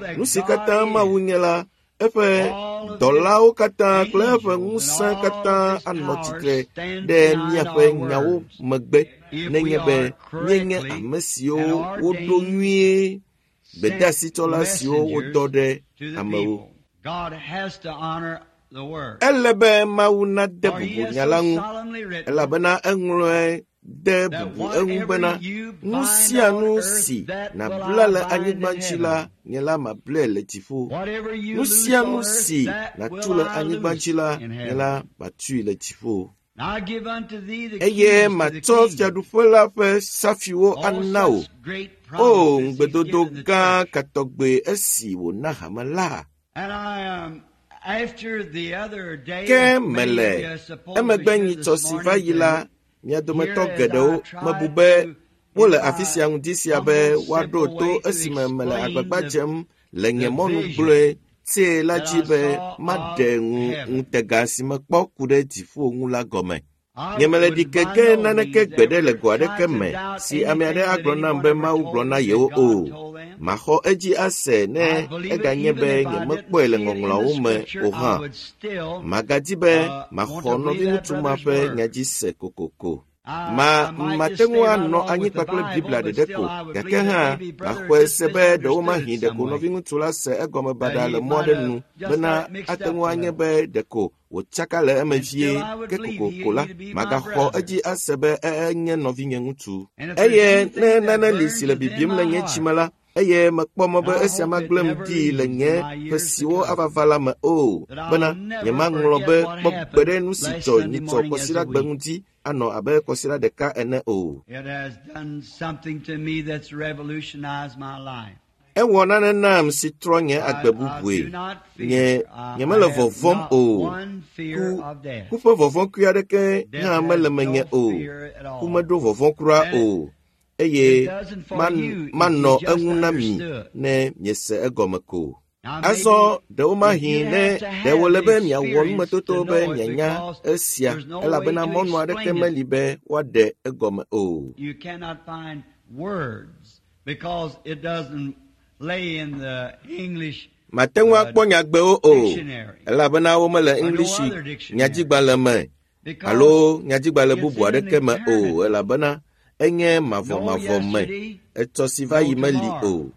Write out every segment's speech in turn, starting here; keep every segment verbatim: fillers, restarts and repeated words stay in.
that Nu si God katã Mawu is, nye la, eƒe all of dɔlawo his katã kple eƒe angels and ŋusẽ all katã of his anɔ powers tsitre stand ɖe behind míaƒe our nyawo words. megbe If we nenye be are míenye correctly ame siwo and woɖo ordained nyuie sent gbedeasitsɔla siwo wodɔ messengers ɖe to the amewo. people. God has to honor the word. Ele be Mawu nade For he bubu has nya la so ŋu solemnly written elabena eŋlɔe de that bubu eŋu bena whatever you nu bind sia on nu earth, si that will nàbla I le bind anyigba in dzi heaven. la, nye la mablae le dziƒo. Whatever you Nu loose sia on nu earth, si that nàtu will le I anyigba loose dzi la, in nye heaven. la matui le dziƒo. And I give unto thee the Eye keys to the matsɔ kingdom. fiaɖuƒe la ƒe safiwo All ana wò. such great O promises he's ŋugbedodo given the gã church. ka tɔgbe esi wòna hame la. And I um, after the other day, Ke many of mele you supposed emegbe to hear nyitsɔ this si va morning yi la, to mia dometɔ hear as geɖewo I tried mebu be to, wole in afi my sia ŋdi sia be humble, woaɖo simple to way to esime mele explain agbagba the, dzem le nye the mɔnu vision gblɔe tee la that dzi I be saw maɖe of ŋu heaven. ŋutega si mekpɔ ku ɖe dziƒo ŋu la gɔme. I Nyemele would ɖi by keke no naneke means gbeɖe le ever go try aɖeke to me doubt si ame aɖe anything that agblɔ nam anyone be ever Mawu told gblɔ me na that yewo God o. told them. Maxɔ edzi ase ne I believe it eganye even be if I didn't nyemekpɔe le see it in the ŋɔŋlɔawo me scripture, o I hã. would still Magadi be uh, want maxɔ to believe that nɔviŋutsu ma brother's ƒe word. nya dzi se kokoko. I, Ma I might mate just ŋu stay right anɔ along anyi with the kpakple Bible, Biblia but ɖeɖe still ko, I would gake believe that hã maybe brother maxɔe just se be ɖewomahi misunderstood it ɖeko some way. nɔviŋutsu la se egɔme That baɖa he le mɔ might aɖe have nu just bena got it mixed ate up ŋu a anye little. be ɖeko wòtsaka le eme And vie still I would ke believe kokoko la he to be my magaxɔ brother. edzi ase be enye nɔvinye ŋutsu. And if there's Eye ne anything that nane li burns si le within bibim my le nye heart, dzime la, eye mekpɔ mɔ and be I esia hope it magblẽm never ɖi le leaves in nye my ƒe years to siwo come, ava va la me o, that I'll bena never nyemaŋlɔ forget be what kpɔ happened gbeɖe nu si last dzɔ Sunday nyitsɔ morning as a kɔsiɖagbe week. ŋuti anɔ abe kɔsiɖa ɖeka ene o. It has done something to me that's revolutionized my life. Ewɔ nane nam si trɔ nye I, agbe I bubue. do not Nye fear. I, I nyemele have vɔvɔ̃m not o. one fear Ku of death. ku ƒe vɔvɔ̃ kui aɖeke Death hã has mele menye no o. fear at Ku all. meɖo vɔvɔ̃ kura And o. it Eye doesn't for man you if you manɔ just eŋu na mi understood. ne miese egɔme ko. Now Azɔ maybe if ɖewomahi you ne have to ɖe have wòle the be miawɔ experience numetoto to be know it mianya because esia there's no way elabena to mɔnu aɖeke explain it. meli be woaɖe egɔme o. You cannot find words because it doesn't lay in the English Mate ŋu uh, akpɔ nyagbewo o dictionary elabena womele or no English other dictionary nyadzigbalẽ me because alo nyadzigbalẽ it's bubu in an aɖeke me o eternity. elabena enye No mavɔmavɔ me. yesterday, Etsɔ si va no yi meli tomorrow. o,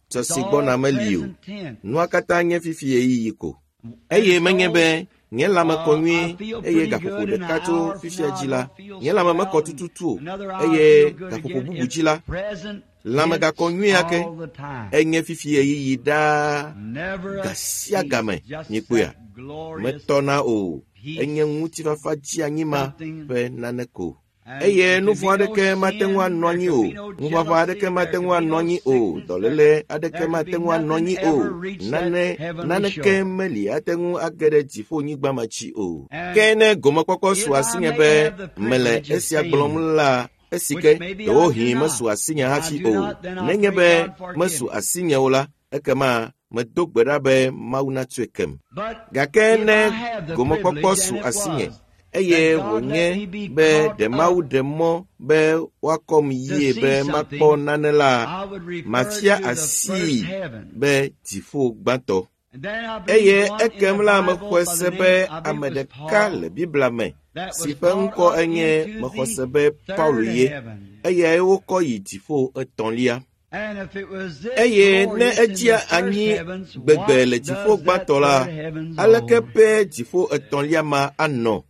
tsɔ It's si all gbɔna meli o. present tense. Nua katã nye fifi ɣeyiɣi ko. And Eye menye so be nye lãme kɔ uh, I nyuie feel eye pretty gaƒoƒo good, and ɖeka an tso hour from fifia now dzi I la, don't feel nye so lãme mekɔ well, and tututu o another hour I eye feel good gaƒoƒo again. bubu It's dzi la, present lãme tense gakɔ nyuie ake. all the time. Enye fifi ɣeyiɣi ɖaa Never a ga sia cease, game just miekpɔea. that glorious Metɔna o. Enye peace, ŋutifafa dzi ma something. ƒe nane ko. And Eye there nu could vɔ̃ be no aɖeke mate ŋu sin, anɔ there anyi could o. be no Ŋuʋaʋã jealousy, aɖeke there mate could ŋu be anɔ no anyi o. sickness, there, Dɔléle aɖeke there could mate be ŋu anɔ nothing anyi o. ever reach that Nane heavenly naneke shore. meli ate ŋu age ɖe dziƒonyigba ma dzi o. And Ke ne gomekpɔkpɔ if su I asinye may be have the mele privilege of esia saying gblɔm it, la, esi which ke maybe I do ɖewohĩ not, mesu asinye if I hafi do o. not, then I Nenye pray be God forgive mesu me. asinye o la, ekema medo gbe ɖa be Mawu natsɔe kem. But Gake if ne I have the gomekpɔkpɔ privilege, su and it asinye was, eye that God let wònye me be be caught ɖe Mawu up ɖe mɔ be woakɔm to yie see be makpɔ something, nane la, I would refer mafia to the first asii heaven. be dziƒo gbãtɔ. And then I believe Eye one in ekem the la Bible mexɔe by se the be name, I believe ame it was ɖeka Paul, le Biblia me that si was ƒe brought ŋkɔ up enye into mexɔ se the be Paulo third ye. heaven. Eyae wokɔ yi dziƒo etɔ̃lia. And if it was this Eye ne glorious in edzia the first anyi heavens, gbegbe what le dziƒo does that gbãtɔ la, third heavens aleke hold? pɛ dziƒo etɔ̃lia ma anɔ?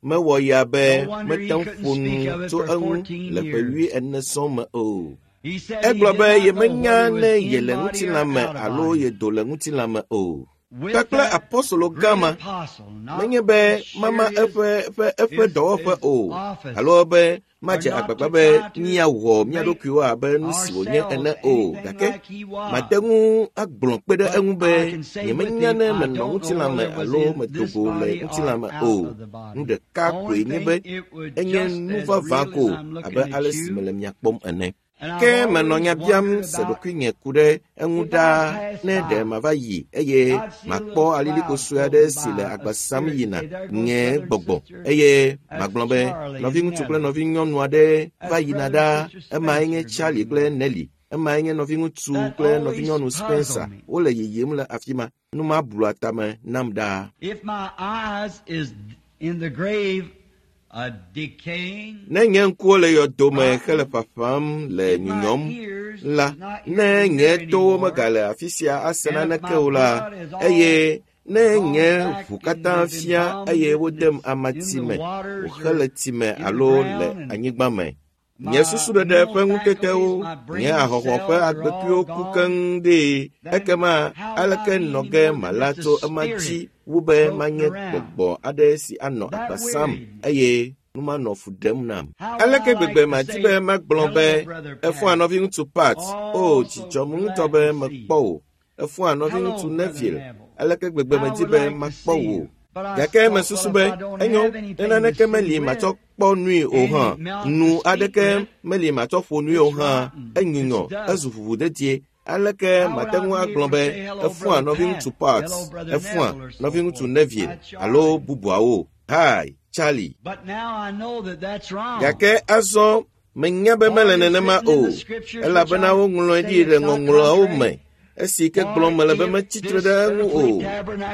Mewɔ ya be No wonder he mete ŋu couldn't ƒo speak nu of it tso for eŋu fourteen le ƒe years. wui ene sɔŋ me o. He said he Egblɔ did be not know yemenya whether he was ne in yele body or ŋutilã me out of alo body. yedo le ŋutilã me o. With Kpakple that apɔstolo gã great ma, apostle, not menye be to mama share his, eƒe eƒe eƒe his, dɔwɔƒe his o office alo be or madze not agbagba to be try to míawɔ mía make ɖokuiwo abe nu si wònye ene ourselves o anything gake like he was. mate ŋu agblɔ kpe ɖe But eŋu be I can say with nyemenya him, ne I menɔ don't know ŋutilã me whether it was alo in medo this go le body or ŋutilã me out o. of the Nu body. ɖeka Only koe nye thing, be it would enye just nu as vavã real ko as I'm abe looking ale at si you. mele mia kpɔm ene. And I've Ke menɔ always nya biam wondered se about ɖokuinye ku ɖe eŋu if I ɖaa pass ne ɖe by, mava yi eye I'd see a makpɔ little alilikpo cloud sue aɖe floating si le by, a agba sam spirit yina say, there goes nye brother and gbɔgbɔ sister, eye that's magblɔ be Charlie and nɔviŋutsu kple Nellie. nɔvinyɔnu aɖe va That's yina brother ɖaa and sister emae nye Spencer Charlie going kple by. Nelly emae nye nɔviŋutsu That kple always nɔvinyɔnu Spencer puzzled me. wole yiyim le afi ma nu ma blua tame nam ɖaa. If my eyes is in the grave, uh, decaying, Ne nye ŋkuwo le yɔdome hele rotten, ƒaƒam le if my nyunyɔm ears la, is not ne hearing nye here towo anymore, megale afi sia ase and if naneke my o la, blood is all eye Ne nye ʋu katã fia eye wodem amatsi me, wòxe le tsi me alo le anyigba me. Nye susuɖeɖe ƒe ŋutetewo, nye ahɔhɔ ƒe agbekuiwo ku keŋ ɖee. Ekema aleke nɔ ge mala tso ema dzi wu be manye gbɔgbɔ aɖe si anɔ agba sam eye nu manɔ fu ɖem nam. Aleke gbegbe madi be magblɔ be efɔa nɔviŋutsu Pat, o dzidzɔm ŋutɔ be mekpɔ wò. Efɔa nɔviŋutsu Neville, aleke gbegbe medi be makpɔ wò. Gake mesusu be enyo ne naneke meli matsɔ kpɔ nui o hã, nu aɖeke meli matsɔ ƒo nui o hã, enyunyɔ, ezu ʋuʋudedie. Aleke mate ŋu agblɔ be efɔa nɔviŋutsu Pat, efɔa nɔviŋutsu Neville alo bubuawo. Hi, Charlie. Gake azɔ menya be mele nenema o, elabena woŋlɔe ɖi le ŋɔŋlɔawo me. Esi ke gblɔm mele be metsitre ɖe eŋu o,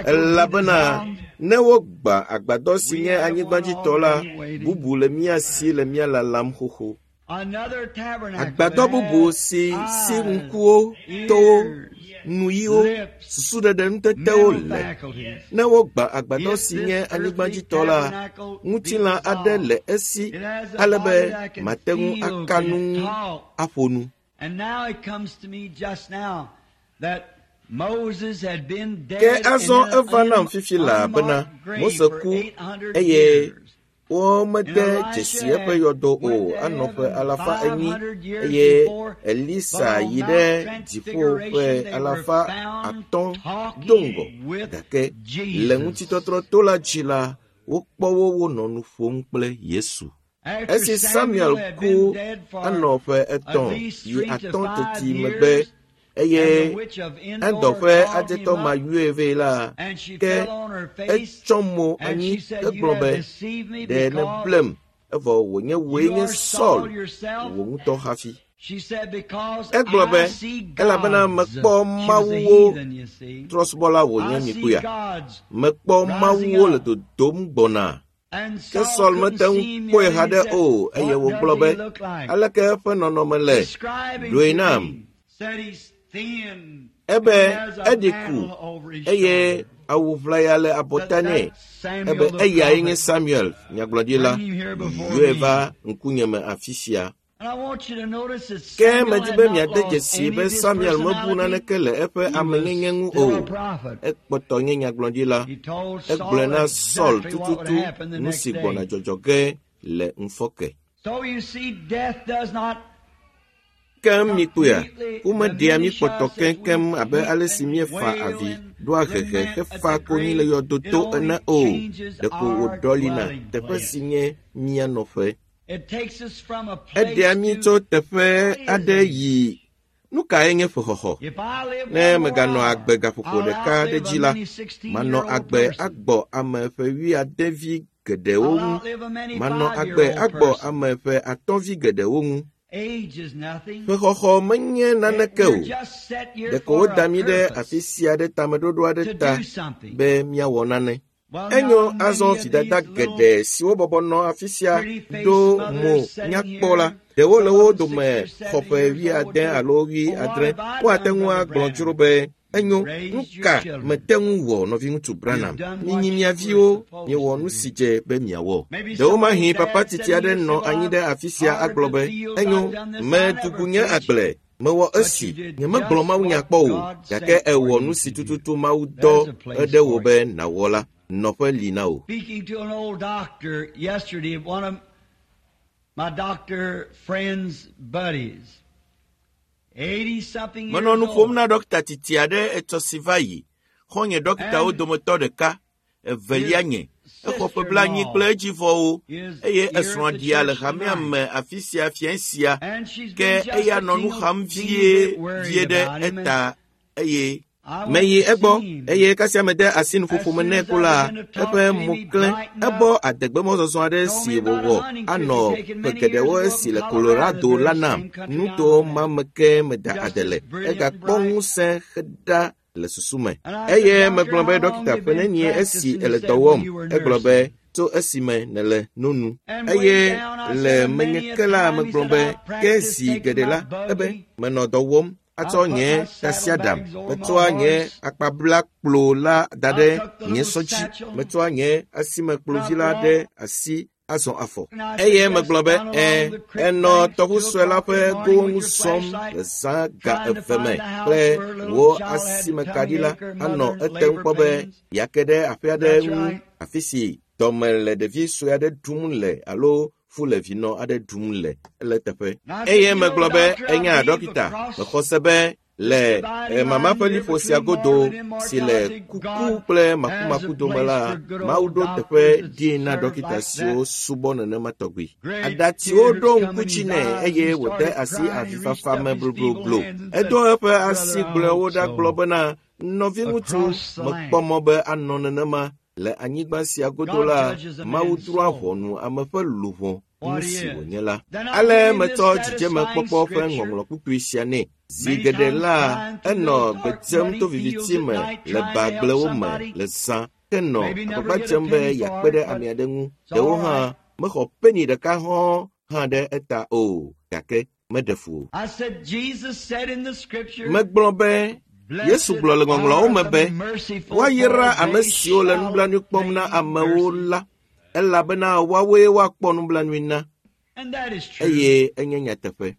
elabena ne wogba agbadɔ si nye anyigbadzitɔ la, bubu le mía si le mía lalam xoxo. Agbadɔ bubu si si ŋkuwo, towo, nuyiwo, susuɖeɖe ŋutetewo le. Ne wogba agbadɔ si nye anyigbadzitɔ la, ŋutilã aɖe le esi ale be mate ŋu aka nu ŋu aƒo nu. Ke azɔ eva nam fifi laa bena Mose ku eye womede dzesi eƒe yɔdo o anɔ ƒe alafa enyi eye Elisa yi ɖe dziƒo ƒe alafa atɔ̃ do ŋgɔ. Gake le ŋutitɔtrɔ to la dzi la, wokpɔ wo wonɔ nu ƒom kple Yesu. Esi Samuel ku anɔ ƒe etɔ̃ yi atɔ̃ teti megbe eye Endor ƒe adzetɔ ma yɔe vɛ la, ke etsɔ mo anyi hegblɔ be, ɖe nèblem, evɔ wònye wòe nye Saul, wò ŋutɔ hafi. Egblɔ be, elabena mekpɔ mawuwo, trɔ̃subɔla wònye mikuya. Mekpɔ mawuwo le dodom gbɔna. Ke Saul mete ŋu kpɔe haɖe o, eye wògblɔ be, aleke eƒe nɔnɔme le? Ɖoe nam. Ebe eɖi ku eye awu ʋlaya le abɔta nɛ. Ebe eyae nye Samuel, nyagblɔɖila, yɔe va ŋkunyeme afi sia. Ke medi be miade dzesi be Samuel mebu naneke le eƒe amenyenye ŋu o. Ekpɔtɔ nye nyagblɔɖila. Egblɔe na Saul tututu nu si gbɔna dzɔdzɔ ge le ŋufɔke. Keŋ mikpɔea, womeɖea mí kpɔtɔ keŋkeŋ abe ale si míefa avi, ɖoa hehe hefa konyi le yɔdoto ene o. Ɖeko wòɖɔlina teƒe si nye mía nɔƒe. Eɖea mí tso teƒe aɖe yi. Nu kae nye ƒexɔxɔ? Ne meganɔ agbe gaƒoƒo ɖeka ɖe dzi la, manɔ agbe agbɔ ame ƒe wuiade vi geɖewo ŋu. Manɔ agbe agbɔ ame ƒe atɔ̃ vi geɖewo ŋu. Ƒexɔxɔ menye naneke o. Ɖeko woda mí ɖe afi sia ɖe tameɖoɖo aɖe ta be míawɔ nane. Enyo azɔ vidada geɖe siwo bɔbɔ nɔ afi sia ɖo mo nyakpɔ la, ɖewo le wo dome xɔ ƒe wuiade alo wuiadre. Woate ŋu agblɔ dzro be, enyo, nu ka mete ŋu wɔ nɔviŋutsu Branham? Minyi mia viwo, miewɔ nu si dze be miawɔ. Ɖewomahi papa titi aɖe nɔ anyi ɖe afi sia agblɔ be, enyo, medugu nye agble, mewɔ esi, nyemegblɔ mawunya kpɔ o, gake ewɔ nu si tututu Mawu dɔ eɖe wò be nàwɔ la, nɔƒe li na wò. Speaking to an old doctor yesterday, one of my doctor friend's buddies. Menɔ nu ƒom na ɖɔkita titi aɖe etsɔ si va yi. Xɔ̃nye ɖɔkitawo dometɔ ɖeka, evelia nye. Exɔ ƒe blaenyi kple edzivɔwo eye esrɔ̃a ɖia le hamea me afi sia fiẽ sia. Ke eya nɔ nu xam vie vie ɖe eta eye meyi egbɔ eye kasia mede asi nuƒoƒo me nɛ ko la, eƒe mo klẽ. Ebɔ adegbemɔzɔzɔ aɖe si wòwɔ anɔ ƒe geɖewo esi le Colorado la nam. Nuto ma me ke meda ade le. Egakpɔ ŋusẽ xeɖa le susu me. Eye megblɔ be ɖɔkita ƒe nenie esi ele dɔ wɔm. Egblɔ be tso esime nèle no nu. Eye le menye ke la megblɔ be ke zi geɖe la, ebe menɔ dɔ wɔm. atsɔ nye tasiaɖam, metsɔa nye akpablakplo la da ɖe nye sɔ dzi, metsɔa nye asimekplovi la ɖe asi azɔ afɔ. Eye megblɔ be, ẽ, enɔ tɔʋu sue la ƒe gowo ŋu zɔm le zã ga eve me kple wò asimekaɖi la anɔ etem kpɔ be yeake ɖe aƒe aɖe ŋu afi si dɔme le ɖevi sue aɖe ɖum le alo fu le vinɔ aɖe ɖum le ele teƒe. Eye megblɔ be, enya ɖɔkita, mexɔ se be le mama ƒe liƒo sia godo si le kuku kple makumaku dome la, Mawu ɖo teƒe ɖi na ɖɔkita siwo subɔ nenema tɔgbi. Aɖatsiwo ɖo ŋku dzi nɛ eye wòde asi avifafa me blobloblo. Edo eƒe asi gblɔewo ɖa gblɔ bena, nɔviŋutsu, mekpɔ mɔ be anɔ nenema. Le anyigba sia godo la, Mawu drɔ̃a ʋɔnu ame ƒe luʋɔ nu si wònye la. Ale metsɔ dzidzemekpɔkpɔ ƒe ŋɔŋlɔ kpukpui sia nɛ. Zi geɖe la, enɔ gbe dzem to viviti me le bagblewo me le zã ke nɔ agbagba dzem be yeakpe ɖe ame aɖe ŋu. Ɖewo hã mexɔ peni ɖeka hɔ̃ hã ɖe eta o, gake meɖe fu o. Megblɔ be Yesu gblɔ le ŋɔŋlɔawo me be, woayra ame siwo le nublanui kpɔm na amewo la, elabena woawoe woakpɔ nublanui na. Eye enye nyateƒe.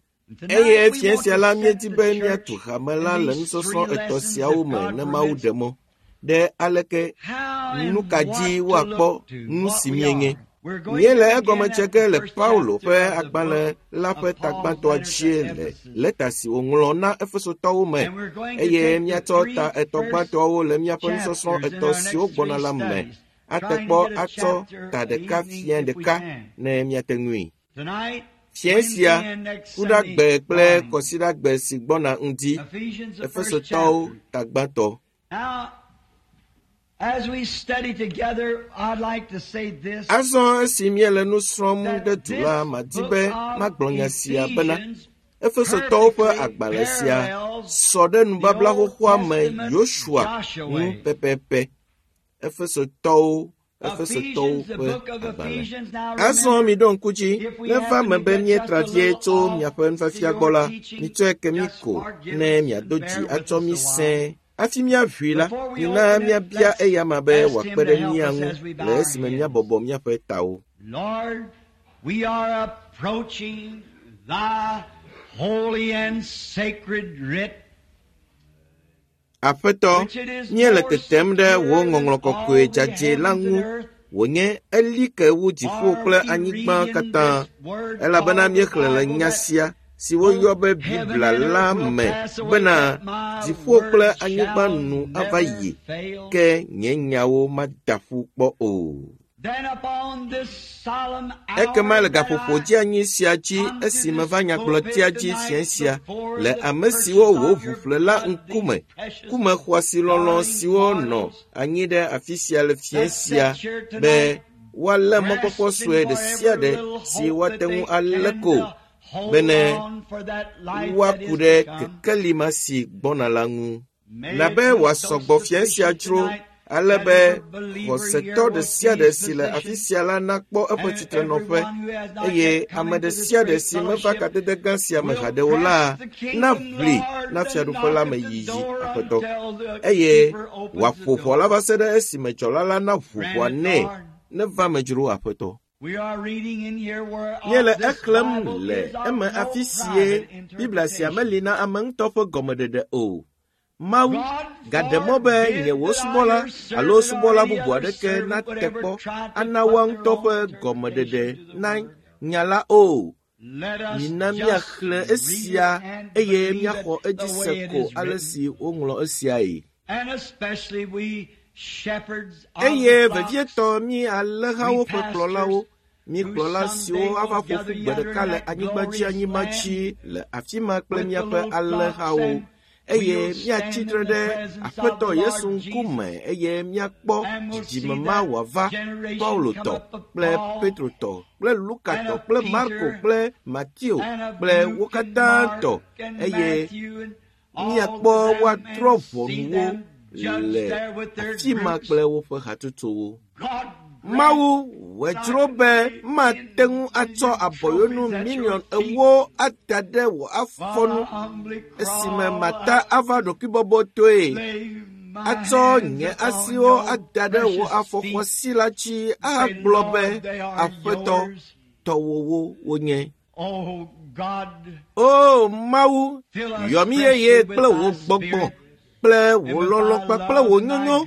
Eye fiẽ sia la míedi be míatu hame la le nusɔsrɔ̃ etɔ̃ siawo me ne Mawu ɖe mɔ ɖe aleke nu ka dzi woakpɔ nu si míenye. Míele egɔme tse ge le Paulo ƒe agbalẽ la ƒe tagbãtɔa dzie le lɛta si wòŋlɔ na Efesotɔwo me eye míatsɔ ta etɔ̃ gbãtɔawo le míaƒe nusɔsrɔ̃ etɔ̃ siwo gbɔna la me ate kpɔ atsɔ ta ɖeka fia ɖeka ne míate ŋui. Fiẽ sia, Kuɖagbe kple Kɔsiɖagbe si gbɔna ŋdi, Efesotɔwo tagbãtɔ. Azɔ esi míele nu srɔ̃m ɖe du la, madi be magblɔ nya sia bena Efesotɔwo ƒe agbalẽ sia sɔ ɖe nubabla xoxoa me Yosua ŋu pɛpɛpɛ. Efesotɔwo Efesotɔwo ƒe agbalẽ. Azɔ miɖo ŋku dzi, neva me be míetra vie tso miaƒe nufiafia gbɔ la, mitsɔe ke mí ko ne miado dzi atsɔ mí sẽe. Hafi míaʋui la, mina míabia eyama be wòakpe ɖe mía ŋu le esime míabɔbɔ míaƒe tawo. Lord, we are approaching thy holy and sacred writ. Aƒetɔ, míele tetem ɖe wò ŋɔŋlɔ kɔkɔe dzadzɛ la ŋu wònye eli ke wu dziƒo kple anyigba katã, elabena míexlẽ le nya sia si woyɔ be Biblia la me bena dziƒo kple anyigba nu ava yi, ke nye nyawo mada ƒu kpɔ o. Ekema le gaƒoƒo dzeanyi sia dzi esi meva nyagblɔtia dzi fiẽ sia le ame siwo wò ʋu ƒle la ŋkume, kume xɔasi lɔlɔ̃ siwo nɔ anyi ɖe afi sia le fiẽ sia be woalé mɔkpɔkpɔ sue ɖe sia ɖe si woate ŋu alé ko bene woaku ɖe kekeli ma si gbɔna la ŋu. Na be wòasɔ gbɔ fiẽ sia dzro ale be xɔsetɔ ɖe sia ɖe si le afi sia la nakpɔ eƒe tsitrenɔƒe eye ame ɖe sia ɖe si meva kadede gã sia me haɖe o la naʋli na fiaɖuƒe la me yiyi Aƒetɔ eye wòaƒo ʋɔ la va se ɖe esime dzɔla la naʋu ʋɔa nɛ neva me dzro Aƒetɔ. Míele exlẽm le eme afi sie Biblia sia meli na ame ŋutɔ ƒe gɔmeɖeɖe o. Mawu gaɖe mɔ be nye wò subɔla alo subɔla bubu aɖeke nate kpɔ ana woa ŋutɔ ƒe gɔmeɖeɖe na nya la o. Mina míaxlẽ esia eye míaxɔ edzi se ko ale si woŋlɔ esiae. Eye vevietɔ mí alẽhawo ƒe kplɔlawo, mí kplɔla siwo ava ƒo ƒu gbe ɖeka le anyigba dzi anyigba dzi le afi ma kple míaƒe alẽhawo eye míatsi tre ɖe Aƒetɔ Yesu ŋkume eye míakpɔ dzidzime ma wòava Paulo tɔ kple Petro tɔ kple Luka tɔ kple Marko kple Mateo kple wo katã tɔ eye míakpɔ woadrɔ̃ ʋɔnu wo le afi ma kple woƒe hatsotsowo. Mawu wòdzro be mate ŋu atsɔ abɔyonu miliɔn ewo ada ɖe wò afɔnu esime mata ava ɖokuibɔbɔtɔe atsɔ nye asiwo ada ɖe wò afɔxɔasi la dzi ahagblɔ be aƒetɔ tɔwòwo wonye. O Mawu, yɔ mí yeye kple wò gbɔgbɔ kple wò lɔlɔ̃ kpakple wò nyonyo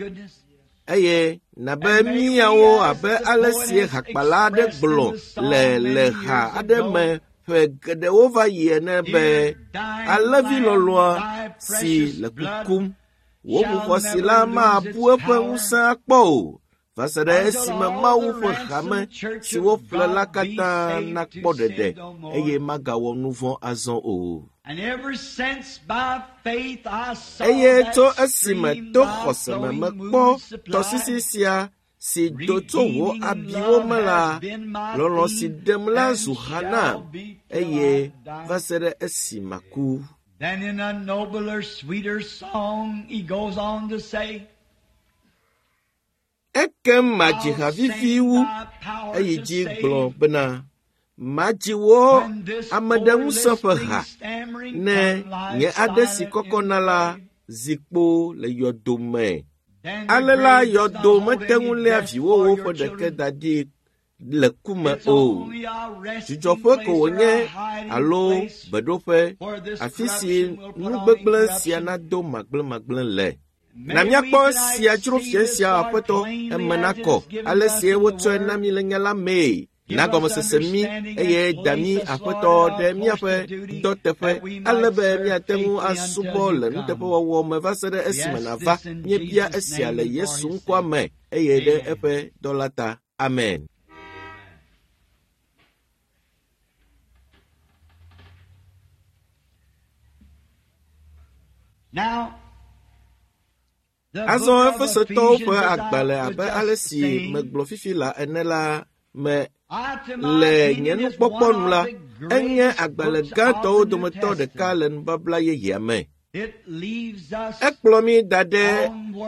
eye nabe míawo abe ale si hakpala aɖe gblɔ le le ha aɖe me ƒe geɖewo va yi ene be alẽvi lɔlɔ̃a si le kukum wò ʋuxɔsi la mabu eƒe ŋusẽ akpɔ o va se ɖe esime Mawu ƒe hame si woƒle la katã nakpɔ ɖeɖe eye magawɔ nu vɔ̃ azɔ o. Eye tso esime to xɔse me mekpɔ tɔsisi sia si do tso wò abiwo me la, lɔlɔ̃ si ɖem la zu ha nam eye va se ɖe esi maku. Then in a nobler, sweeter song, he goes on to say, Ekem madzi ha vivi wu, eyi dzi gblɔ bena, madzi wò ameɖeŋusẽ ƒe ha ne nye aɖe si kɔkɔna la zi kpo le yɔdo me. Ale la yɔdo mete ŋu léa viwòwo ƒe ɖeke da ɖi le ku me o. Dzudzɔƒe ko wònye alo beɖoƒe, afi si nugbegblẽ sia nado magblẽmagblẽ le. Na míakpɔ esia dzro fia sia aƒetɔ eme nakɔ ale si wotsɔe na mí le nya la mee. Na gɔmesese mí eye da mí aƒetɔ ɖe míaƒe dɔteƒe ale be míate ŋu asubɔ le nuteƒewɔwɔ me va se ɖe esime nàva. Míebia esia le Yesu ŋkɔa me eye ɖe eƒe dɔla ta. Amen. Now, Azɔ Efesotɔwo ƒe agbalẽ abe ale si megblɔ fifi la ene la me le nye nukpɔkpɔ nu la, enye agbalẽ gãtɔwo dometɔ ɖeka le nubabla yeyea me. Ekplɔ mí da ɖe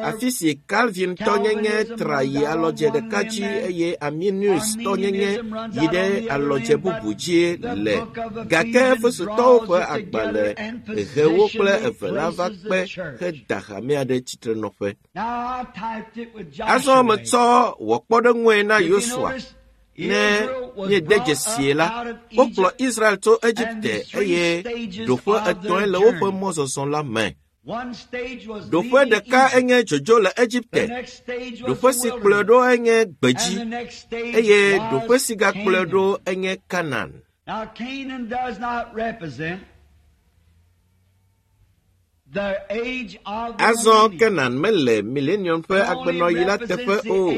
afi si Calvintɔnyenye tra yi alɔdze ɖeka dzi eye Arminiustɔnyenye yi ɖe alɔdze bubu dzi le. Gake Efesotɔwo ƒe agbalẽ ʋewo kple eve la va kpe heda hamea ɖe tsitrenɔƒe. Azɔ metsɔ wɔ kpɔɖeŋue na Yosua. Ne míede dzesie la, wokplɔ Israel tso Egipte eye ɖoƒe etɔ̃e le woƒe mɔzɔzɔ la me. Ɖoƒe ɖeka enye dzodzo le Egipte, ɖoƒe si kplɔe ɖo enye gbedzi eye ɖoƒe si gakplɔe ɖo enye Kanan. Now, Canaan does not represent the age of the Azɔ millennium. Kenan mele milenium ƒe agbenɔɣi la teƒe o.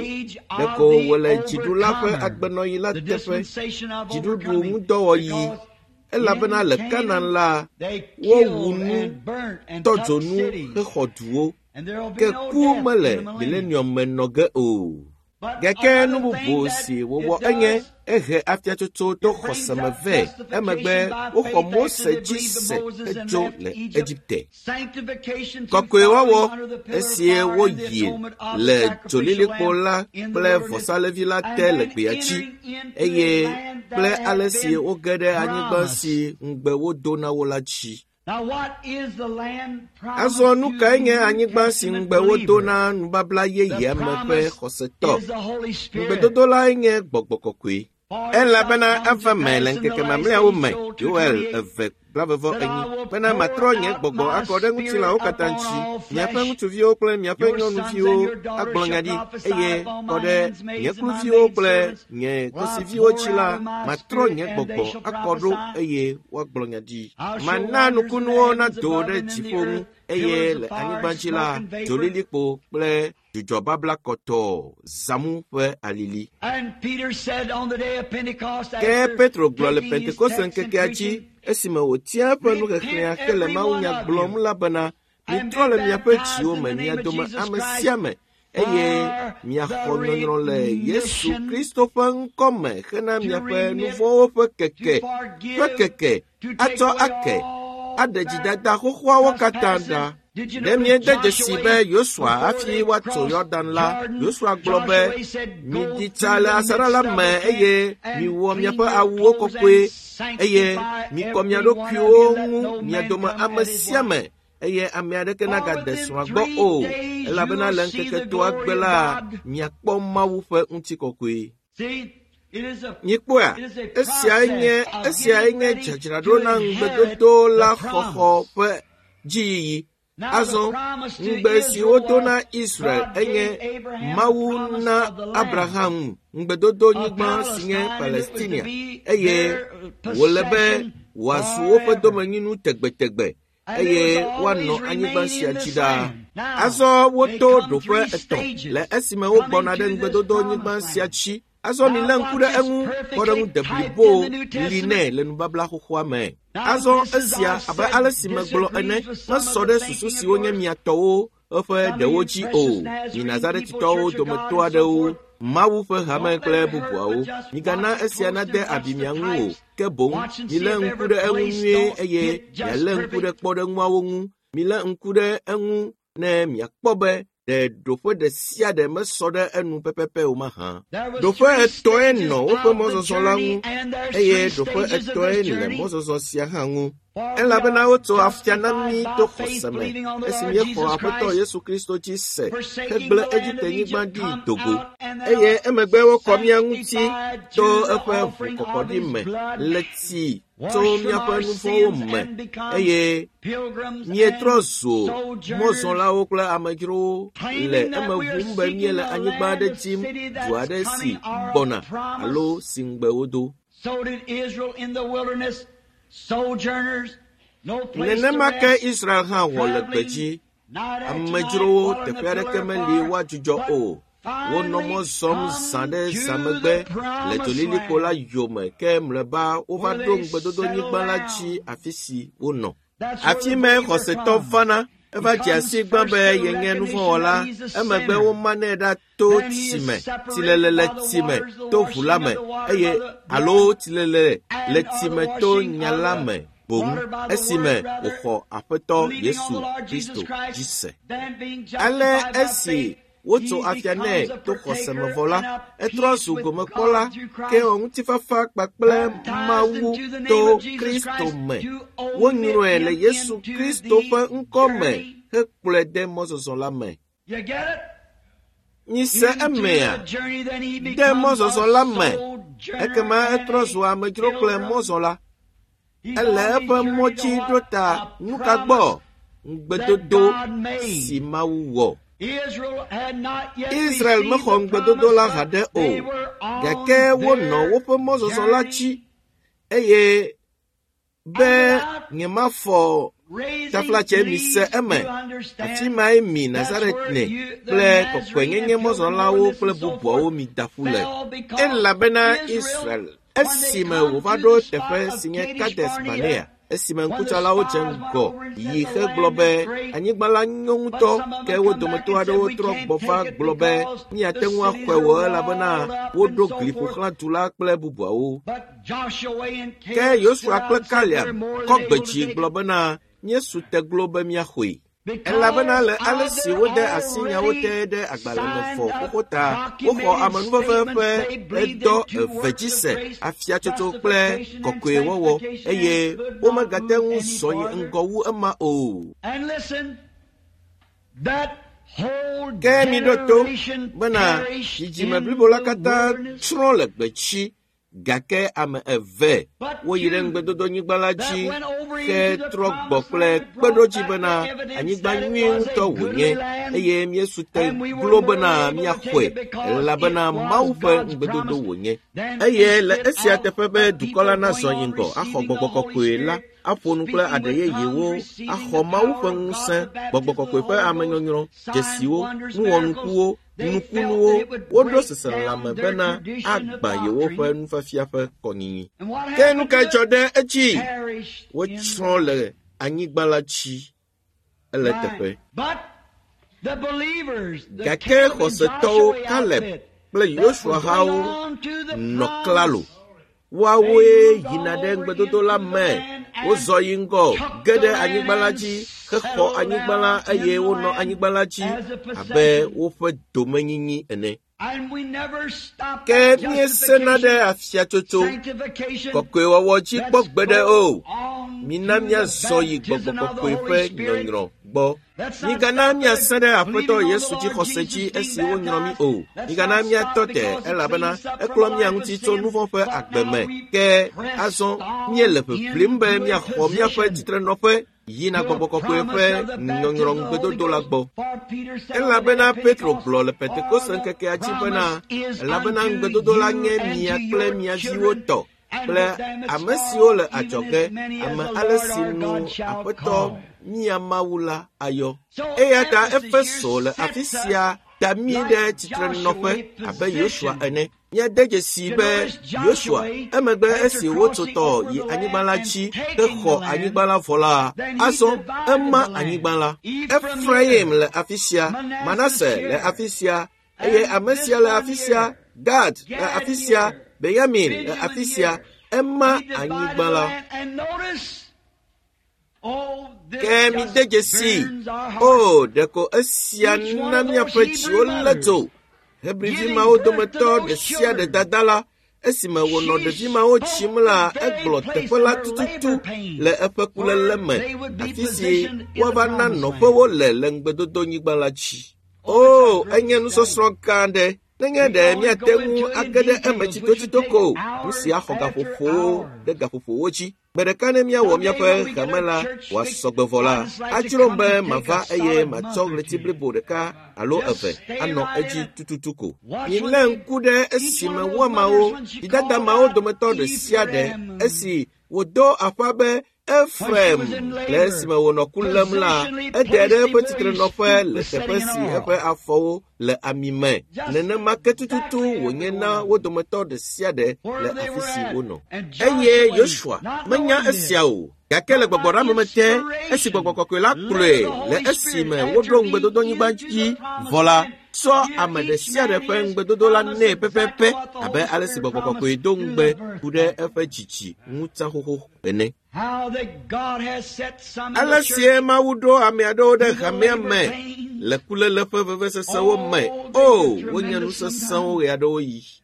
Ɖeko wòle dziɖula ƒe agbenɔɣi la The teƒe, dispensation of dziɖuɖu overcoming. ŋudɔwɔɣi. Because Elabena le in Kanan la, they wowu killed nu, and burnt and tɔ took dzo nu cities. hexɔ duwo. And there will be Ke no ku death mele in the millennium. milenium me nɔ ge o. But Gake another nu thing bubu that si it wòwɔ enye does, ehe afiatsotso to it brings xɔse me up vɛ. Emegbe justification by woxɔ faith Mose after they dzi believed se Moses and hedzo left le Egypt. Egipte. Sanctification through Kɔkɔewɔwɔ following under the pillar of esie fire and the woyi atonement of the le sacrificial dzolilikpo lamb la in the kple wilderness, vɔsalevi la and te le then gbea dzi entering into a eye land kple that ale had si been woge ɖe anyigba promised. si ŋugbe wodo na wo la dzi. Now, what is the land promised Azɔ nu to kae the nye New anyigba si Testament ŋugbe wodo believer? na nubabla The yeyea me ƒe promise xɔsetɔ? is the Holy Spirit. Ŋugbedodo lae nye gbɔgbɔ kɔkɔe. For it shall Elabena come to ava me pass le in the ŋkeke last mamlɛawo days, me, Joel two Yoel twenty-eight, eve blavevɔ that I enyi, will bena pour matrɔ nye out gbɔgbɔ my akɔ ɖe spirit ŋutilãwo katã upon ŋuti. all Miaƒe flesh. ŋutsuviwo kple miaƒe Your sons and nyɔnuviwo your daughters agblɔ nya shall ɖi prophesy eye upon kɔ my ɖe handmaids nye and my kluviwo kple maidservants. nye Will I kosiviwo pour dzi la, out of my matrɔ spirit nye and they gbɔgbɔ shall akɔ ɖo prophesy. eye woagblɔ nya ɖi. I'll show Mana wonders in the nukunuwo heavens nado above ɖe and in the dziƒo ŋu earth, eye pillars le of fire anyigba and dzi la, smoke and vapor. dzolilikpo kple dzudzɔbabla kɔtɔɔ, zãmu ƒe alili. And Peter said on the day of Pentecost, Ke after Petro gblɔ le taking his Pentekoste text and ŋkekea dzi preaching, esime wòtia eƒe nuxexlẽa Repent hele every one mawunya of gblɔm you la bena, and mitrɔ be le miaƒe baptized dziwo in me the mia name of dome Jesus ame Christ sia ame eye for miaxɔ the nyɔnyrɔ le Yesu remission, Kristo ƒe ŋkɔ me hena to miaƒe remit, nuvɔ̃wo ƒe to keke ƒe forgive, keke to take atsɔ away ake all aɖe their dzidada xoxoawo katã trespasses ɖa Ɖe miede dzesi be Yosua hafi woatso Yɔdan la, Yosua gblɔ be, “Miɖi tsa le asaɖa la me eye miwɔ miaƒe awuwo kɔkɔe eye mikɔ mia ɖokuiwo ŋu mia dome ame sia ame eye ame aɖeke nagade srɔ̃a gbɔ o, elabena le ŋkeke etɔ̃a gbe la, miakpɔ Mawu ƒe ŋutikɔkɔe.” Mikpɔa, esiae nye esiae nye dzadzraɖo na ŋugbedodo la xɔxɔ ƒe dziyiyi. Azɔ, ŋugbe si wodo na Israel enye Mawu na Abraham ŋugbedodonyigba si nye Palestinia eye wòle be wòazu woƒe domenyinu tegbetegbe eye woanɔ anyigba sia dzi ɖaa. Azɔ woto ɖoƒe etɔ̃ le esime wogbɔna ɖe ŋugbedodonyigba sia dzi. Azɔ milé ŋku ɖe eŋu kpɔɖeŋu deblibo li nɛ le nubabla xoxoa me. Azɔ esia abe ale si megblɔ ene mesɔ ɖe susu siwo nye mia tɔwo eƒe ɖewo dzi o. Mi Nazaretitɔwo dometɔ aɖewo, Mawu ƒe hame kple bubuawo, migana esia nade abi mia ŋu o, ke boŋ milé ŋku ɖe eŋu nyuie eye mialé ŋku ɖe kpɔɖeŋuawo ŋu. Milé ŋku ɖe eŋu ne miakpɔ be ɖe ɖoƒe ɖe sia ɖe mesɔ ɖe enu pɛpɛpɛ o mahã. Ɖoƒe etɔ̃e nɔ woƒe mɔzɔzɔ la ŋu eye ɖoƒe etɔ̃e le mɔzɔzɔ sia hã ŋu. Elabena wotso afia na mí to xɔse me esi míexɔ Aƒetɔ Yesu Kristo dzi se hegblẽ Egipte-nyigba ɖi do go. Eye emegbe wokɔ mía ŋuti to eƒe ʋukɔkɔɖi me le tsi tso míaƒe nu vɔ̃wo me eye míetrɔ zu mɔzɔlawo kple amedzrowo le eme ʋum be míele anyigba aɖe dim, du aɖe si gbɔna alo si ŋugbe wodo. Nenema ke Israel hã wɔ le gbedzi. Amedzrowo teƒe aɖeke meli woadzudzɔ o. Wonɔ mɔ zɔm zã ɖe zã megbe le dzolilikpo la yome ke mlɔeba wova ɖo ŋugbedodonyigba la dzi afi si wonɔ. Afi mae xɔsetɔ vana eva dze asi gbã be yenye nuvɔ̃wɔla. Emegbe womanɛ ɖa to tsi me, tsilele le tsi me to ʋu la me eye alo tsilele le tsi me to nya la me boŋ esime wòxɔ Aƒetɔ Yesu Kristo dzi se. Ale esi wotso afia nɛ to xɔse me vɔ la, etrɔ zu gomekpɔla ke wɔ ŋutifafa kpakple Mawu to Kristo me. Wonyrɔe le Yesu Kristo ƒe ŋkɔ me hekplɔe de mɔzɔzɔ la me. Mise emea, de mɔzɔzɔ la me, ekema etrɔ zu amedzro kple mɔzɔla. Ele eƒe mɔ dzi ɖo ta nu ka gbɔ? Ŋugbedodo si Mawu wɔ. Israel mexɔ ŋugbedodo la haɖe o, gake wonɔ woƒe mɔzɔzɔ la dzi eye be nyemafɔ taflatse mise eme. Afi mae mi Nazaretne kple kɔkɔenyenye mɔzɔlawo kple bubuawo mi da ƒu le. Elabena Israel esime wòva ɖo teƒe si nye Kades Barnea, esime ŋkutsalawo dze ŋgɔ yi hegblɔ be anyigba la nyo ŋutɔ, ke wo dometɔ aɖewo trɔ gbɔ va gblɔ be míate ŋu axɔe o elabena woɖo gli ƒo xlã du la kple bubuawo. Ke Yosua kple Kaleb kɔ gbe dzi gblɔ bena míesu te glo be míaxɔe. Elabena le ale si wode asi nyawo te ɖe agbalẽ me vɔ xoxo ta, woxɔ amenuveve ƒe edɔ eve dzi se, afiatsotso kple kɔkɔewɔwɔ eye womegate ŋu zɔ yi ŋgɔ wu ema o. Ke miɖo to bena dzidzime blibo la katã tsrɔ̃ le gbedzi gake ame eve woyi ɖe ŋugbedodonyigba la dzi hetrɔ gbɔ kple kpeɖodzi bena anyigba nyui ŋutɔ wònye eye míesu te glo bena míaxɔe elabena Mawu ƒe ŋugbedodo wònye. Eye le esia teƒe be dukɔ la nazɔ yi ŋgɔ axɔ gbɔgbɔ kɔkɔe la, aƒo nu kple aɖe yeyewo, axɔ Mawu ƒe ŋusẽ, gbɔgbɔ kɔkɔe ƒe amenyɔnyrɔ, dzesiwo, nuwɔnukuwo, nukunuwo, woɖo seselelãme bena agbã yewoƒe nufiafia ƒe kɔnyinyi. Ke nu kae dzɔ ɖe edzi? Wotsrɔ̃ le anyigba la dzi ele teƒe. Gake xɔsetɔwo Kaleb kple Yosua hawo nɔ klalo. Woawoe yina ɖe ŋugbedodo la me. Wozɔ yi ŋgɔ, ge ɖe anyigba la dzi, hexɔ anyigba la eye wonɔ anyigba la dzi abe woƒe domenyinyi ene. Ke míesena ɖe afiatsotso, kɔkɔewɔwɔ dzi kpɔ gbeɖe o. Mina míazɔ yi gbɔgbɔ kɔkɔe ƒe nyɔnyrɔ gbɔ. Migana míasẽ ɖe Aƒetɔ Yesu dzixɔse dzi esi wonyrɔ mí o. Migana míatɔ te elabena eklɔ mía ŋuti tso nu vɔ̃ ƒe agbe me. Ke azɔ míele ʋiʋlim be míaxɔ míaƒe tsitrenɔƒe yina gbɔgbɔ kɔkɔe ƒe nyɔnyrɔ ŋugbedodo la gbɔ. Elabena Petro gblɔ le Pentekoste ŋkekea dzi bena, elabena ŋugbedodo la nye mia kple mia viwo tɔ kple ame siwo le adzɔge, ame ale si nu Aƒetɔ mía Mawu la ayɔ. Eya ta Efeso le afi sia da mí ɖe tsitrenɔƒe abe Yosua ene. Míade dzesi be Yosua emegbe esi wotso tɔ yi anyigba la dzi hexɔ anyigba la vɔ la, azɔ ema anyigba la. Efraim le afi sia, Manase le afi sia, eye ame sia le afi sia, Gad le afi sia, Benyamin le afi sia, ema anyigba la. Ke mide dzesi, o ɖeko esia na míaƒe dziwo lé dzo. Hebrivi mawo dometɔ ɖe sia ɖe dada la, esime wònɔ ɖevi mawo tsim la, egblɔ teƒe la tututu le eƒe kuléle me, afi si woava na nɔƒewo le le ŋugbedodonyigba la dzi. O, enye nusɔsrɔ̃ gã aɖe. Nenye ɖe míate ŋu age ɖe eme tsitotsito ko, nu sia xɔ gaƒoƒowo ɖe gaƒoƒowo dzi. Gbe ɖeka ne míawɔ míaƒe hame la wòasɔ gbe vɔ la, adzrom be mava eye matsɔ ɣleti blibo ɖeka alo eve anɔ edzi tututu ko. Milé ŋku ɖe esime woamawo, vidada mawo dometɔ ɖe sia ɖe esi wòdo aƒa be Efraim le esime wònɔ ku lém la, ede ɖe eƒe tsitrenɔƒe le teƒe si eƒe afɔwo le ami me. Nenema ke tututu wònye na wo dometɔ ɖe sia ɖe le afi si wonɔ. Eye Yosua menya esia o, gake le gbɔgbɔɖeame te, esi gbɔgbɔ kɔkɔe la kplɔe le esime woɖo ŋugbedodonyigba dzi vɔ la, tsɔ ame ɖe sia ɖe ƒe ŋugbedodo la nɛ pɛpɛpɛ abe ale si gbɔgbɔ kɔkɔe do ŋugbe ku ɖe eƒe dzidzi ŋu tsã xoxo ene. Ale sie Mawu ɖo ame aɖewo ɖe hamea me le kuléle ƒe vevesesewo me. O, wonye nu sesẽwo ɣeaɖewoɣi.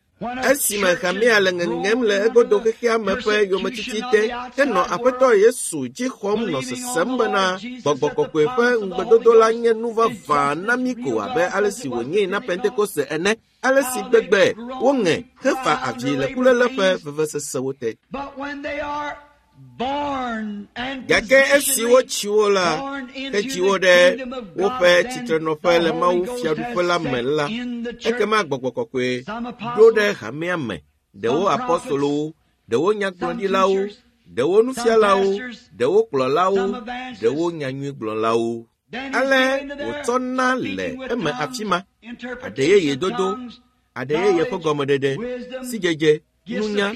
Esime hamea le ŋeŋem le egodo xexea me ƒe yometiti te, henɔ Aƒetɔ Yesu dzi xɔm nɔ sesem bena gbɔgbɔ kɔkɔe ƒe ŋugbedodo la nye nu vavã na mí ko abe ale si wònyee na Pentekoste ene. Ale si gbegbe woŋe hefa avi le kuléle ƒe vevesesewo te. Gake esi wotsi wo la, hedzi wo ɖe woƒe tsitrenɔƒe le Mawu fiaɖuƒe la me la, ekema gbɔgbɔ kɔkɔe ɖo ɖe hamea me, ɖewo apɔstolowo, ɖewo nyagblɔɖilawo, ɖewo nufialawo, ɖewo kplɔlawo, ɖewo nyanyuigblɔlawo. Ale wòtsɔna le eme afi ma, aɖe yeye dodo, aɖe yeye ƒe gɔmeɖeɖe, sidzedze, nunya,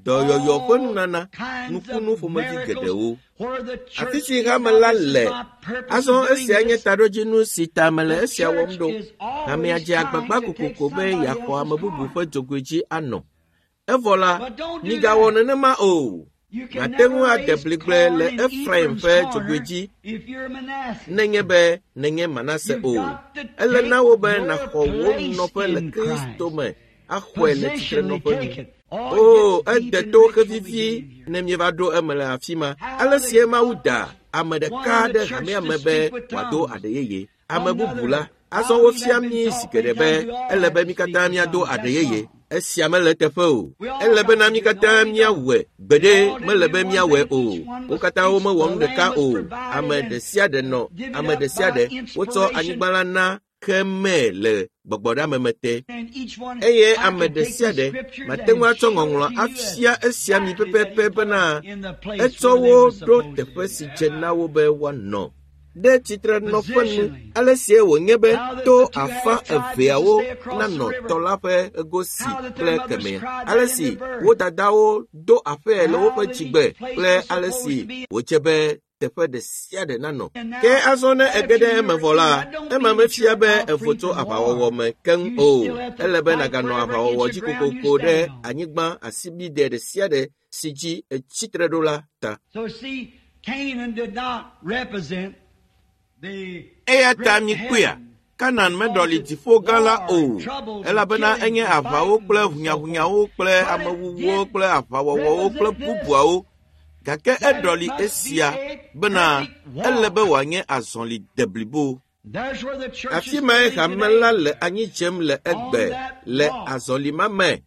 dɔyɔyɔ ƒe nunana, nukunu ƒomevi geɖewo. Afi si hame la le, azɔ esia nye taɖodzinu si ta mele esia wɔm ɖo. Hamea dze agbagba kokoko be yeaxɔ ame bubu ƒe dzogoe dzi anɔ. Evɔ la, migawɔ nenema o. Màte ŋu ade bligble le Efraim ƒe dzogoe dzi nenye be nenye Manase o. Ele na wò be nàxɔ wò nɔƒe le Kristo me axɔe le tsitrenɔƒe nu. O, ede to xevivi ne míeva ɖo eme le afi ma. Ale sie Mawu da ame ɖeka ɖe hamea me be wòado aɖe yeye. Ame bubu la, azɔ wofia mí zi geɖe be ele be mí katã míado aɖe yeye. Esia mele eteƒe o. Ele bena mí katã míawɔe gbeɖe mele be míawɔe o. Wo katã womewɔ nu ɖeka o. Ame ɖe sia ɖe nɔ ame ɖe sia ɖe wotsɔ anyigba la na kemɛ le gbɔgbɔɖeame te. Eye ame ɖe sia ɖe mate ŋu atsɔ ŋɔŋlɔ afia esia mi pɛpɛpɛ bena etsɔ wo ɖo teƒe si dze na wo be woanɔ. Ɖe tsitrenɔƒe nu ale sie wònye be to afã eveawo nanɔ tɔ la ƒe ego si kple kemɛ. Ale si wo dadawo do aƒee le woƒe dzigbe kple ale si wòdze be teƒe ɖe sia ɖe nanɔ. Ke azɔ ne ege ɖe eme vɔ la, ema mefia be èvo tso aʋawɔwɔ me keŋ o. Ele be nàganɔ aʋawɔwɔ dzi kokoko ɖe anyigba asibide ɖe sia ɖe si dzi ètsi tre ɖo la ta. So see, Canaan did not represent the Eya ta mikpɔea, Kanan meɖɔli dziƒo gã la o, elabena enye aʋawo kple ʋunyaʋunyawo kple amewuwuwo kple aʋawɔwɔwo kple bubuawo. Gake eɖɔli esia bena ele be wòanye azɔli deblibo. There's where the church Afi is mae failing hame today. la le anyi dzem le egbe le azɔli ma me.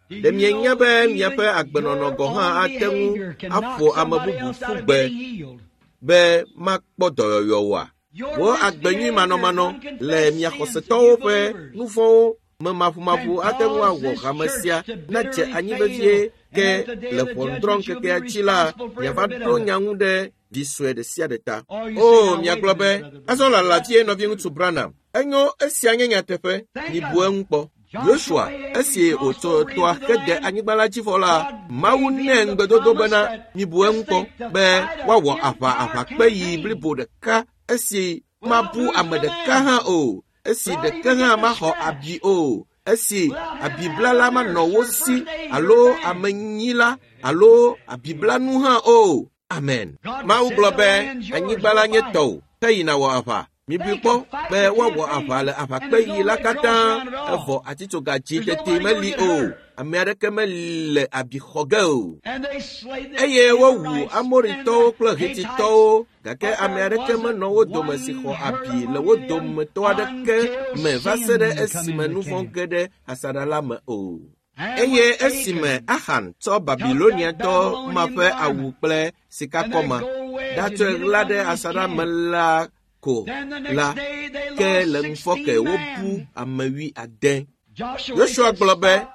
Did Ɖe you mienya know be that miaƒe even agbenɔnɔ your gɔ̃ hã own ate ŋu behavior can knock aƒo ame somebody bubu else ƒu out of gbe getting healed? be makpɔ dɔyɔyɔ oa? Your Wò agbenyuimanɔmanɔ misbehavior, le unconfessed mia sins xɔsetɔwo of you ƒe believers nu vɔ̃wo me maʋumaʋu can ate ŋu cause awɔ this hame church sia to nadze bitterly anyi fail, vevie and ke at the day le of the ʋɔnudrɔ̃ judgment you'll be ŋkekea dzi la responsible for miava every bit ɖo of it. nya ŋu ɖe vi sue ɖe sia ɖe ta. Or you O say, now wait miagblɔ a be minute, Brother azɔ Branham. lala vie nɔviŋutsu Branham. Enyo esia nye nyateƒe. Think Mibu of it. eŋu kpɔ. Yosua esi wòtso toa hede anyigba la dzi vɔ la, Mawu nɛ ŋugbedodo bena mibu eŋu kpɔ be woawɔ aʋa aʋakpeyi blibo ɖeka esi mabu ame ɖeka hã o, esi ɖeke hã maxɔ abi o, esi abiblala manɔ wo si alo amenyila alo abiblanu hã o. Amen. Mawu gblɔ be anyigba la nye tɔwò, ke yi nàwɔ aʋa. Mibui kpɔ be woawɔ aʋa le aʋakpeyi la katã evɔ atitsoga dzi tete meli o. Ame aɖeke mele abi xɔ ge o. And they slayed the Eye wowu Amorites Amoritɔwo and kple the Hittites, Hititɔwo gake but ame there aɖeke wasn't menɔ wo dome si one xɔ hurt abi le among wo them dometɔ aɖeke until me va se ɖe sin come esime into nu vɔ̃ camp. ge ɖe asaɖa la me o. And Eye when esime Achan Ahan tsɔ took that Babiloniatɔ ma Babylonian ƒe awu garment kple and that sikakɔma gold wedge and ɖatsɔe hid it ɣla ɖe under his asaɖa me tent, la ko then the next la, day they ke lost le ŋufɔke sixteen wobu men. ame wui ade. Joshua Yosua said, gblɔ be, Stop,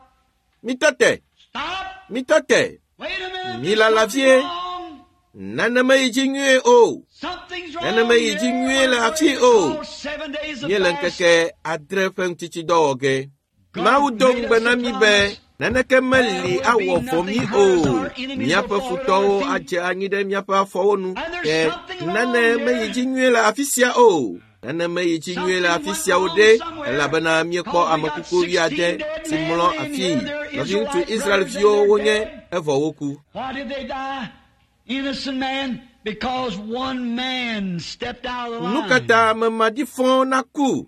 mitɔ te, stop, mitɔ te, wait a minute, mi there's lala something vie, wrong. nane meyi dzi nyuie o. Something's Nane wrong meyi dzi here. nyuie le We're afi going to o. call seven days of Míele fast. ŋkeke adre ƒe ŋutitsidɔ wɔ ge. Mawu God do made ŋugbe us na a mí be promise. naneke meli There will awɔ be vɔ nothing mí hurt us. o. Our enemies will Míaƒe fall at our futɔwo feet. adze anyi ɖe míaƒe afɔwo nu. And Ke there's something nane wrong meyi here. dzi nyuie le afi sia o. Nane meyi dzi nyuie le Something afi went sia o wrong ɖe somewhere. elabena míekpɔ Because we ame got kuku wuiade sixteen dead si men mlɔ laying afii. here. They're Nɔviŋutsu Israelite brothers and Israelviwo they're wonye dead. evɔ woku. Why did they die? Innocent man, because one man stepped out of the Nu ka line. ta ame maɖifɔ naku?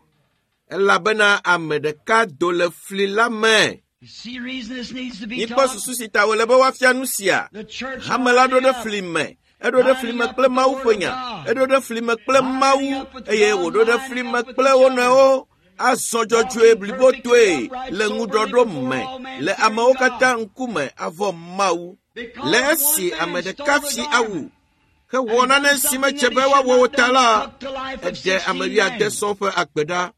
Elabena ame ɖeka do le fli la me. You see reason this needs to be Mikpɔ taught? susu si ta wòle be woafia nu sia. The church Hame la ɖo lining ɖe up, fli me. Eɖo ɖe fli lining me up kple with the Mawu Word ƒe of nya. God, Eɖo ɖe fli me kple lining Mawu up with eye God, wòɖo ɖe lining fli me up with kple each wo other, nɔewo. Azɔ dzɔdzɔe walking perfectly blibotoe upright, le soberly ŋuɖɔɖo before me all men, le fearing amewo katã God. ŋkume avɔ Mawu. Le Because one esi ame man ɖeka stole the fi awu garment hewɔ and nane done si something medze that be he should woawɔ o not ta done, la, took the life of eɖe ame sixteen wuiade men. sɔŋ ƒe agbe ɖa.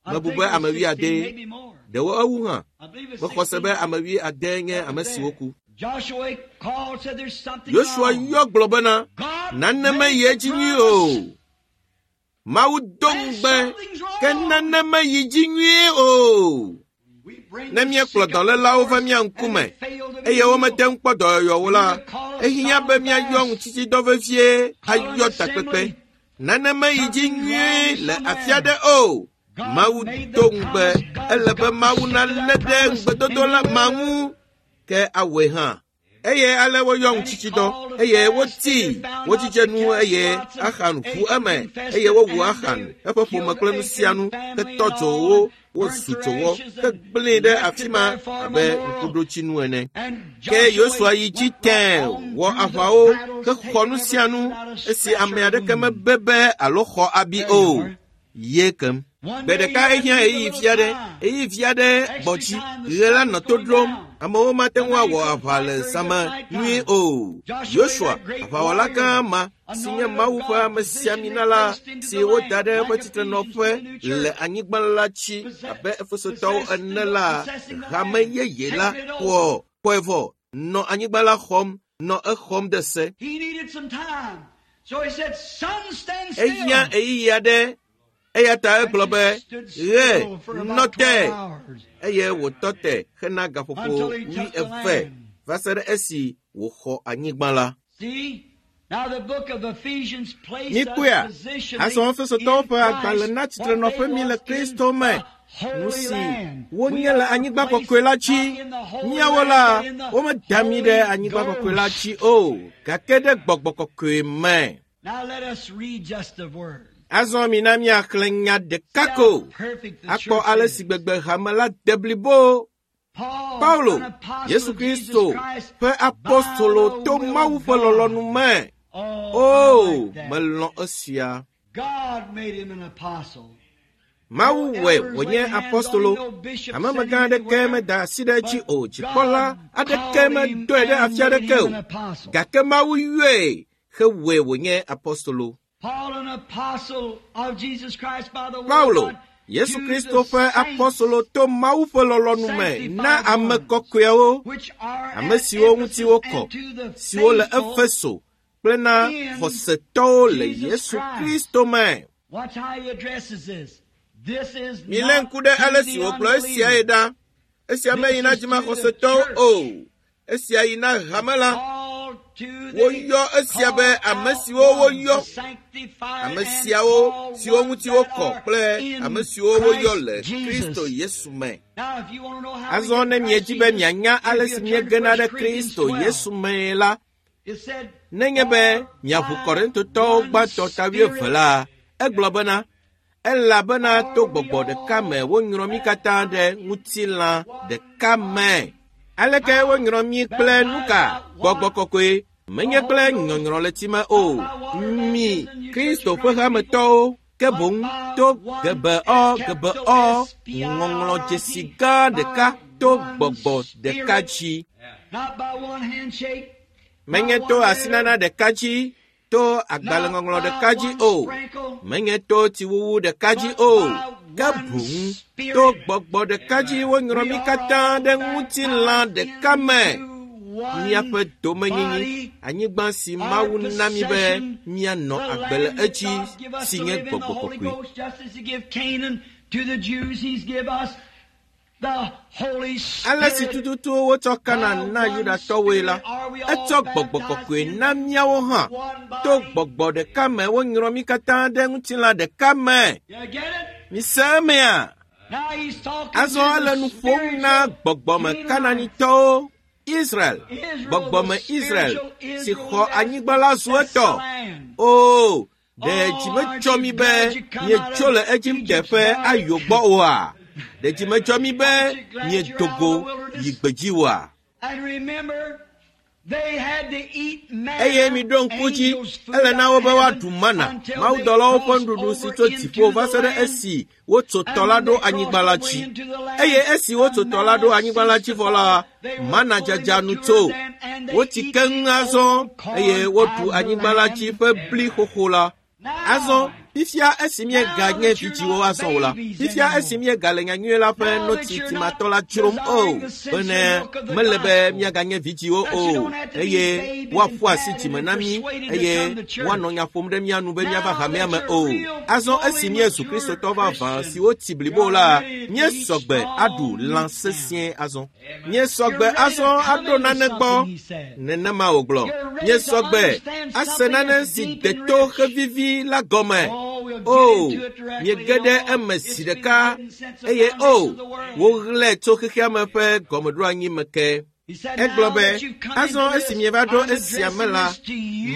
I Mebu think be it was ame sixteen, wuiade, maybe more. ɖewo ewu hã. I believe it's Mexɔ se be sixteen ame wuiade nye that ame were siwo there. ku. Joshua called, said there's something Yosua wrong. yɔ gblɔ bena, God nane made meyi the edzi nyuie promise, o. Mawu do and ŋugbe something's ke wrong. nane meyi dzi nyuie o. We bring Ne the míekplɔ sick up dɔlélawo before va us, mía and ŋkume they fail to be eye womete healed. ŋu kpɔ dɔyɔyɔwo We la, need to call a ehiã be solemn míayɔ fast, ŋutitsidɔ vevie call an ayɔ takpekpe. assembly. Nane meyi dzi Something's wrong nyuie le afi aɖe somewhere. o. God Mawu made do the ŋugbe, promise. God's ele be got to Mawu stick to nalé that ɖe promise, ŋugbedodo and la He ma will. ŋu ke awɔe hã. Eye ale woyɔ And he ŋutitsidɔ called a eye fast, and they wotii, found out wodzidze the nu jealous eye plots of Axan ʋu Achan eme confessed eye it, wowu and Axan, they eƒe ƒome killed kple nu sia Achan's nu family hetɔ and dzo all, wo, and burnt wozu their dzowɔ ashes, and hegblẽe ɖe left afi it ma there for a abe memorial. ŋkuɖotsinu ene. And Ke Joshua Yosua yi dzi went right tẽe on wɔ through the aʋawo battles, hexɔ taking nu sia everything nu without a esi scratch ame or a aɖeke wound. mebe alo xɔ abi There you o. are. Ye kem. One Gbe day ɖeka he had to ehiã give a ɣeyiɣi little vi aɖe, time. ɣeyiɣi vi aɖe gbɔ Extra dzi. time, the Ɣe la sun nɔ was to going ɖom. down. Amewo mate The ŋu man awɔ couldn't aʋa fight le very zã good me night nyuie time. o. Joshua, Yosua, that great aʋawɔla gã warrior, ma si nye anointed of Mawu ƒe God, amesiamina position la placed into si the woda land ɖe eƒe like Ephesians to tsitrenɔƒe the new le church, anyigba la dzi possess, abe Efesotɔwo possessed ene the, la, possessing the hame land, yeye la taking it over. xɔ xɔe vɔ, nɔ anyigba la xɔm, nɔ exɔm de se. He needed some time. So he said, Sun, stand Ehiã still. ɣeyiɣi aɖe eya ta And egblɔ it be, stood ɣe still for nɔ about te twelve hours eye wòtɔ te hena gaƒoƒo until he took the wuieve land. va se ɖe esi wòxɔ anyigba la. See, Mikpɔea, azɔ Efesotɔwo ƒe agbalẽ na tsitrenɔƒe mi le Kristo me. Nu si wonye le anyigba kɔkɔe la dzi. Míawo la, womeda mí ɖe anyigba kɔkɔe la dzi o, gake ɖe gbɔgbɔ kɔkɔe me. Azɔ mina míaxlẽ nya ɖeka ko akpɔ ale si gbegbe hame la de blibo. Paulo, Yesu Kristo ƒe apostolo to Mawu ƒe lɔlɔ̃nu me. O, melɔ̃ esia. Mawu wɔe wònye apostolo. Hamemegã aɖeke meda asi ɖe edzi o. Dzikpɔla aɖeke medɔe ɖe afi aɖeke o. Gake Mawu yɔe hewɔe wònye apostolo. Paulo, Yesu Kristo ƒe apostolo to Mawu ƒe lɔlɔ̃nu me na ame kɔkɔeawo, ame siwo ŋuti wokɔ, siwo le Efeso kple na xɔsetɔwo le Yesu Kristo me. Milé ŋku ɖe ale si wògblɔ esiae ɖa. Esia meyi na dzimaxɔsetɔwo o. Esia yi na hame la. Woyɔ esia be ame siwo woyɔ, ame siawo siwo ŋuti wokɔ kple ame siwo woyɔ le Kristo Yesu me. Azɔ ne miedi be mianya ale si miegena ɖe Kristo Yesu mee la, nenye be miaʋu Korintotɔwo gbãtɔ ta wuieve la, egblɔ bena, elabena to gbɔgbɔ ɖeka me wonyrɔ mí katã ɖe ŋutilã ɖeka me. Aleke wonyrɔ mí kple nuka? Gbɔgbɔ kɔkɔe, menye kple nyɔnyrɔ le tsi me o. Mi, Kristo ƒe hametɔwo, ke boŋ to gebeɔ gebeɔ ŋɔŋlɔdzesi gã ɖeka to gbɔgbɔ ɖeka dzi. Menye to asinana ɖeka dzi, to agbalẽŋɔŋlɔ ɖeka dzi o. Menye to tsiwuwu ɖeka dzi o. Ke boŋ to gbɔgbɔ ɖeka dzi wonyrɔ mí katã ɖe ŋutilã ɖeka me. Míaƒe domenyinyi, anyigba si Mawu na mí be míanɔ agbe le edzi, si nye gbɔgbɔ kɔkɔe. Ale si tututu wotsɔ Kanaan na Yudatɔwoe la, etsɔ gbɔgbɔ kɔkɔe na míawo hã. To gbɔgbɔ ɖeka me wonyrɔ mí katã ɖe ŋutilã ɖeka me. Mise emea? Azɔ ele nu ƒom na gbɔgbɔme Kanaanitɔwo, Israel, gbɔgbɔme Israel si xɔ anyigba la zu etɔ. O, ɖe dzi medzɔ mi be mietso le Egipte ƒe ayo gbɔ oa? Ɖe dzi medzɔ mi be miedo go yi gbedzi oa? Eye miɖo ŋku dzi, ele na wo be woaɖu mana, mawudɔlawo ƒe nuɖuɖu si tso dziƒo va se ɖe esi wotso tɔ la ɖo anyigba la dzi. Eye esi wotso tɔ la ɖo anyigba la dzi vɔ la, mana dzadza nu tso. Wotsi keŋ azɔ eye woɖu anyigba la dzi ƒe bli xoxo la. Azɔ, fifia esi mieganye vidziwo azɔ o la, fifia esi miegale nyanyui la ƒe notsi timatɔ la dzrom o, bene mele be miaganye vidziwo o, eye woaƒu asi dzime na mí, eye woanɔ nya ƒom ɖe mía nu be míava hamea me o. Azɔ esi míezu Kristotɔ vavã siwo tsi blibo la, míesɔgbe aɖu lã sesĩe azɔ. Míesɔgbe azɔ aɖo nane gbɔ. Nenema wògblɔ. Míesɔgbe ase nane si de to hevivi la gɔme. O, miege ɖe eme zi ɖeka, eye o, woɣlae tso xexea me ƒe gɔmeɖoanyi me ke. Egblɔ be, azɔ esi mieva ɖo esia me la,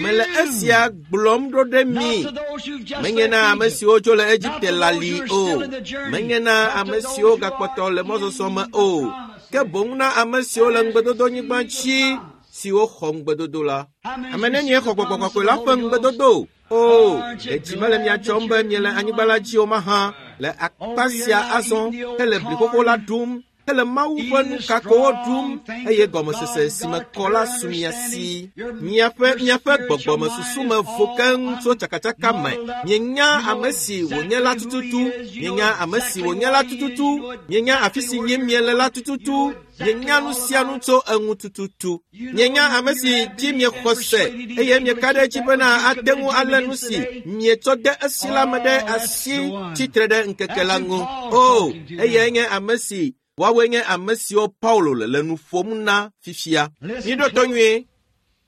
mele esia gblɔm ɖo ɖe mi. Menye na ame siwo tso le Egipte lali o, menye na ame siwo gakpɔtɔ le mɔzɔzɔ me o, ke boŋ na ame siwo le ŋugbedodonyigba dzi siwo xɔ ŋugbedodo la. Ame nenie xɔ gbɔgbɔ kɔkɔe la ƒe ŋugbedodo? O, ɖe dzi mele mia dzɔm be miele anyigba la dzi o mahã, le akpa sia azɔ hele bli xoxo la ɖum, hele Mawu ƒe nukakowo ɖum, eye gɔmesese si me kɔ la su mia si. Miaƒe miaƒe gbɔgbɔmesusu me vo keŋ tso tsakatsaka me. Mienya ame si wònye la tututu, mienya ame si wònye la tututu, mienya afi si yim miele la tututu, mienya nu sia nu tso eŋu tututu. Mienya ame si dzi miexɔ se, eye mieka ɖe edzi bena ate ŋu alé nu si mietsɔ de esi la me ɖe asi tsitre ɖe ŋkeke la ŋu. O, eyae nye ame si woawoe nye ame siwo Paulo le le nu ƒom na fifia. Miɖo to nyuie.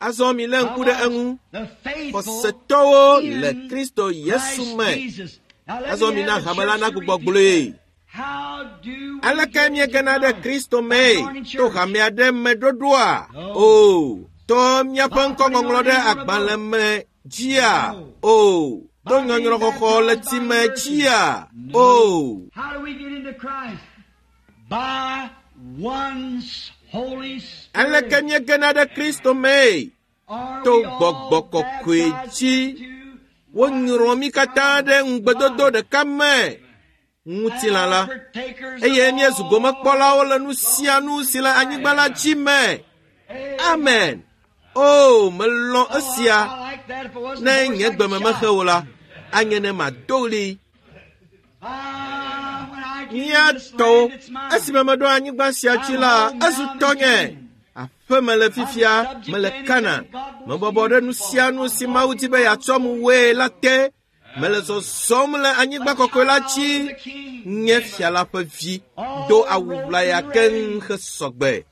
Azɔ mi lé ŋku ɖe eŋu. The faithful Xɔsetɔwo le in Kristo Yesu Christ me. Jesus. Now let Azɔ me mi na have the hame la church to nagbugbɔ repeat gblɔe. that. How do we Aleke get míegena into ɖe Kristo mee? Christ? To hame aɖe me ɖoɖoa? O, to míaƒe ŋkɔŋɔŋlɔ ɖe agbalẽ me dzia? O, to nyɔnyrɔxɔxɔ le tsi me dzia? O, How do we get into Christ? By one's Holy Spirit. aleke míegena ɖe Kristo mee? Are To we all Gbɔgbɔ Kɔkɔe baptized dzi. into Wonyrɔ mí katã ɖe ŋugbedodo ɖeka me, ŋutilã la. and partakers Eye of míezu all gomekpɔlawo le nu sia nu si le anyigba la dzi me. Amen. O, melɔ̃ Oh, esia. I like that. If it wasn't Ne for nye us, gbeme I'd mehe shout. o la, anye ne mado ɣli. Ah, when I get Mía in this tɔwo, land, it's mine. esime meɖo anyigba sia dzi la, ezu tɔnye. Aƒe me le fifia, mele Kana. Mebɔbɔ ɖe nu sia nu si Mawu di be yeatsɔm woe la te. Mele zɔzɔm le anyigba kɔkɔe la dzi. Nye fia la ƒe vi do awu ʋlaya keŋ hesɔgbe.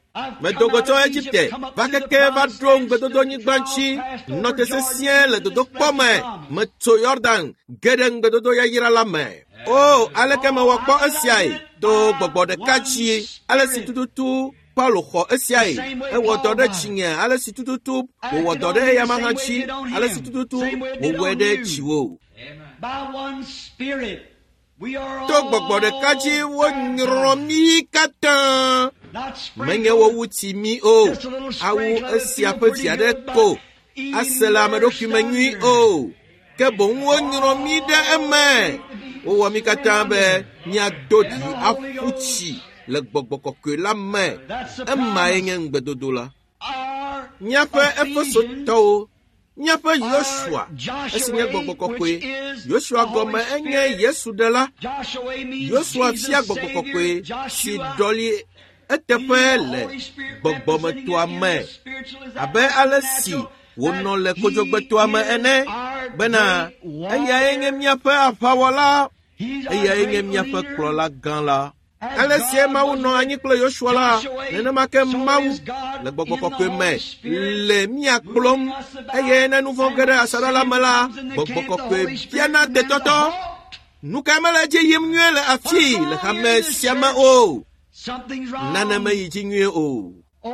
Medo go tso Egipte va keke va ɖo ŋugbedodonyigba dzi, nɔ te sesĩe le dodokpɔ me, metso Yɔdan ge ɖe ŋugbedodo yayra la me. O, aleke mewɔ kpɔ esiae? To gbɔgbɔ ɖeka dzi, ale si tututu Paulo xɔ esiae. Ewɔ dɔ ɖe dzinye, ale si tututu wòwɔ dɔ ɖe eyama hã dzi, ale si tututu wòwɔe ɖe dziwò. By one Spirit, we are To gbɔgbɔ ɖeka dzi all wonyrɔ mí katã. Not Menye sprinkled, wowu tsi mí o, awu esia ƒe vi aɖe ko ase le ame ɖokui me nyui o, ke boŋ wonyrɔ mí ɖe eme. Wowɔ mí katã be míado ɖi aƒu tsi le gbɔgbɔ kɔkɔe la me. Emae nye ŋugbedodo la. Our Míaƒe Ephesians, Efesotɔwo, míaƒe Yosua, esi nye gbɔgbɔ kɔkɔe. Yosua gɔme enye Yesu ɖela. Joshua means Yosua Jesus fia gbɔgbɔ Savior, kɔkɔe si Joshua ɖɔli eteƒe le gbɔgbɔmetoa me abe ale si wònɔ le kodzogbetoa me ene bena eyae nye míaƒe aʋawɔla, eyae nye míaƒe kplɔla gã la. Ale sie Mawu nɔ anyi kple Yosua la, nenema ke Mawu le gbɔgbɔ kɔkɔe me le mía kplɔm eye ne nu vɔ̃ ge ɖe asaɖa la me la, gbɔgbɔ kɔkɔe biana tetɔtɔ. Nu kae mele edzi yim nyuie le afii le hame sia me o? Something's wrong. Nane meyi dzi nyuie o. O,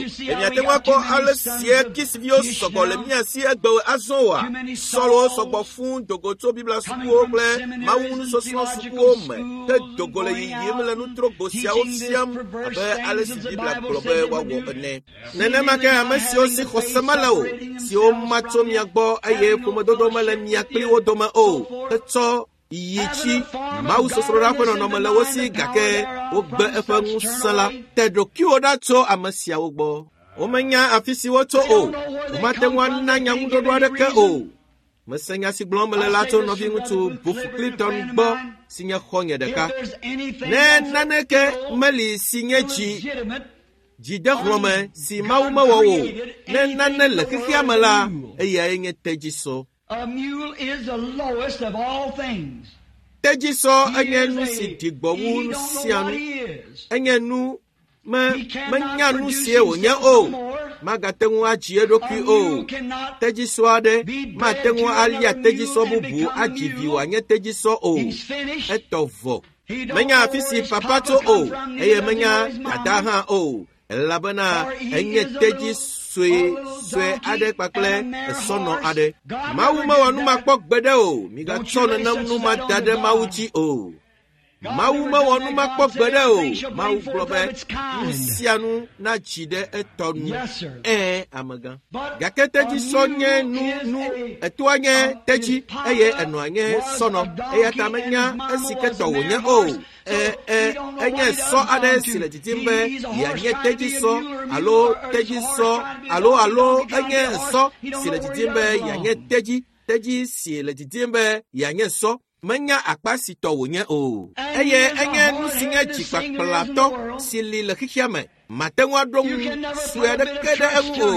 ɖe miate ŋu akpɔ ale sie Kisviwo sɔgbɔ le mía si egbewo azɔ oa? Sɔlwo sɔgbɔ fũu dogo tso Biblia sukuwo kple mawunusɔsrɔ̃ sukuwo me ke dogo le yiyim le nutrogbo siawo fiam abe ale si Biblia gblɔ be woawɔ ene. Nenema ke ame siwo si xɔse mele o, siwo ma tso mia gbɔ eye ƒomedodo mele mia kpli wo dome o, hetsɔ yi tsi Mawu sosroɖa ƒe nɔnɔme le wo si gake wogbe eƒe ŋusẽ la. Te ɖokuiwò ɖa tso ame siawo gbɔ. Womenya afi si wotso o. Womate ŋu ana nyaŋuɖoɖo aɖeke o. Mese nya si gblɔm mele la tso nɔviŋutsu Bofu Clinton gbɔ si nye xɔ̃nye If ɖeka. there's anything Ne that's naneke meli si nye dzi illegitimate, dzidehlɔ̃me si Mawu mewɔ o, ne nane le xexea me la, eyae nye tedzisɔ. a mule is the lowest of all things. Tedzisɔ He enye is nu a- si ɖi gbɔ wu he nu don't know sia what nu. he is. Enye nu me He cannot menya nu produce sie wònye himself o. no more. Magate ŋu adzi A eɖokui o. mule cannot Tedzisɔ aɖe be bred mate ŋu to alia another tedzisɔ mule and bubu become a adzi vi mule. wòanye tedzisɔ o. He's finished. Etɔ vɔ. He don't Menya know afi where si his papa papa tso o come from, eye neither does he menya know his dada mama. hã o. Elabena For he enye is a tedzi little- sue a little sue donkey aɖe kpakple and a mare esɔnɔ horse. aɖe. God Mawu never mewɔ did nu that. makpɔ gbeɖe o. Don't Migatsɔ you lay nenem such nu ma that da on ɖe to Mawu God. dzi o. God Mawu never mewɔ done nu that. makpɔ God said gbeɖe o. everything shall Mawu bring gblɔ forth be of its nu kind. sia nu nadzi ɖe etɔ nu. Yes, sir. Ɛ̃, amegã. But Gake a tedzisɔ nye mule nu is nu a etoa nye uh, tedzi his papa eye enɔa nye was sɔnɔ. a Eya ta donkey and menya his mama esi ke was tɔ a mare wònye o. horse. Ɛ So ɛ he don't know enye what he sɔ done aɖe gone si le to. didim He, be he's a horse yeanye trying to be a tedzisɔ mule or a mule alo or, or he's a horse tedzisɔ trying to be a alo donkey, alo donkey trying to be enye a horse. sɔ He don't si le know where he didim be done yeanye belong. tedzi tedzi si le didim be yeanye sɔ. Menya akpa si tɔ wònye o. And he Eye is a enye nu si nye hard-headed singer is in the dzikpakplatɔ world. si li le xexea me. Mate ŋu aɖo ŋu sue aɖeke ɖe eŋu o.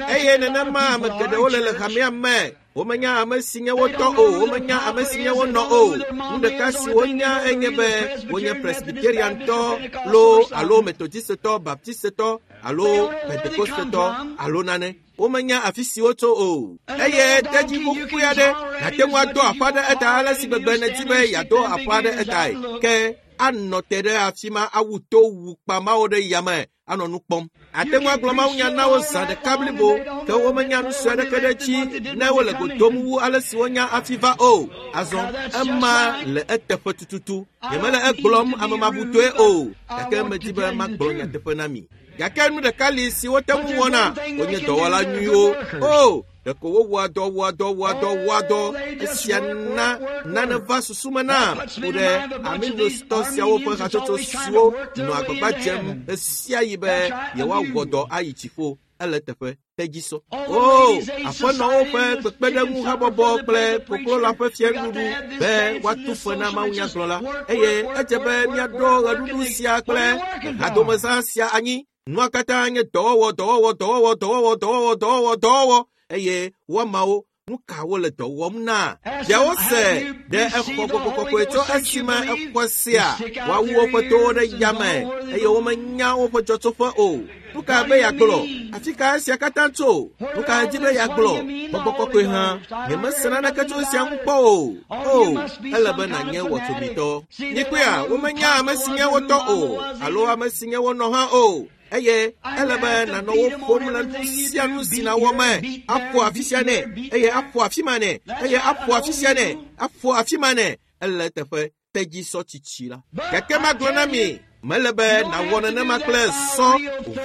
Eye nenema ame geɖewo le le hamea me. Womenya ame si nye wo tɔ o, womenya ame si nye wo nɔ o. Nu ɖeka si wonya enye be wonye Presbyteriantɔ loo alo Methodistetɔ, Baptistetɔ alo Pentecostetɔ alo nane. Womenya afi si wotso o. Eye tedzi xoxoe aɖe nàte ŋu ado aƒa ɖe eta ale si gbegbe nèdi be yeado aƒa ɖe etae. Ke anɔ te ɖe afi ma awu to wu kpamawo ɖe yame anɔ nu kpɔm. Ate ŋu agblɔ mawunya na wo zã ɖeka blibo ke womenya nu sue aɖeke ɖe edzi ne wole go dom wu ale si wonya afi va o. Azɔ ema le eteƒe tututu. Nyemele egblɔm amemabutɔe o, gake medi be magblɔ nyateƒe na mi. Gake nu ɖeka li si wote ŋu wɔna, wonye dɔwɔla nyuiwo. O, ɖeko wowɔa dɔ, wɔa dɔ, wɔa dɔ, wɔa dɔ. Esia na nane va susu me nam ku ɖe Arminiustɔ siawo ƒe hatsotso siwo nɔ agbagba dzem ɣe sia ɣi be yewoawɔ dɔ ayi dziƒo. Ele teƒe tedzisɔ. O, aƒenɔwo ƒe kpekpeɖeŋu habɔbɔ kple koklola ƒe fiaɖuɖu be woatu fe na mawunyagblɔla. Eye edze be míaɖo ɣeɖuɖu sia kple hadomezã sia anyi. Nua katã nye dɔwɔwɔ, dɔwɔwɔ, dɔwɔwɔ, dɔwɔwɔ, dɔwɔwɔ, dɔwɔwɔ, dɔwɔwɔ. Eye woamawo nu ka wole dɔ wɔm na? Ɖewo se ɖe exɔ gbɔgbɔ kɔkɔe tso esime exɔ sia woawu woƒe towo ɖe yame eye womenya woƒe dzɔtsoƒe o. Nu ka be yeagblɔ? Afi ka esia katã tso? Nu ka di be yeagblɔ? Gbɔgbɔ kɔkɔe hã, nyemese naneke tso esia ŋu kpɔ o. O, ele be nànye wɔtsomitɔ. Mikpɔea, womenya ame si nye wo tɔ o alo ame si nye wo nɔ hã o. Eye ele be nànɔ wo ƒom le nu sia nu si nàwɔ me. Aƒo afi sia nɛ, eye aƒo afi ma nɛ, eye aƒo afi sia nɛ, aƒo afi ma nɛ. Ele teƒe tedzisɔ tsitsi la. Gake magblɔ na mi, mele be nàwɔ nenema kple sɔ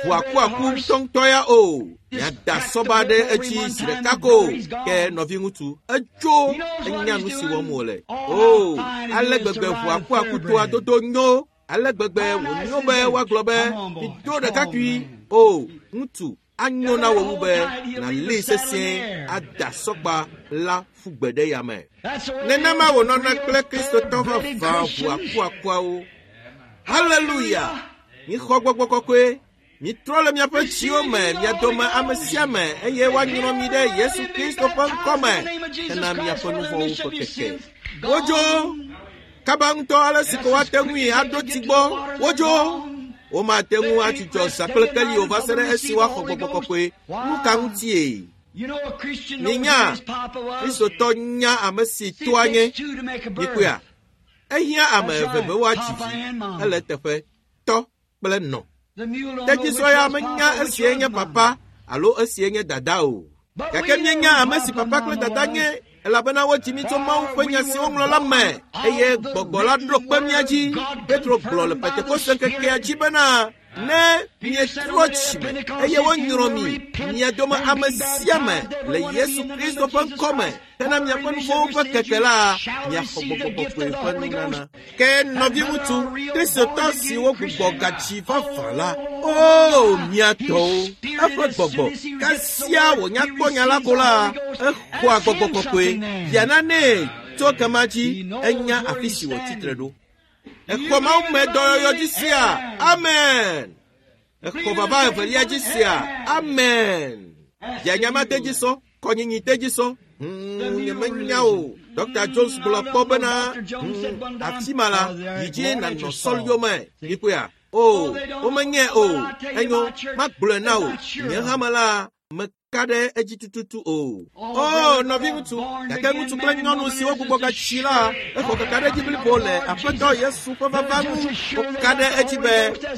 ʋu akuaku ŋutɔŋutɔ ya o. Miada sɔba ɖe edzi zi ɖeka ko. Ke nɔviŋutsu, etso enya nu si wɔm wòle. O, ale gbegbe ʋu akuaku toa dodo nyo. Ale gbegbe wònyo be woagblɔ be mido ɖekakpui. O, ŋutsu, anyo na wò wu be nàlée sesĩe ada sɔgba la ƒu gbe ɖe yame. Nenema wònɔna kple Kristotɔ vavã ʋu akuakuawo. Haleluya! Mixɔ gbɔgbɔ kɔkɔe. Mitrɔ le miaƒe dziwo me, mia dome ame sia ame, eye woanyrɔ mi ɖe Yesu Kristo ƒe ŋkɔme hena miaƒe nu vɔ̃wo ƒe keke. Wodzo kaba ŋutɔ ale si ko woate ŋui aɖo tsi gbɔ. Wodzo. Womate ŋu atsudzɔ zã kple keli o va se ɖe esi woaxɔ gbɔgbɔ kɔkɔe. Nu ka ŋutie? Minya, Kristotɔ nya ame si toa nye. Mikpɔea, ehiã ame eve be woadzi vi. Ele teƒe tɔ kple nɔ. Tedzisɔ ya menya esie nye papa alo esie nye dada o. Gake míenya ame si papa kple dada nye elabena wodzi mí tso Mawu ƒe nya si woŋlɔ la me eye gbɔgbɔ la ɖo kpe mía dzi. Petro gblɔ le Pentekoste ŋkekea dzi bena ne mietrɔ dzime eye wonyrɔ mi, mia dome ame sia ame le Yesu Kristo ƒe ŋkɔme hena miaƒe nu vɔ̃wo ƒe keke la, miaxɔ gbɔgbɔ kɔkɔe ƒe nunana. Ke nɔviŋutsu Kristotɔ siwo gbugbɔ gatsi vavã la, o mia tɔwo, eƒe gbɔgbɔ kasia wònya kpɔ nya la ko la, exɔa gbɔgbɔ kɔkɔe biana nɛ tso kema dzi enya afi si wòtsi tre ɖo. Exɔ Mawu me dɔyɔyɔ dzi sia, amen. Exɔ vava evelia dzi sia, amen. Bianyama tedzisɔ, kɔnyinyi tedzisɔ. Hmm, nyemenya o. Dɔkta Jones gblɔ kpɔ bena, hmm, afi ma la, yi dzi nànɔ sɔl yome. Mikpɔea? O, womenyae o. Enyo, magblɔe na wò. Nye hame la, meka ɖe edzi tututu o. O, nɔviŋutsu, gake ŋutsu kple nyɔnu siwo gbugbɔ gatsi la, exɔ kaka ɖe edzi blibo le Aƒetɔ Yesu ƒe vava ŋu. Woka ɖe edzi be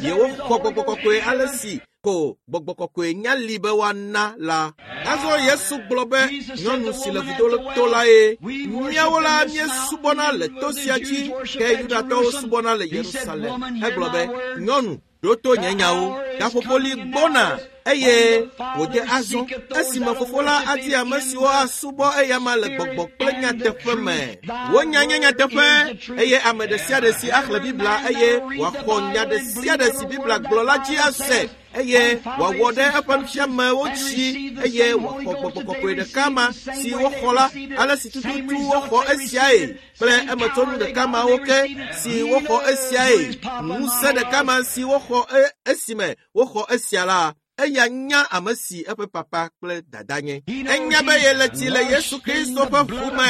yewoxɔ gbɔgbɔ kɔkɔe ale si ko gbɔgbɔ kɔkɔe nya li be woana la. Azɔ Yesu gblɔ be nyɔnu si le vudo to la ye. Míawo la míesubɔna le to sia dzi, ke Yudatɔwo subɔna le Yerusalem. Egblɔ be, nyɔnu, ɖo to nye nyawo. Gaƒoƒo li gbɔna eye wòde azɔ esime fofo la adi ame siwo asubɔ eyama le gbɔgbɔ kple nyateƒe me. Wonya nye nyateƒe eye ame ɖe sia ɖe si axlẽ Biblia eye wòaxɔ nya ɖe sia ɖe si Biblia gblɔ la dzi ase. eye wòawɔ ɖe eƒe nufiamewo dzi eye wòaxɔ gbɔgbɔ kɔkɔe ɖeka ma si woxɔ la ale si tututu woxɔ esiae kple emetsonu ɖeka mawo ke si woxɔ esiae ŋusẽ ɖeka ma si woxɔ esime woxɔ esia la eya nya ame si eƒe papa kple dada nye. Enya be yele tsi le Yesu Kristo ƒe ʋu me.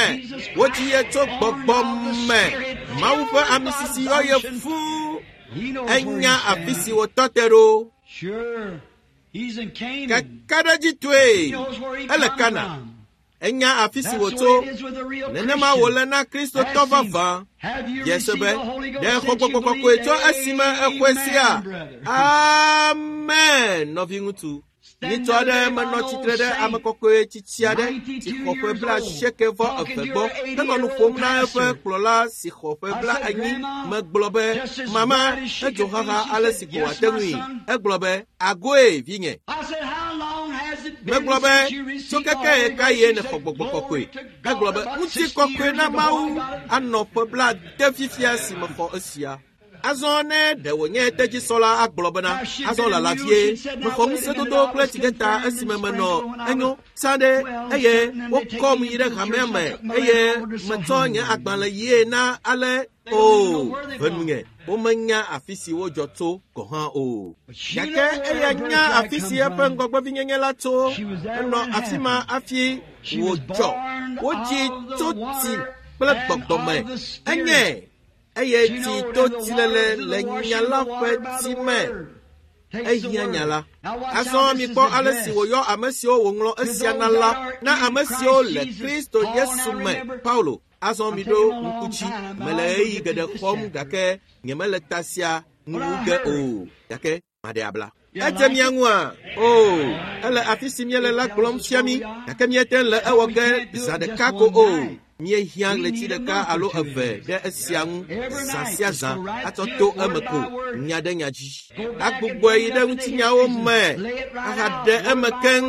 Wodzi ye tso gbɔgbɔ me. Mawu ƒe amisisi yɔ ye fũu. Enya afi si wòtɔ te ɖo. Kakaɖedzitɔe ele Kana. Enya afi si wòtso. Nenema wòle na Kristotɔ vavã. Yese be ɖe xɔ gbɔgbɔ kɔkɔe tso esime exɔe sia. Amen, nɔviŋutsu. Nyitsɔ aɖe menɔ tsitre ɖe ame kɔkɔe tsitsi aɖe si xɔ ƒe bla asieke vɔ eve gbɔ henɔ nu ƒom na eƒe kplɔla si xɔ ƒe bla enyi. Megblɔ be, mama, edzo xaxa ale si ko wòate ŋui. Egblɔ be, agoe vinye. Megblɔ be, tso keke ɣe ye nèxɔ gbɔgbɔ kɔkɔe. Egblɔ be, ŋutikɔkɔe na Mawu anɔ ƒe bla ade fifia si mexɔ esia. Azɔ ne ɖe wònye tedzisɔla agblɔ bena azɔ lala vie mexɔ ŋusẽdodo kple tsigeta esime menɔ enyo sã ɖe eye wokɔm yi ɖe hamea me eye metsɔ nye agbalẽ yie na ale o venunye womenya afi si wodzɔ tso gɔ̃ hã o. Gake eya nya afi si eƒe ŋgɔgbevinyenye la tso. Enɔ afi ma hafi wòdzɔ. Wodzi tso tsi kple gbɔgbɔ me. Enye eye tsi to tsilele le nya la ƒe tsi me. Ehiã nya la. Azɔ mikpɔ ale si wòyɔ ame siwo wòŋlɔ esia na la na ame siwo le Kristo Yesu me. Paulo, azɔ miɖo ŋku dzi. Mele ɣeyiɣi geɖe xɔm gake nyemele ta sia nuwu ge o. Gake maɖe abla. Edze mia ŋua? O, ele afi si míele la gblɔm fia mí gake míete le ewɔ ge zã ɖeka ko o. Míehiã ɣleti ɖeka alo eve ɖe esia ŋu zã sia zã atsɔ to eme ko nya ɖe nya dzi. Agbugbɔe yi ɖe ŋutinyawo me ahaɖe eme keŋ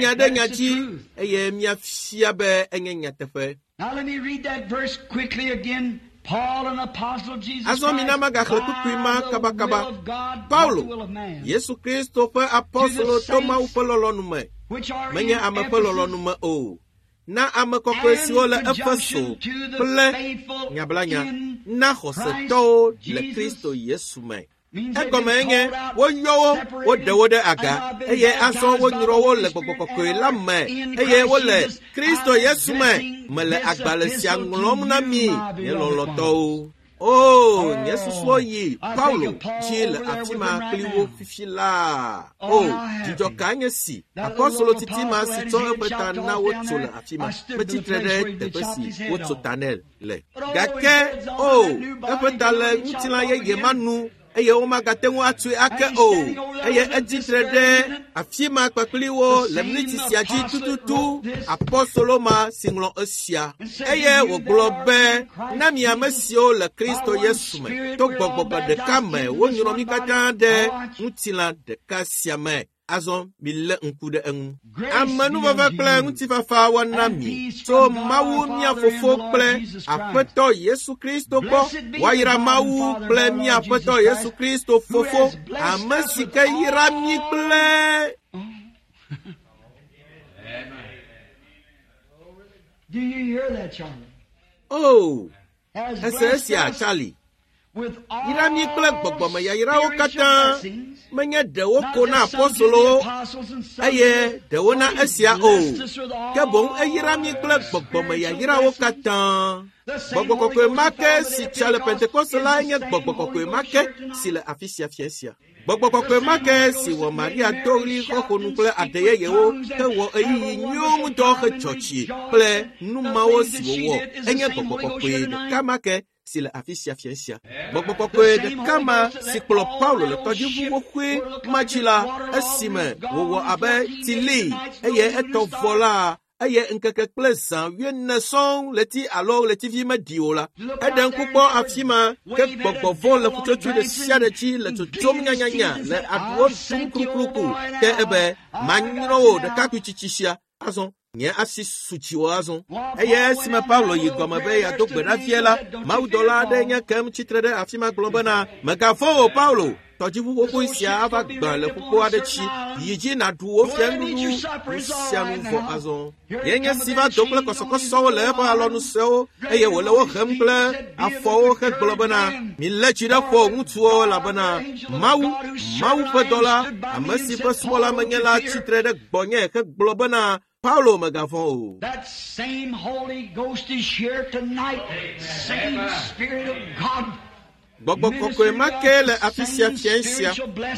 nya ɖe nya dzi eye míafia be enye nyateƒe. Azɔ mina magaxlẽ kpukpui ma kabakaba. Paulo, Yesu Kristo ƒe apɔstolo to Mawu ƒe lɔlɔ̃nu me, menye ame ƒe lɔlɔ̃nu me o. Na ame kɔkɔe siwo le Efeso kple nyablanya na xɔsetɔwo le Kristo Yesu me. Egɔme nye woyɔ wo, woɖe wo ɖe aga eye azɔ wonyrɔ wo le gbɔgbɔ kɔkɔe la me eye wole Kristo Yesu me. Mele agbalẽ sia ŋlɔm na mi, nye lɔlɔ̃tɔwo. O, nye susuwo yi Paulo dzi le afi ma kpli wo fifi laa. O, dzidzɔ ka nye si apɔstolo titi ma si tsɔ eƒe ta na wotso le afi ma. Metsi tre ɖe teƒe si wotso ta nɛ le. Gake o, eƒe ta le ŋutilã yeye ma nu eye womagate ŋu atsoe ake o. Eye etsi tre ɖe afi ma kpakpli wo le miniti sia dzi tututu apɔstolo ma si ŋlɔ esia. Eye wògblɔ be na mi ame siwo le Kristo Yesu me to gbɔgbɔ ɖeka me wonyrɔ mí katã ɖe ŋutilã ɖeka sia me. Azɔ milé ŋku ɖe eŋu. Amenuveve kple ŋutifafa woana mi tso Mawu mía Fofo kple Aƒetɔ Yesu Kristo gbɔ. Woayra Mawu kple mía Aƒetɔ Yesu Kristo Fofo, ame si ke yra mí kple O, ese esia, Charlie. Yra mí kple gbɔgbɔmeyayrawo katã menye ɖewo ko na apɔstolowo eye ɖewo na esia o, ke boŋ eyra mí kple gbɔgbɔmeyayrawo katã. Gbɔgbɔ kɔkɔe ma ke si tsa le Pentekoste la nye gbɔgbɔ kɔkɔe ma ke si le afi sia fia sia. Gbɔgbɔ kɔkɔe ma ke si wɔ Maria do ɣli xɔxɔnu kple aɖe yeyewo hewɔ ɣeyiɣi nyuiwo ŋudɔ hedzɔ tsi kple nu mawo si wòwɔ enye gbɔgbɔ kɔkɔe ɖeka ma ke si le afi sia fia sia. Gbɔgbɔ kɔkɔe ɖeka ma si kplɔ Paulo le tɔdziʋu xoxoe ma dzi la esime wòwɔ abe tsi li eye etɔ vɔ la eye ŋkeke kple zã wuiene sɔŋ ɣleti alo ɣletivi meɖi o la. Eɖe ŋku kpɔ afi ma ke gbɔgbɔ vɔ̃ le ƒutsotsoe ɖe sia ɖe dzi le tsotsom nyanyanya le aɖuwo ɖum klukluku ke ebe manyrɔ wò ɖekakpui tsitsi sia. Azɔ Nye asi su dziwò azɔ. Eye esime Paulo yi gɔme be yeado gbe ɖa vie la, mawudɔla aɖe nye kem tsitre ɖe afi ma gblɔ bena, mègavɔ̃ o Paulo, tɔdziʋu xoxo sia ava gbã le ƒukpo aɖe tsi. Yi dzi nàɖu wò fianuɖuɖu nu sia nu vɔ azɔ. Ye nye si va do kple kɔsɔkɔsɔwo le eƒe alɔnusewo eye wòle wo hem kple afɔwo hegblɔ bena, milé tsi ɖe ƒo ŋutsuwo elabena Mawu, Mawu ƒe dɔla, ame si ƒe subɔla menye la tsitre ɖe gbɔnye hegblɔ bena, Paulo mègavɔ̃ o. That same Holy Ghost is here tonight. Same Spirit of God. Gbɔgbɔ kɔkɔe ma ke le afi sia fiẽ sia.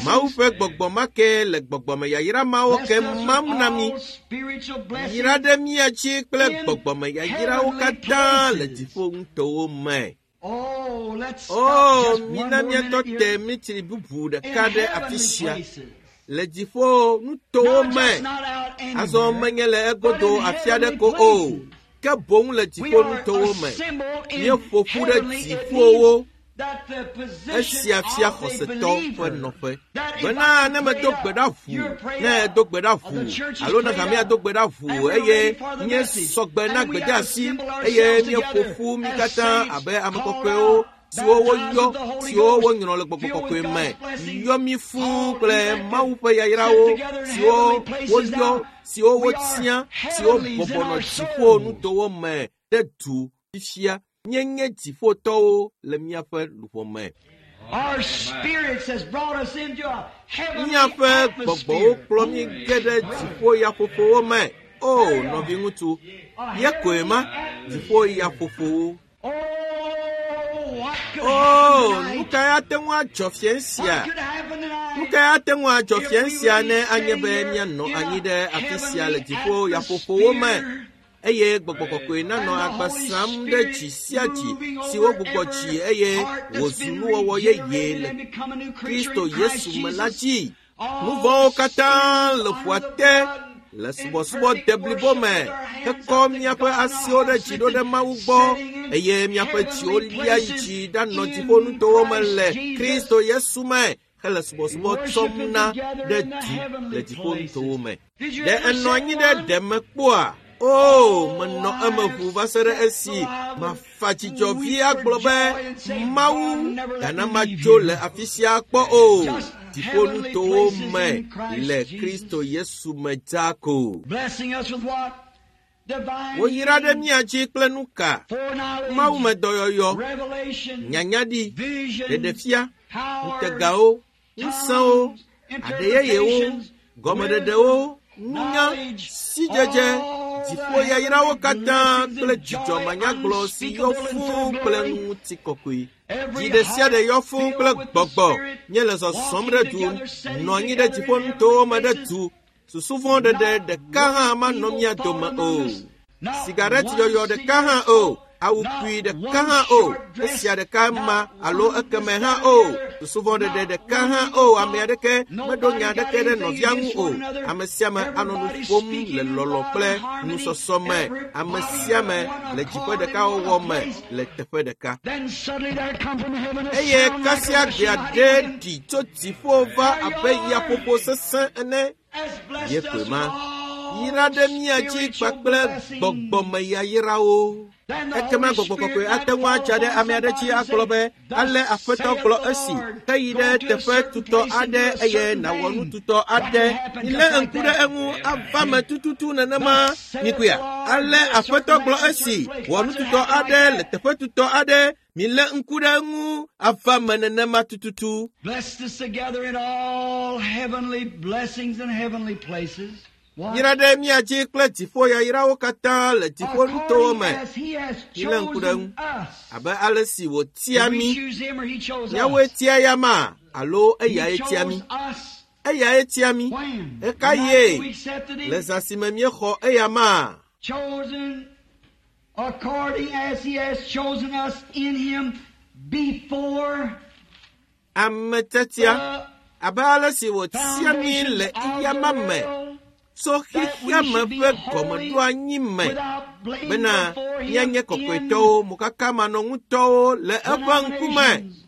Mawu ƒe gbɔgbɔ ma ke le gbɔgbɔmeyayra mawo ke mam na mi. Yra ɖe mía dzi kple gbɔgbɔmeyayrawo katã le dziƒo ŋutɔwo me. Oh, let's stop O, just one mina more míatɔ minute te here. mitsri bubu In ɖeka ɖe afi heavenly sia places. le dziƒo nutowo Not me. just not out Azɔ anywhere, menye le but egodo in afi aɖe heavenly ko o, places. ke boŋ le We dziƒo are nutowo me. assembled in Míeƒo ƒu ɖe heavenly. It dziƒowo. means that the position Esia fia of the xɔsetɔ ƒe believer, nɔƒe. that if Bena I ne pray medo up, gbe ɖa you're ʋuu, prayed ne up, edo gbe ɖa or the ʋuu, church is alo ne prayed hamea up, do gbe ɖa and ʋuu we're eye ready for the míesɔ message, gbe na and we gbedeasi assemble eye ourselves míeƒo together ƒu mí as katã saints abe ame called kɔkɔewo out, siwo baptized woyɔ, with the Holy siwo Ghost, wonyrɔ le gbɔgbɔ filled with kɔkɔe me, God's blessings, yɔ mí fũu all kple elected, Mawu ƒe set yayrawo together in siwo heavenly places woyɔ, now. siwo We are wotia, siwo heavenlies in bɔbɔ nɔ our dziƒo soul. nutowo me ɖe du fifia. Míenye dziƒotɔwo le míaƒe luʋɔ me. Our spirits has brought us into a heavenly Míaƒe gbɔgbɔwo atmosphere. kplɔ mí ge ɖe dziƒo yaƒoƒowo me. O, nɔviŋutsu, ye koe ma, dziƒo yaƒoƒowo. Oh, what could O, happen nu tonight? kae ate ŋu adzɔ fiẽ sia? What could happen Nu tonight? kae ate ŋu adzɔ If fiẽ we sia would be ne anye sitting be here míanɔ in anyi a ɖe afi sia le heavenly dziƒo yaƒoƒowo me atmosphere eye gbɔgbɔ kɔkɔe nanɔ and the agba Holy sam ɖe Spirit dzi sia dzi moving si over wogbugbɔ dzi every eye heart that's wòzu been nuwɔwɔ yeye regenerated le and become a new creature Kristo in Christ Yesu me la Jesus. dzi. All Nu vɔ̃wo katã sins le ƒua under the te blood le in subɔsubɔ perfect deblibo worship me with our hands hekɔ up to míaƒe God and our asiwo ɖe hearts dzi ɖo ɖe lifted, Mawu gbɔ sitting in eye míaƒe dziwo heavenly lia yi places dzi ɖanɔ in dziƒo nutowo me Christ le Jesus. Kristo Yesu me hele subɔsubɔ tsɔm Worshiping na together ɖe in the du le heavenly dziƒo nutowo places. me. Did you Ɖe ever enɔ sit anyi ɖe one? ɖe me kpɔa? O, menɔ Oh, eme I ʋuu va se ɖe have esi so I would mafa dzidzɔ vi weep for agblɔ joy be and say, God, Mawu never let gana me leave madzo le here. afi sia kpɔ o. Just Dziƒo heavenly nutowo places me in Christ le Jesus. Kristo Yesu me dzaa ko. Blessing us with what? Divine Woyra ɖe healing, mía dzi kple nu ka? foreknowledge, Mawu me dɔyɔyɔ, revelation, nyanyaɖi, visions, ɖeɖefia, powers, ŋutegawo, ŋusẽwo, tongues, aɖe yeyewo, interpretations, gɔmeɖeɖewo, wisdom, nunya, knowledge, sidzedze, all the dziƒo yayrawo heavenly katã blessings kple and dzidzɔ joy manyagblɔ si yɔ unspeakable and fũu full of kple glory. ŋutikɔkɔe. Dzi Every ɖe sia heart ɖe yɔ fũu filled kple with the gbɔgbɔ. Spirit, Míele zɔzɔm walking ɖe du, together, sitting nɔ anyi ɖe together dziƒo in nutowo heavenly me ɖe places. du. Susu vɔ̃ ɖeɖe Not ɖeka hã one manɔ evil mía thought dome among o. us, not Sigaret one yɔyɔ ɖeka hã cigarette o. smoke, Awu not kpui ɖeka one hã o. short dress, Esia ɖeka ma not alo one ekeme this, hã that, o. and the other, Susu vɔ̃ ɖeɖe not ɖeka one hã evil o. Ame thought. aɖeke meɖo Nobody nya got aɖeke ɖe anything nɔvia ŋu against o. one another. Ame sia ame anɔ nu Everybody ƒom le speaking in lɔlɔ̃ love kple and harmony. nusɔsɔ me. Ame Everybody sia ame on one le dziƒo accord in ɖekawɔwɔ one me place. le teƒe ɖeka. Then suddenly there come from heaven a Eye sound like a kasia rushing gbea mighty ɖe wind. ɖi tso dziƒo va There you abe are. yaƒoƒo sesẽ ene. Has blessed Ye us koe with ma. all Yra ɖe mía dzi spiritual kpakple blessings. gbɔgbɔmeyayrawo. Then the Ekema Holy gbɔgbɔ Spirit kɔkɔe might ate ŋu fall atsa ɖe upon ame aɖe somebody dzi and agblɔ say, be, ale Thus Aƒetɔ saith gblɔ the esi, Lord, heyi go ɖe to a teƒe certain tutɔ place and aɖe do a eye certain nàwɔ nu thing. tutɔ That aɖe. can happen Milé just like ŋku ɖe that. eŋu ava me tututu nenema. Thus saith Mikuya, the Lord, ale go to a Aƒetɔ certain gblɔ man in a esi, certain place. wɔ nu Watch it tutɔ happen like aɖe le that. teƒe tutɔ aɖe. Milé ŋku ɖe eŋu ava me nenema tututu. Blessed us together in all heavenly blessings and heavenly places. What? Yra ɖe mía dzi kple dziƒo yayrawo katã le dziƒo nutowo According me as he has Milé ŋku ɖe chosen eŋu. us. abe ale si wòtia Did we mí. choose him or he chose Míawoe us? tia ya ma alo He eyae tia chose mí. us. Eyae tia mí. When? The night Ɣekaɣie we accepted le him. zã si me míexɔ eya ma. Chosen according as he has chosen us in him before Ame tiatia the abe ale si wòtia mí foundations le of the eyama me world, tso that we xexea me should be ƒe holy gɔmeɖoanyi me without blame bena before him míanye in kɔkɔetɔwo mokakamanɔŋutɔwo le eƒe ŋkume. denominations,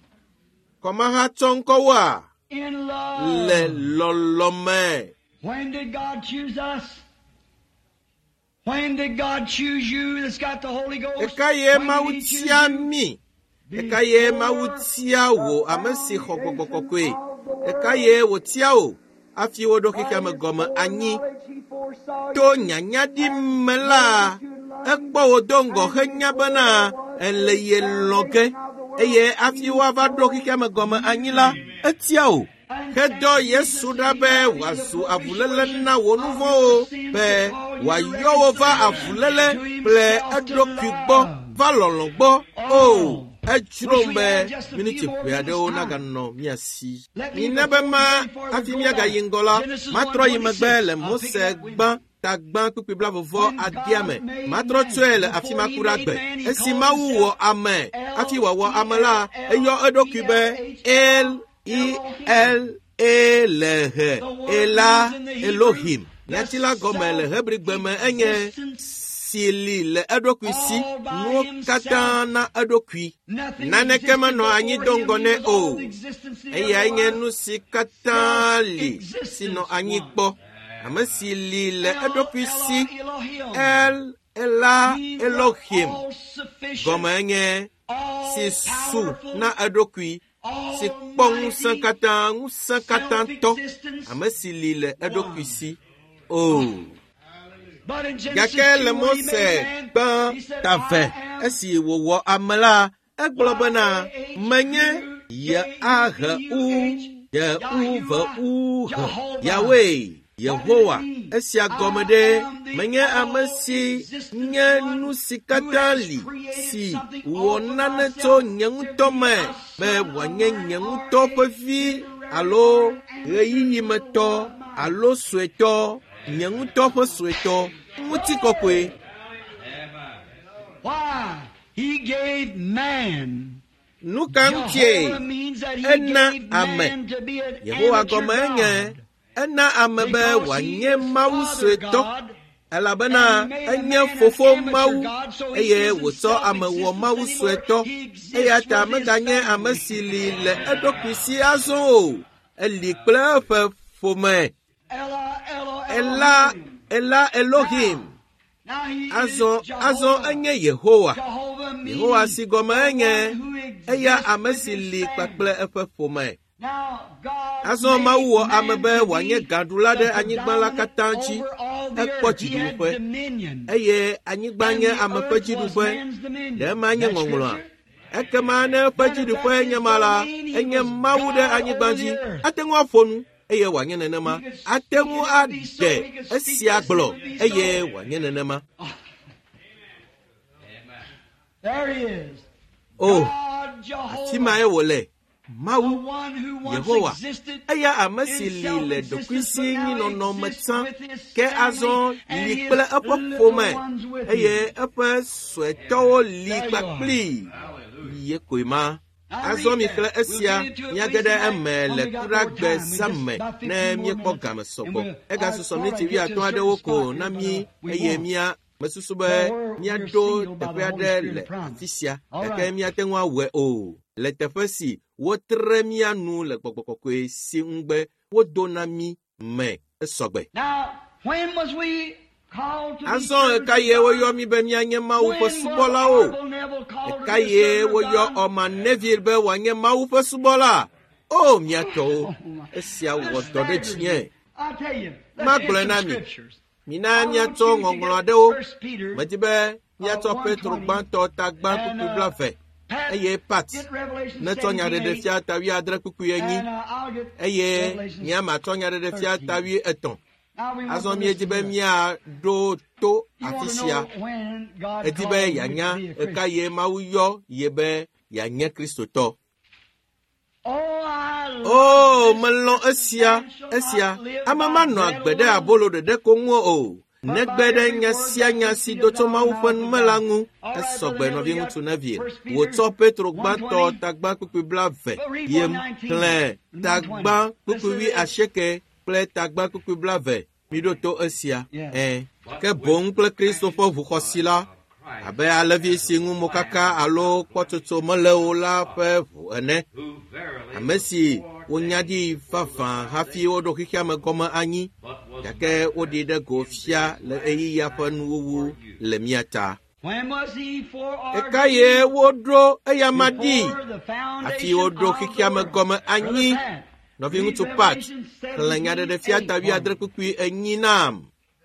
Kɔmahatsɔŋkɔwoa in le love. lɔlɔ me. When did God choose us? When did God choose you that's got the Holy Ghost? Ɣekaɣie When Mawu did he choose tia you? mí? Ɣekaɣie Mawu tia wò ame si xɔ gbɔgbɔ kɔkɔe? Ɣekaɣie wòtia wò hafi woɖo xexea me gɔme anyi? To nyanyaɖi me la, ekpɔ wò do ŋgɔ henya bena ele ye lɔ̃ ge eye hafi woava ɖo xexea me gɔme anyi la, etia wò. Hedɔ Yesu ɖa be wòazu avuléle na wò nu vɔ̃wo be wòayɔ wò va avuléle kple eɖokui gbɔ va lɔlɔ̃ gbɔ. O, edzrom be miniti ʋɛ aɖewo naganɔ mía si. Mina be ma hafi míagayi ŋgɔ la, matrɔ yi megbe le Mose gbã tagbã kpukpui blavevɔ adea me. Matrɔ tsɔe le afi ma ku ɖe agbe. Esi Mawu wɔ ame hafi wòawɔ ame la, eyɔ eɖokui be El I L E L H Ela Elohim. Nyati la gɔme le Hebrigbe me enye si li le eɖokui si, nuwo katã na eɖokui. Nothing Naneke existed menɔ anyi do before ŋgɔ him. nɛ He was o. all existence he Eyae ever nye was. nu si katã li si nɔ anyi kpɔ. Ame si li le eɖokui si, Elohim. El Ela Means Elohim all sufficient, gɔme enye all si su powerful, na eɖokui, si kpɔ ŋusẽ katã, ŋusẽ katã tɔ, ame si li le eɖokui si. O. But in Genesis Gake two, le when he Mose made man, gbã he said, tave I am esi wòwɔ ame la, egblɔ bena menye Y-A-H-U D-U-V-U H Yahweh Yehowa. Esia gɔme ɖe menye ame si nye nu si katã li si wɔ nane tso nye ŋutɔ me be wòanye nye ŋutɔ ƒe vi alo ɣeyiɣimetɔ alo suetɔ, nye ŋutɔ ƒe suetɔ, ŋutikɔkɔe. Why? He gave man. Nu ka ŋutie Jehovah means that he ena gave ame? man to be an Yehowa amateur gɔme enye God. ena ame be Because he wòanye is Mawu Father suetɔ God, elabena and he made a enye man an fofo amateur Mawu God, so he eye isn't wòtsɔ ame wɔ self-existent Mawu anymore. suetɔ He exists eya ta with his meganye ame family. si li le eɖokui si azɔ o. Eli kple eƒe ƒome. Ela, Ela, Ela Elohim. Ela Elohim. Now he is Azɔ azɔ Jehovah. enye Yehowa. Jehovah meaning Yehowa si gɔme the enye one who exists eya ame with si his li family. kpakple eƒe ƒome. Now, God Azɔ made Mawu wɔ ame man be to wòanye be gaɖula the ɖe anyigba la katã predominant dzi. over all the Ekpɔ earth. He had dziɖuƒe dominion. eye anyigba And nye the ame ƒe earth was dziɖuƒe. man's dominion. Ɖe ema nye That's ŋɔŋlɔa? scripture. Ekema ne eƒe Then if dziɖuƒe that's nye his ma la, domain, he enye was Mawu ɖe God anyigba over dzi. the earth. Ate ŋu aƒo nu eye wòanye nenema. He could Ate speak ŋu and it would be so. aɖe He could speak esia this and it gblɔ would be so. eye wòanye nenema. There he is. O, God afi Jehovah, mae wòle. the Mawu one who once Yehowa, existed eya ame in si li le self-existence, ɖokuisi but now nyinɔnɔ me exists tsã, with his ke family azɔ and li his kple eƒe little ƒome ones with eye him. eƒe suetɔwo li There you are. kpakplii. Ye koe ma. Now Azɔ read mi that. xlẽ We'll esia get into it míage later ɖe tonight eme when le we got more kuɖagbe time. We zã just me about ne fifteen more míekpɔ minutes game and sɔgbɔ. we'll, I Egasusɔ thought miniti I'd get to wuiatɔ̃ a certain aɖewo ko spot here, na but mí uh, we eye won't. mía mesusu be But we're, we're míaɖo sealed by teƒe the Holy aɖe Spirit le of promise. afi sia All gake right. míate ŋu awɔe o. Le teƒe si wotre mía nu le gbɔgbɔ kɔkɔe si ŋugbe wodo na mí me esɔgbe. Now, when was we called to be Azɔ servants of ɣekaɣie woyɔ God? mí be míanye Mawu ƒe When was subɔlawo? Orville Neville called to be a Ɣekaɣie servant of woyɔ God? Orman Neville be wòanye Mawu ƒe subɔla? O mía tɔwo, Oh my. esia This wɔ dɔ ɖe staggers dzinye. me. I tell you, let's get Magblɔe some na mi. scriptures. Mina I want míatsɔ you to ŋɔŋlɔ get aɖewo. First Peter Medi be uh, míatsɔ one Petro twenty gbãtɔ ta gbã and kpukpui uh, blaeve Pat eye Pat get Revelation netsɔ seventeen nyaɖeɖefia eight ta wuiadre kpukpui enyi and uh, I'll get eye Revelation nye matsɔ nyaɖeɖefia ta thirteen. wuietɔ̃. Now we want Azɔ to míedi listen be to that. míaɖo to You afi want to sia. know when God Edi be called you to yeanya be a Christian. ɣekaɣie Mawu yɔ ye be yeanye Kristotɔ. Oh, I love O, this. melɔ̃ esia, Man shall esia. not live Ame by manɔ bread agbe ɖe alone, abolo ɖeɖe ko ŋu o. but Negbe by ɖe every nya word sia that nya si proceedeth do tso out of the Mawu ƒe mouth of nu me la God. ŋu. All right, Esɔgbe Brother Neville, you nɔviŋutsu got Neville. First Peter Wòtsɔ Petro one gbãtɔ twenty, tagbã kpukpui blaeve but read ye one nineteen xlẽ and one twenty. tagbã Listen kpukpui to wui this. asieke kple tagbã kpukpui blaeve. Miɖo to esia. Yeah. Ẽ, ke boŋ kple Kristo ƒe ʋuxɔsi la, abe alẽvi si ŋu mokaka alo kpɔtsotso mele o la ƒe ʋu ene. Ame si wonya ɖi vavã hafi woɖo xexea me gɔme anyi, Gake woɖi ɖe go fia le ɣeyiɣia ƒe nuwuwu le mía ta. Ɣekaɣie woɖo eyama ɖi hafi woɖo xexea me gɔme anyi. Nɔviŋutsu Pat xlẽ Nyaɖeɖefia ta wuiadre kpukpui enyi nam.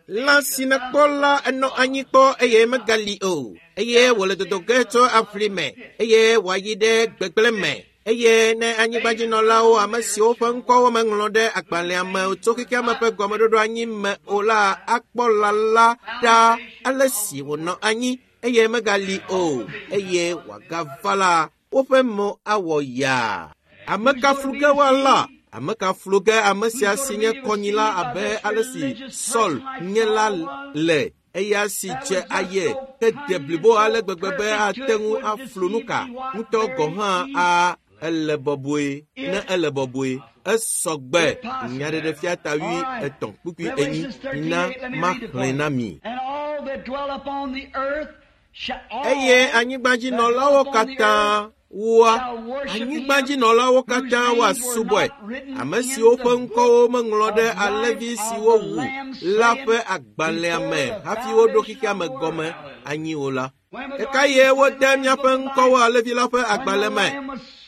Lã si nèkpɔ la enɔ anyi kpɔ eye megali o, eye wòle dodo ge tso aʋli me eye wòayi ɖe gbegblẽ me. Eye ne anyigbadzinɔlawo, ame siwo ƒe ŋkɔwo meŋlɔ ɖe agbalẽa me tso xexea me ƒe gɔmeɖoɖo anyi me o la, akpɔ lã la ɖa ale si wònɔ anyi eye megali o, eye wòagava la, woƒe mo awɔ yaa. Ame ka flu ge woala? Ame ka flu ge ame sia si nye kɔnyila abe ale si Saul nye la le, eya si dze aye hede blibo ale gbegbe be ate ŋu aflu nuka ŋutɔ gɔ̃ hã a ele bɔbɔe ne ele bɔbɔe. Esɔ gbe Nyaɖeɖefia ta wui etɔ̃ kpukpui enyi na maxlẽ na mi. Eye anyigbadzinɔlawo katã woa anyigbadzinɔlawo katã woasubɔe, ame siwo ƒe ŋkɔwo meŋlɔ ɖe alẽvi siwo wu la ƒe agbalẽa me hafi woɖo xexea me gɔme anyi o la. Ɣekaɣie wode míaƒe ŋkɔwo alẽvi la ƒe agbalẽ me?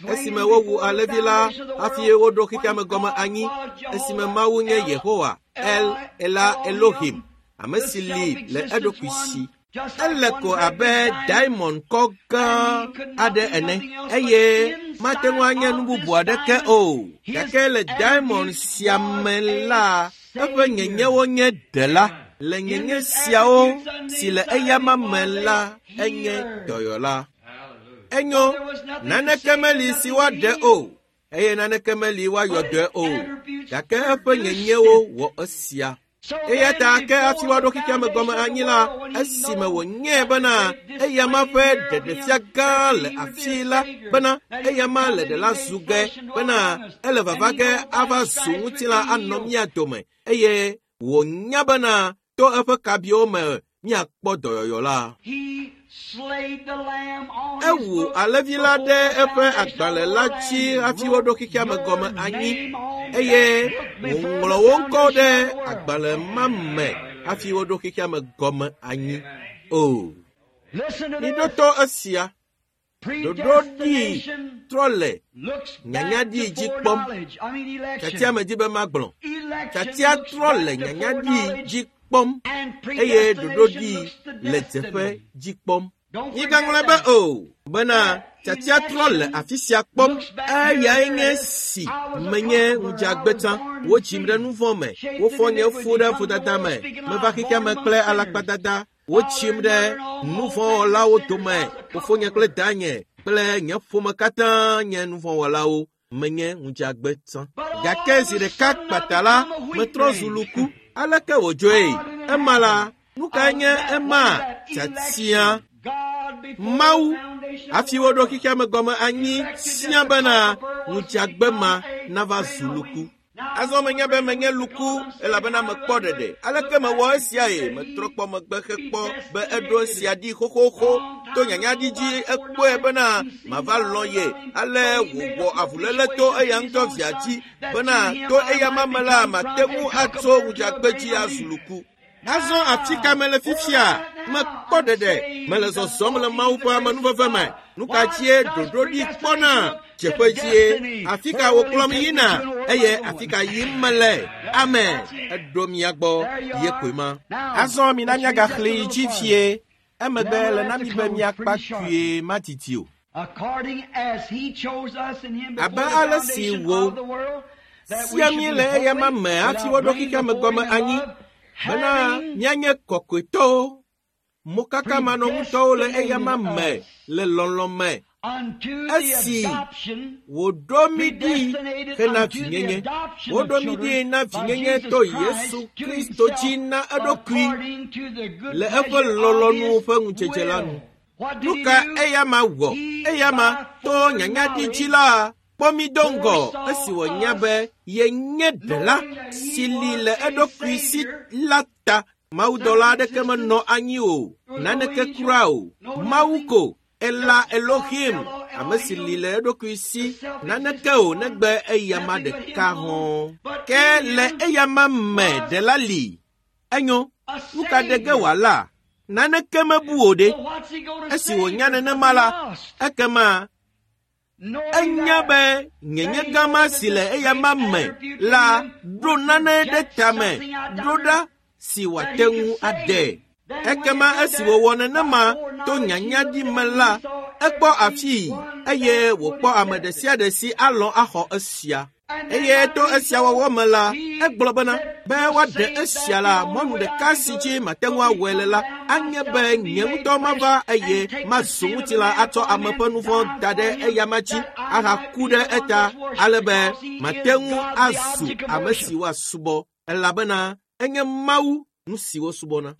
Esime wowu alẽvi la hafi woɖo xexea me gɔme anyi, esime Mawu nye Yehowa, El Ela Elohim, ame si li le eɖokui si. Ele ko abe diamond kɔ gã aɖe ene, eye mate ŋu anye nu bubu aɖeke o. Gake le diamond sia me la, eƒe nyenyewo nye ɖela. Le nyenye siawo si le eyama me la, enye dɔyɔla. Enyo, naneke meli si woaɖe o, eye naneke meli woayɔ dɔe o. Gake eƒe nyenyewo wɔ esia. Eya ta ke hafi woaɖo xexea me gɔme anyi la, esime wònyae bena eyama ƒe ɖeɖefia gã le afii la, bena eyama le ɖela zu ge, bena ele vava ge ava zu ŋutilã anɔ mía dome, eye wònya bena to eƒe kabiwo me míakpɔ dɔyɔyɔ la. Ewu alẽvi la ɖe eƒe agbalẽ la dzi hafi woɖo xexea me gɔme anyi, eye wòŋlɔ wo ŋkɔ ɖe agbalẽ ma me hafi woɖo xexea me gɔme anyi o. Miɖo to esia. Ɖoɖo ɖi trɔ le nyanyaɖi dzi kpɔm. Tiatia medzi be magblɔ. Tiatia trɔ le nyanyaɖi dzi kpɔm eye ɖoɖo ɖi le dzeƒe dzi kpɔm. Migaŋlɔe be o, bena tiatia trɔ le afi sia kpɔm. Eyae nye si menye ŋudzeagbe tsã. Wodzim ɖe nu vɔ̃ me, wofɔ nye fu ɖe vodada me, meva xexea me kple alakpadada. Wotsim ɖe nu vɔ̃wɔlawo dome. Fofonye kple danye kple nye ƒome katã nye nu vɔ̃wɔlawo. Menye ŋudzeagbe tsã. Gake zi ɖeka kpata la, metrɔ zu luku. Aleke wòdzɔe? Ema la, nu kae nye ema? Tiatia. Mawu, hafi woɖo xexea me gɔme anyi sia bena ŋudzeagbe ma nava zu luku. Azɔ menya be menye luku elabena mekpɔ ɖeɖe. Aleke mewɔ esiae? Metrɔ kpɔ megbe hekpɔ be eɖo esia ɖi xoxoxo. To nyanyaɖi dzi ekpɔe bena mava lɔ̃ ye. Ale wòwɔ avuléle to eya ŋutɔ via dzi bena to eyama me la mate ŋu atso ŋudzeagbe dzi azu luku. Azɔ afi ka mele fifia? Mekpɔ ɖeɖe. Mele zɔzɔm le Mawu ƒe amenuveve me. Nu ka dzie ɖoɖo ɖi kpɔna? Dzeƒe dzie. Afi ka wòkplɔm yina? Eye afi ka yim mele? Amen. Eɖo mia gbɔ ye koe ma. Azɔ mina míagaxlẽ yi dzi fie. Emegbe le na mi be míakpa kpuie madidi o. Abe ale si wò sia mí le eyama me hafi woɖo xexea me gɔme anyi, bena míanye kɔkɔetɔwo, mokakamanɔŋutɔwo le eyama me le lɔlɔ̃ me. Esi wòɖo mí ɖi hena vinyenye, woɖo mí ɖi na vinyenye to Yesu Kristo dzi na eɖokui le eƒe lɔlɔ̃nu ƒe ŋudzedze la nu. Nu ka eyama wɔ? Eyama to nyanyaɖi dzi la kpɔ mí do ŋgɔ esi wònya be yenye ɖela si li le eɖokui si la ta. Mawudɔla aɖeke menɔ anyi o, naneke kura o. Mawu ko Ela Elohim, ame si li le eɖokui si, naneke o negbe eyama ɖeka hɔ̃. Ke le eyama me ɖela li. Enyo, nu ka ɖe ge wòala? Naneke mebu o ɖe. Esi wònya nenema la, ekema enya be nyenye gama si le eyama me la ɖo nane ɖe tame ɖo ɖa si wòate ŋu aɖe. Ekema esi wòwɔ nenema to nyanyaɖi me la, ekpɔ afii eye wòkpɔ ame ɖe sia ɖe si alɔ̃ axɔ esia. Eye to esia wɔwɔ me la, egblɔ bena be woaɖe esia la, mɔnu ɖeka si dzi mate ŋu awɔe le la, anye be nye ŋutɔ mava eye mazu ŋutilã atsɔ ame ƒe nu vɔ̃ da ɖe eyama dzi ahaku ɖe eta ale be mate ŋu azu ame si woasubɔ elabena enye Mawu nu si wosubɔna.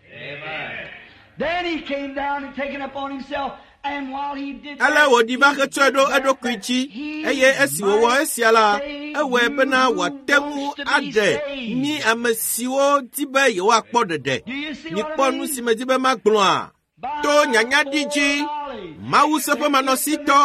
Then he came down and taken upon himself, and while he did Ale that, wòɖi va hetsɔe ɖo eɖokui dzi eye esi wòwɔ esia la, ewɔe bena wòate ŋu aɖe mí ame siwo di be yewoakpɔ ɖeɖe. Do you see what Mikpɔ I nu mean? si medi be magblɔa? To nyanyaɖi dzi, Mawu seƒemanɔsitɔ,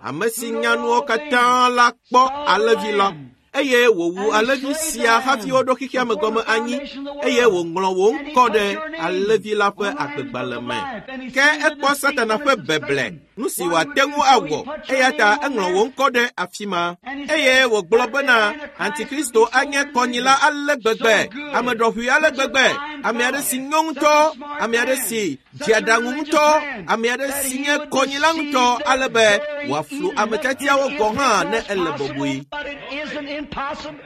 ame si nya nuwo katã la kpɔ alẽvi la eye wòwu alẽvi sia hafi woɖo xexea me gɔme anyi eye wòŋlɔ wò ŋkɔ ɖe alẽvi la ƒe agbegbalẽ me. Ke ekpɔ Satana ƒe beble, nu si wòate ŋu awɔ eya ta eŋlɔ wò ŋkɔ ɖe afi ma. Eye wògblɔ bena Antikristo anye kɔnyila ale gbegbe, ame ɖɔʋui ale gbegbe, ame aɖe si nyo ŋutɔ, ame aɖe si dze aɖaŋu ŋutɔ, ame aɖe si nye kɔnyila ŋutɔ ale be wòaflu ame tiatiawo gɔ̃ hã ne ele bɔbɔe. But it isn't impossible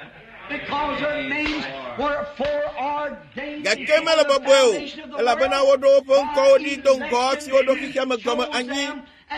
because their names were foreordained. Gake mele bɔbɔe o, elabena woɖo woƒe ŋkɔwo ɖi do ŋgɔ hafi woɖo xexea me gɔme anyi.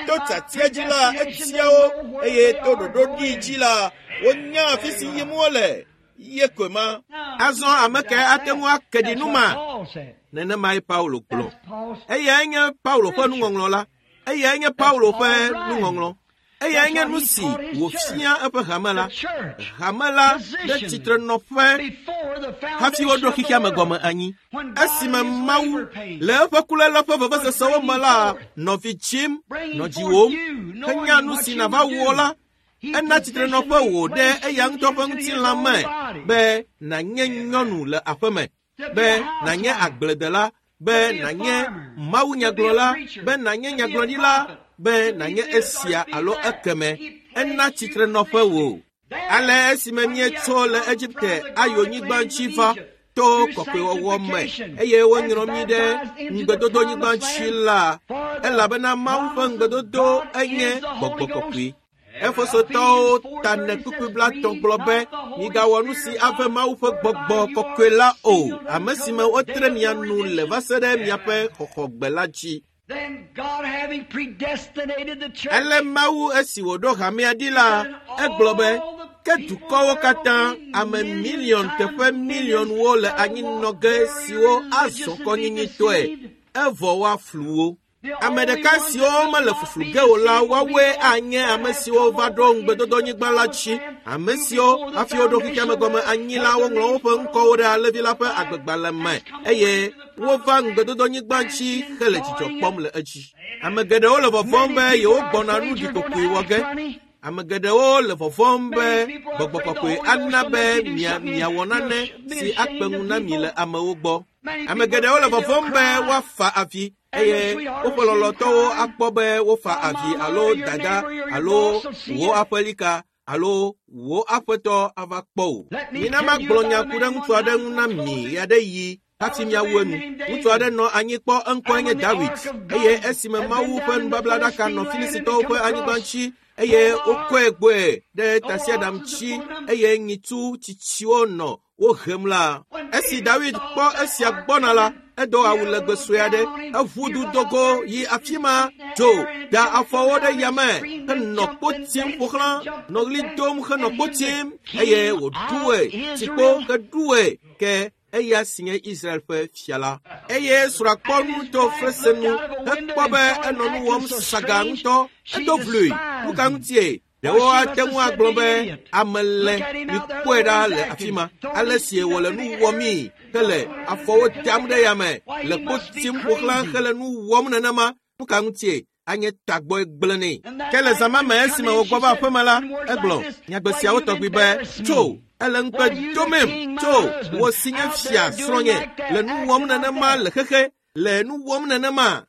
To tiatia dzi la, etia wo eye to ɖoɖo ɖi dzi la, wonya afi si yim wole. Ye koe ma. Azɔ ame kae ate ŋu ake ɖi That's nu what ma? Paul said. Nenemae Paulo gblɔ. That's Paul's Eyae nye Paulo ƒe nuŋɔŋlɔ la. Eyae nye Paulo ƒe nuŋɔŋlɔ. Eyae nye nu si wòfia eƒe hame la. the church Hame la ɖe tsitrenɔƒe before the hafi woɖo foundation of xexea me the gɔme world. anyi. When God Esime in his Mawu labor pains le eƒe kuléle ƒe vevesesewo me la, nɔ vi dzim, bringing nɔ forth dziwòm, you, knowing henya nu what si you nàva would wɔ do. la, He ena positioned tsitrenɔƒe you, wò ɖe placed eya you ŋutɔ ƒe into his ŋutilã own me body. be nànye nyɔnu le aƒeme, To be be a nànye housewife, agbledela, be to be a nànye farmer, to be a mawunyagblɔla, preacher, be nànye to be a nyagblɔɖila, prophet, be to be nànye this or esia to be alo that. ekeme. He Ena placed you tsitrenɔƒe wò. position. Then, Ale esime when we have míetso le come Egipte from the ayo garden nyigba lands dzi of va Egypt to through kɔkɔewɔwɔ me sanctification eye and woŋlɔ mí ɖe baptized into the ŋugbedodonyigba promised dzi land, la, for the elabena Mawu ƒe promise of ŋugbedodo God enye is the Holy gbɔgbɔ kɔkɔe. Ghost. Efesotɔwo Ephesians ta ne four kpukpui thirty-seven, blaetɔ̃ grieve gblɔ be not the Holy migawɔ nu Spirit si of ave God, Mawu ƒe gbɔgbɔ whereby you kɔkɔe are la o, sealed ame si until me the wotre day of mia your nu le va redemption. se ɖe miaƒe xɔxɔgbe la dzi. Then God having predestinated the church, Ale Mawu esi wòɖo hamea ɖi la, then egblɔ be all the ke people dukɔwo there katã will be ame million miliɔn times teƒe millions miliɔnwo le that will anyinɔ walk ge very siwo azɔ religious and be kɔnyinyinyitɔe deceived. evɔ woaflu wo. The Ame only ɖeka ones siwo that will mele not fuflu be ge o la, deceived will be woawoe the ones anye that ame have siwo come va ɖo over into the ŋugbedodonyigba la promised dzi. land Ame who siwo before the hafi woɖo xexea foundation me of the gɔme world anyi had la, their woŋlɔ names woƒe put on ŋkɔwo the ɖe alẽvi book la of ƒe life agbegbalẽ me has come over eye into the wova promised land ŋugbedodonyigba and dzi hele dzidzɔ enjoying kpɔm it. le edzi. Ame geɖewo le vɔvɔ̃m Many be people yewo are gbɔna afraid nu you're going ɖikokoe to wɔ act ge. funny. Ame geɖewo le vɔvɔ̃m be Many people are gbɔgbɔ afraid the kɔkɔe Holy Ghost ana will be make you do mia something miawɔ you'll nane be si akpe ashamed ŋu of na mi le people. amewo gbɔ. Many Ame people are geɖewo le afraid they'll vɔvɔ̃m be cry woafa avi and their eye sweetheart woƒe will see them lɔlɔ̃tɔwo crying. akpɔ be wofa Or avi mama alo or your dada neighbor or your alo boss will see wò you. aƒelika alo wò aƒetɔ ava kpɔ wò. Let me Mina tell you magblɔ about nya a ku ɖe man ŋutsu one aɖe time ŋu na before mi closing. ɣe aɖe ɣi There hafi was a miawu man enu. named Ŋutsu aɖe David. nɔ anyi kpɔ eŋkɔe And nye when the David ark of eye God esime had been Mawu ƒe down in the nubablaɖaka nɔ Philistine land and had Filistitɔwo come ƒe anyigba across dzi eye full of wokɔe ark, gbɔe ɖe the tasiaɖam oxen dzi pulling them. eye nyitsu tsitsiwo nɔ wo hem la. When Esi David David saw kpɔ that esia ark gbɔna la, coming, edo he awu had a legbe little sue aɖe, gown on him. eʋu He du run do out go there yi and afi just ma, beat that dzo, air and da jumped afɔwo and ɖe down and yame screamed and henɔ jumped kpo and tim danced ƒo xlã, and jumped nɔ and ɣli danced. dom henɔ And kpo him the tim eye king wòɖu of ɣe, tsikpo Israel. heɖu ɣe ke eya si nye Israel ƒe fia la. Eye srɔ̃a kpɔ And nu his to wife frese looked nu out of a window hekpɔ and be saw him enɔ nu acting wɔm so saga strange. ŋutɔ. She Edo vlui. Nu despised ka him. ŋutie? Why, Ɖewo she ate must have ŋu said, agblɔ The be idiot. ame le Look at him out there, the mikpɔe way ɖa he's le afi acting, ma. throwing Ale his si feet wòle up in nu the air. wɔmii hele afɔwo dam ɖe yame Why, le he kpo must be tim ƒo xlã crazy. hele nu wɔm nenema. Nu ka ŋutie? anye tagbɔe gblẽ nɛ. Ke le zã ma me esime wògbɔ va aƒeme la, egblɔ nyagbe siawo tɔgbi be, tso, ele ŋukpe domem, tso, wò si nye fia srɔ̃nye, le nu wɔm nenema le xexe, le nu wɔm nenema.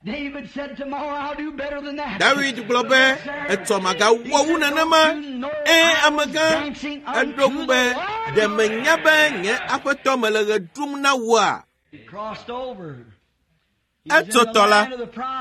David gblɔ be, etsɔ magawɔ wu nenema. Ẽ, amegã, eɖo ŋu be, ɖe menya be nye aƒetɔ mele ɣe ɖum na wòa? Etso tɔ la,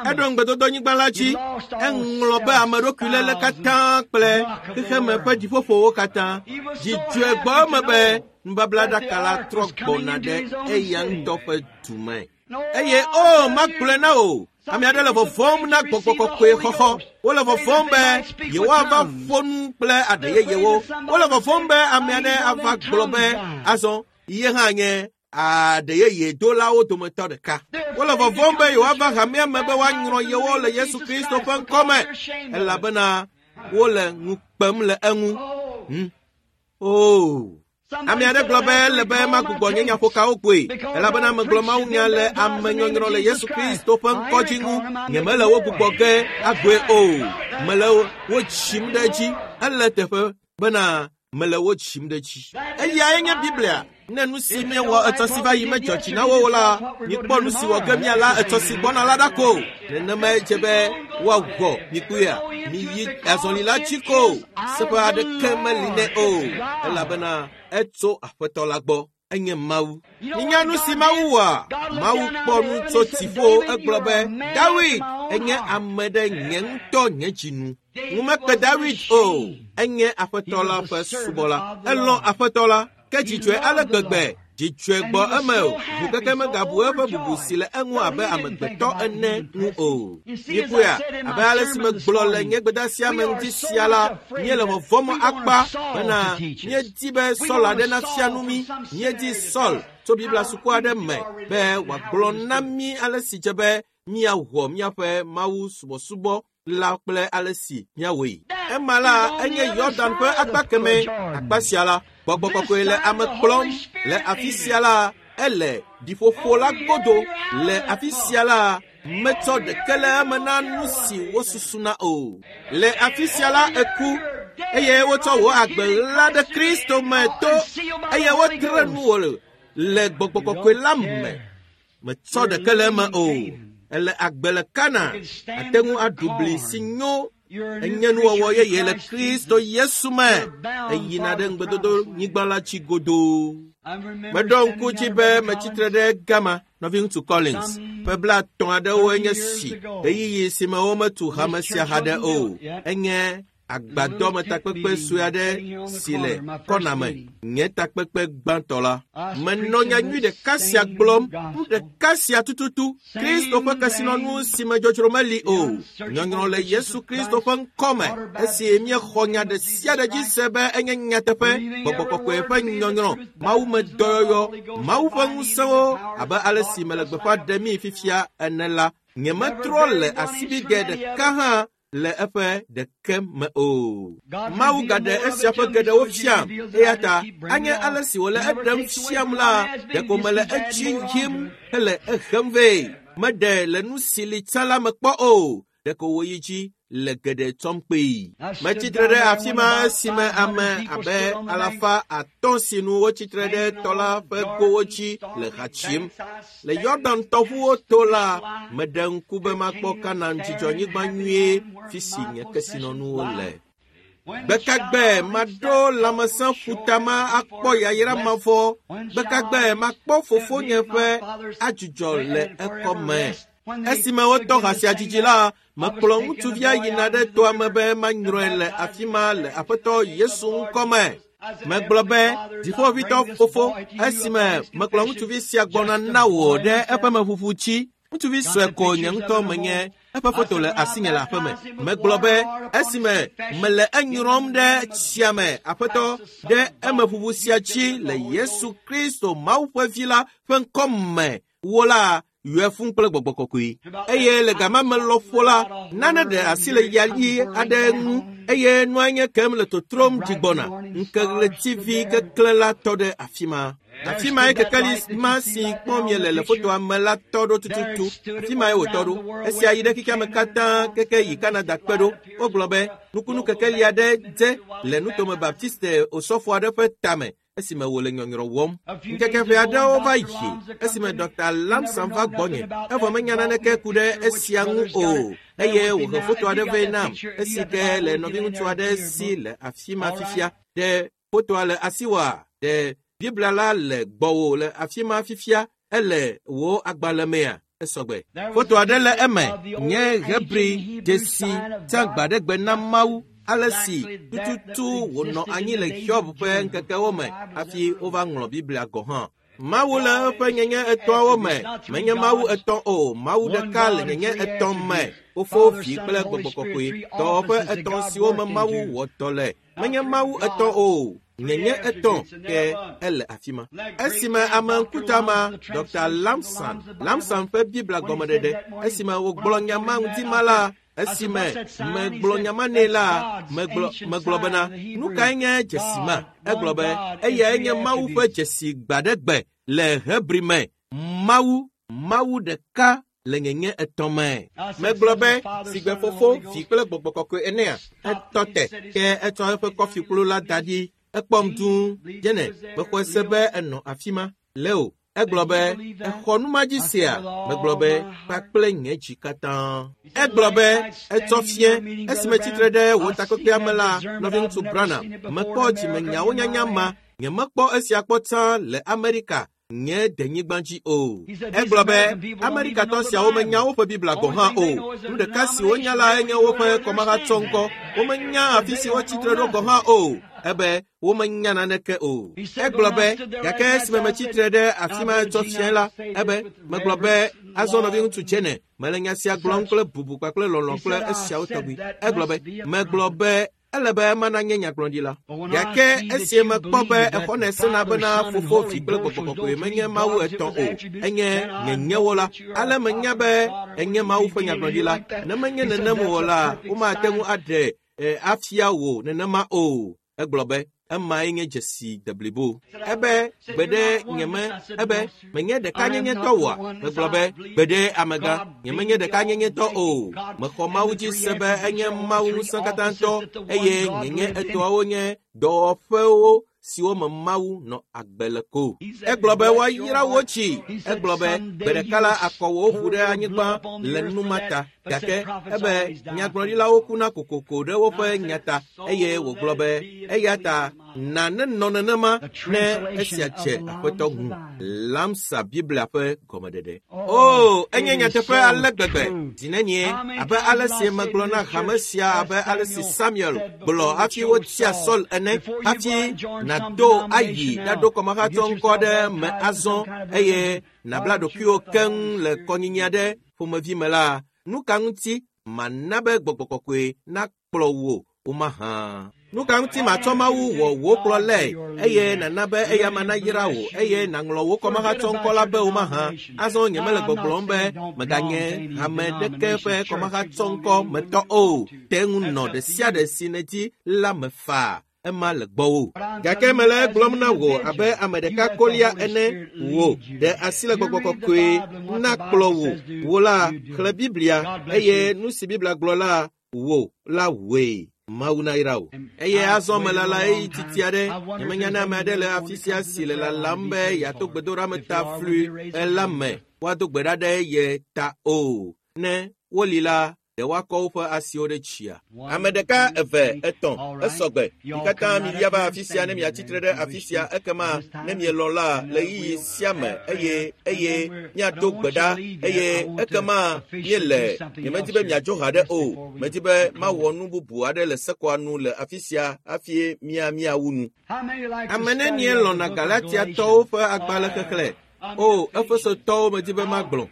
eɖo ŋugbedodonyigba la dzi, eŋlɔ be ame ɖokuiléle katã kple xexeme ƒe dziƒoƒowo katã. Dzidzɔe gbɔ eme be nubablaɖaka la trɔ gbɔna ɖe eya ŋutɔ ƒe du me. Eye o, magblɔe na wò, ame aɖe le vɔvɔ̃m na gbɔgbɔ kɔkɔe xɔxɔ. Wole vɔvɔ̃m be yewoava ƒo nu kple aɖe yeyewo. Wole vɔvɔ̃m be ame aɖe ava gblɔ be azɔ ye hã nye aɖe yeye dolawo dometɔ ɖeka. Wole vɔvɔ̃m be yewoava hamea me be woanyrɔ yewo le Yesu Kristo ƒe ŋkɔme, elabena wole ŋu kpem le eŋu. Hmm. Oh. Ame aɖe gblɔ be ele be magbugbɔ nye nyaƒokawo kpoe, elabena megblɔ mawunya le amenyɔnyrɔ le Yesu Kristo ƒe ŋkɔ dzi ŋu. Nyemele wo gbugbɔ ge agoe o. Mele wo dzim ɖe edzi. Ele teƒe bena mele wo dzim ɖe edzi. Eyae nye Biblia. Ne nu si míewɔ etsɔ si va yi medzɔ dzi na wo o la, mikpɔ nu si wɔ ge míala etsɔ si gbɔna la ɖa ko. Nenemae dze be woawɔ mikpɔea. Miyi azɔli la dzi ko. Seƒe aɖeke meli nɛ o, elabena etso aƒetɔ la gbɔ. Enye Mawu. Minya nu si Mawu wɔa? Mawu kpɔ nu tso dziƒo egblɔ be, Dawid enye ame ɖe nye ŋutɔ nye dzi nu. Ŋu mekpe Dawid o. Enye aƒetɔ la ƒe subɔla. Elɔ̃ aƒetɔ la. Ke dzidzɔe ale gbegbe. Dzidzɔe gbɔ eme o. Ŋukeke megabu eƒe bubu si le eŋu abe amegbetɔ ene ŋu o. Mikpɔea, abe ale si megblɔ le nye gbedeasia me ŋuti sia la, míele vɔvɔ̃m akpa bena míedi be Saul aɖe nafia nu mí. Míedi Saul tso Biblia suku aɖe me be wòagblɔ na mí ale si dze be míawɔ míaƒe Mawu subɔsubɔ la kple ale si míawɔe. Ema la enye Yɔdan ƒe akpa keme. Akpa sia la, gbɔgbɔ kɔkɔe le ame kplɔm. Le afi sia la, ele ɖiƒoƒo la godo. Le afi sia la, metsɔ ɖeke le eme na nu si wosusuna o. Le afi sia la, eku eye wotsɔ wò agbe ɣla ɖe Kristo me to eye wotre nu wò le gbɔgbɔ kɔkɔe la me. Metsɔ ɖeke le eme o. Ele agbe le Kana. Ate ŋu aɖu bli si nyo. Enye nuwɔwɔ yeye le Kristo Yesu me. Eyina ɖe ŋugbedodonyigba la dzi godoo. Meɖo ŋku dzi be metsitre ɖe gama, nɔviŋutsu Collins, ƒe blaetɔ̃ aɖewo enye si, ɣeyiɣi si me wometu hame sia haɖe o. Enye agbadɔmetakpekpe sue aɖe si le kɔna me, nye takpekpe gbãtɔ la. Menɔ nyanyui ɖeka sia gblɔm, nu ɖeka sia tututu, Kristo ƒe kesinɔnu si me dzodzro meli o. Nyɔnyrɔ le Yesu Kristo ƒe ŋkɔme, esi míexɔ nya ɖe sia ɖe dzi se be enye nyateƒe, gbɔgbɔ kɔkɔe ƒe nyɔnyrɔ, Mawu me dɔyɔyɔ, Mawu ƒe ŋusẽwo, abe ale si mele gbeƒã ɖem fifia ene la, nyemetrɔ le asibidɛ ɖeka hã le eƒe ɖeke me o. Mawu gaɖe esia ƒe geɖewo fiam, eya ta anye ale si wòle eɖem fiam la, ɖeko mele edzi yim hele ehem vɛ. Meɖe le nu si li tsã la me kpɔ o, ɖeko wòyi dzi le geɖe tsɔm kpee. Metsitre ɖe afi ma esime ame abe alafa atɔ̃ si nu wotsitre ɖe tɔ la ƒe gowo dzi le ha tsim. Le Yɔdan tɔʋuwo to la, meɖe ŋku be makpɔ Kanaan dzidzɔnyigba nyuie fi si nye kesinɔnuwo le. Gbekagbe maɖo lãmesẽ ƒuta ma akpɔ yayra mavɔ. Gbekagbe makpɔ fofonye ƒe adzudzɔ le ekɔme. Esime wotɔ ha sia dzidzi la, mekplɔ ŋutsuvia yina ɖe toa me be manyrɔe le afi ma le Aƒetɔ Yesu ŋkɔme. Megblɔ be, dziƒoʋĩtɔ fofo, esime mekplɔ ŋutsuvi sia gbɔna na wò ɖe eƒe meʋuʋu dzi. Ŋutsuvi sue ko nye ŋutɔ menye, eƒe foto le asinye le aƒeme. Megblɔ be, esime mele enyrɔm ɖe tsia me, Aƒetɔ, ɖe emeʋuʋu sia dzi le Yesu Kristo Mawu ƒe Vi la ƒe ŋkɔme, wo la, yɔe fũu kple gbɔgbɔ kɔkɔe. Eye le gama me lɔƒo la, nane ɖe asi le yali aɖe ŋu eye nua nye kem le totrom dzi gbɔna. Ŋkeɣletivi keklẽ la tɔ ɖe afi ma. Afi mae kekeli ma si kpɔm miele le fotoa me la tɔ ɖo tututu. Afi mae wòtɔ ɖo. Esia yi ɖe xexea me katã keke yi Kanada kpe ɖo. Wogblɔ be nukunu kekeli aɖe dze le nutome Baptiste osɔfo aɖe ƒe tame esime wòle nyɔnyrɔ wɔm. Ŋkeke ƒe aɖewo va yi esime Dɔkta Lamson va gbɔnye. Evɔ menya naneke ku ɖe esia ŋu o. Eye wòhe foto aɖe vɛ nam esi ke le nɔviŋutsu aɖe si le afi ma fifia. Ɖe fotoa le asiwòa? Ɖe Biblia la le gbɔwò le afi ma fifia? Ele wò agbalẽ mea? Esɔgbe. Foto aɖe le eme nye Hebri dzesi tsã gbaɖegbe na Mawu ale si tututu wònɔ anyi le Hiob ƒe ŋkekewo me hafi wova ŋlɔ Biblia gɔ̃ hã. Mawu le eƒe nyenye etɔ̃awo me. Menye Mawu etɔ̃ o. Mawu ɖeka le nyenye etɔ̃ me. Fofo, Vi kple Gbɔgbɔ Kɔkɔe. Dɔwɔƒe etɔ̃ siwo me Mawu wɔ dɔ le. Menye Mawu etɔ̃ o. Nyenye etɔ̃ ke ele afi ma. Esime ame ŋkuta ma, Dɔkta Lamson, Lamson ƒe Biblia gɔmeɖeɖe, esime wògblɔ nya ma ŋuti ma la, esime megblɔ nya ma nɛ la, megblɔ megblɔ bena, nu kae nye dzesi ma? Egblɔ be, eyae nye Mawu ƒe dzesi gbaɖegbe le Hebri me. Mawu, Mawu ɖeka le nyenye etɔ̃ me. Megblɔ be, sigbe Fofo, Vi kple Gbɔgbɔ Kɔkɔe enea, etɔ te, ke etsɔ eƒe kɔfikplu la da ɖi. Ekpɔm dũu. Dzene, mexɔe se be enɔ afi ma. Leo, egblɔ be, exɔ nu ma dzi sea? Megblɔ be, kpakple nye dzi katã. Egblɔ be, etsɔ fie, esime tsitre ɖe wò takpekpea me la, nɔviŋutsu Branham, mekpɔ dzimenyawo nyanya ma. Nyemekpɔ esia kpɔ tsã le Amerika, nye denyigba dzi o. Egblɔ be, Amerikatɔ siawo menya woƒe Biblia gɔ̃ hã o. Nu ɖeka si wonya la enye woƒe kɔmahatsɔŋkɔ. Womenya afi si wotsitre ɖo gɔ̃ hã o. Ebe womenya naneke o. Egblɔ be, gake esime metsitre ɖe afi ma tsɔ fia la, ebe megblɔ be, azɔ nɔviŋutsu Jene, mele nya sia gblɔm kple bubu kpakple lɔlɔ̃ kple esiawo tɔgbi. Egblɔ be, megblɔ be, ele be mana nye nyagblɔɖila. Gake esie mekpɔ be exɔnɛ sena bena Fofo, Vi kple Gbɔgbɔ Kɔkɔe menye Mawu etɔ̃ o, enye nyenyewo la. Ale menya be enye Mawu ƒe nyagblɔɖila. Ne menye nenem o la, womate ŋu aɖe afia wò nenema o. Egblɔ be, emae nye dzesi deblibo. Ebe gbeɖe nyeme, ebe menye ɖeka nyenyetɔ oa? Megblɔ be, gbeɖe amegã, nyemenye ɖeka nyenyetɔ o. Mexɔ Mawu dzi se be enye Mawu ŋusẽkatãtɔ eye nyenye etɔ̃awo nye dɔwɔƒewo siwo me Mawu nɔ agbe le ko. Egblɔ be woayra wò tsi. Egblɔ be gbe ɖeka la akɔ wò ʋu ɖe anyigba le nu ma ta. Gake ebe nyagblɔɖilawo kuna kokoko ɖe woƒe nya ta eye wògblɔ be eya ta na nenɔ nenema ne esia dze Aƒetɔ ŋu. Lamsa Biblia ƒe gɔmeɖeɖe. O, enye nyateƒe ale gbegbe. Zi nenie abe ale si megblɔ na hame sia abe ale si Samuel gblɔ hafi wotia Saul ene hafi nàdo ayi ɖaɖo kɔmahatsɔŋkɔ ɖe me azɔ eye nàbla ɖokuiwò keŋ le kɔnyinyi aɖe ƒomevi me la, nu ka ŋuti mana be Gbɔgbɔ Kɔkɔe nakplɔ wò womahã? Nu ka ŋuti matsɔ Mawu wɔ wò kplɔlae eye nàna be eya ma nayra wò eye nàŋlɔ wò kɔmahatsɔŋkɔ la be womahã? Azɔ nyemele gbɔgblɔm be meganye hame ɖeke ƒe kɔmahatsɔŋkɔ metɔ o. Te ŋu nɔ ɖe sia ɖe si nèdi la me faa. Ema le gbɔwò. Gake mele egblɔm na wò abe ame ɖeka kolia ene wò ɖe asi le Gbɔgbɔ Kɔkɔe nakplɔ wò. Wò la xlẽ Biblia eye nu si Biblia gblɔ la wò la wòe. Mawu nayra wò. Eye azɔ melala ɣeyiɣi titi aɖe. Nyemenya ne ame aɖe le afi sia si le lalam be yeato gbedoɖa ta flui la me woado gbe ɖa ɖe ye ta o. Ne woli la, ɖe woakɔ woƒe asiwo ɖe tsia. Ame ɖeka, eve, etɔ̃, esɔgbe. Mi katã mivia va afi sia ne miatsitre ɖe afi sia ekema ne mielɔ̃ la le ɣeyiɣi sia me eye eye miado gbe ɖa eye ekema miele. Nyemedi be miadzo ha ɖe o. Medi be mawɔ nu bubu aɖe le sekɔa nu le afi sia hafi mia miawu nu. Ame nenie lɔ̃na Galatiatɔwo ƒe agbalẽ xexlẽ? O, Efesotɔwo medi be magblɔ.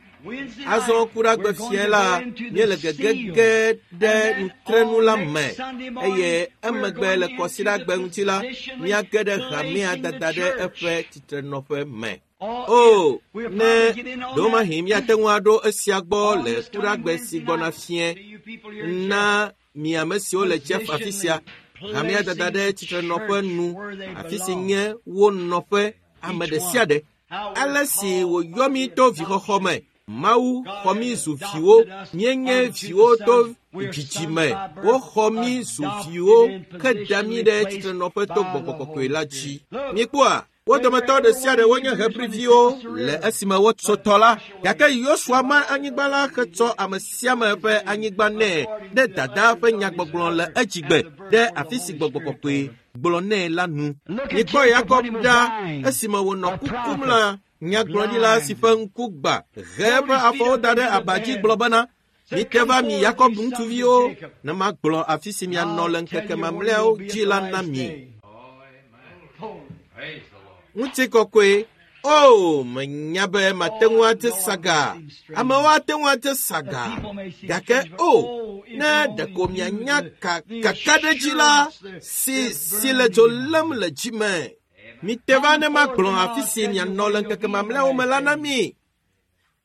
Azɔ ku ɖe agbe fia la, míele gegege ɖe nutrenu la me eye emegbe le kɔsiɖagbe ŋuti la, míage ɖe hamea dada ɖe eƒe tsitrenɔƒe me. O, ne ɖewomahi míate ŋu aɖo esia gbɔ le kuɖagbe si gbɔna fie na mi ame siwo le Jeff afi sia, hamea dada ɖe tsitrenɔƒe nu, afi si nye wo nɔƒe Ame ɖe sia ɖe. Ale si wòyɔ mí to vixɔxɔ me. Mawu xɔ mí zu viwo. Míenye viwo to dzidzime. Woxɔ mí zu viwo heda mí ɖe tsitrenɔƒe to gbɔgbɔ kɔkɔe la dzi. Míekpɔa? Wo dometɔ ɖe sia ɖe wonye Hebriviwo le esime wotso tɔ la. Gake Yosua ma anyigba la hetsɔ ame sia ame ƒe anyigba nɛ ɖe dadaa ƒe nyagbɔgblɔ le edzigbe ɖe afi si gbɔgbɔ kɔkɔe gblɔ nɛ la nu. Mikpɔ Yakob ɖa esime wònɔ kukum la, nyagblɔɖila si ƒe ŋku gbã he eƒe afɔwo da ɖe aba dzi gblɔ bena, Mite va mi Yakob ŋutsuviwo, ne magblɔ afi si mianɔ le ŋkeke mamlɛawo dzi la na mi. Ŋutikɔkɔe. O, menya be mate ŋu ate saga. Amewo ate ŋu ate saga. Gake o, ne ɖeko mianya ka kakaɖedzi la si si le dzo lém le dzi me. Mite va ne magblɔ afi si mianɔ le ŋkeke mamlɛawo me la na mi.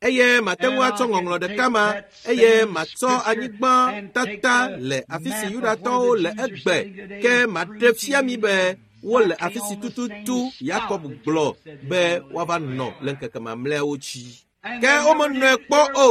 Eye mate ŋu atsɔ ŋɔŋlɔ ɖeka ma, eye matsɔ anyigba tata le afi si Yudatɔwo le egbe, ke maɖe fia mi be wole afi si tututu Yakob gblɔ be woava nɔ le ŋkeke mamlɛawo dzi. Ke womenɔe kpɔ o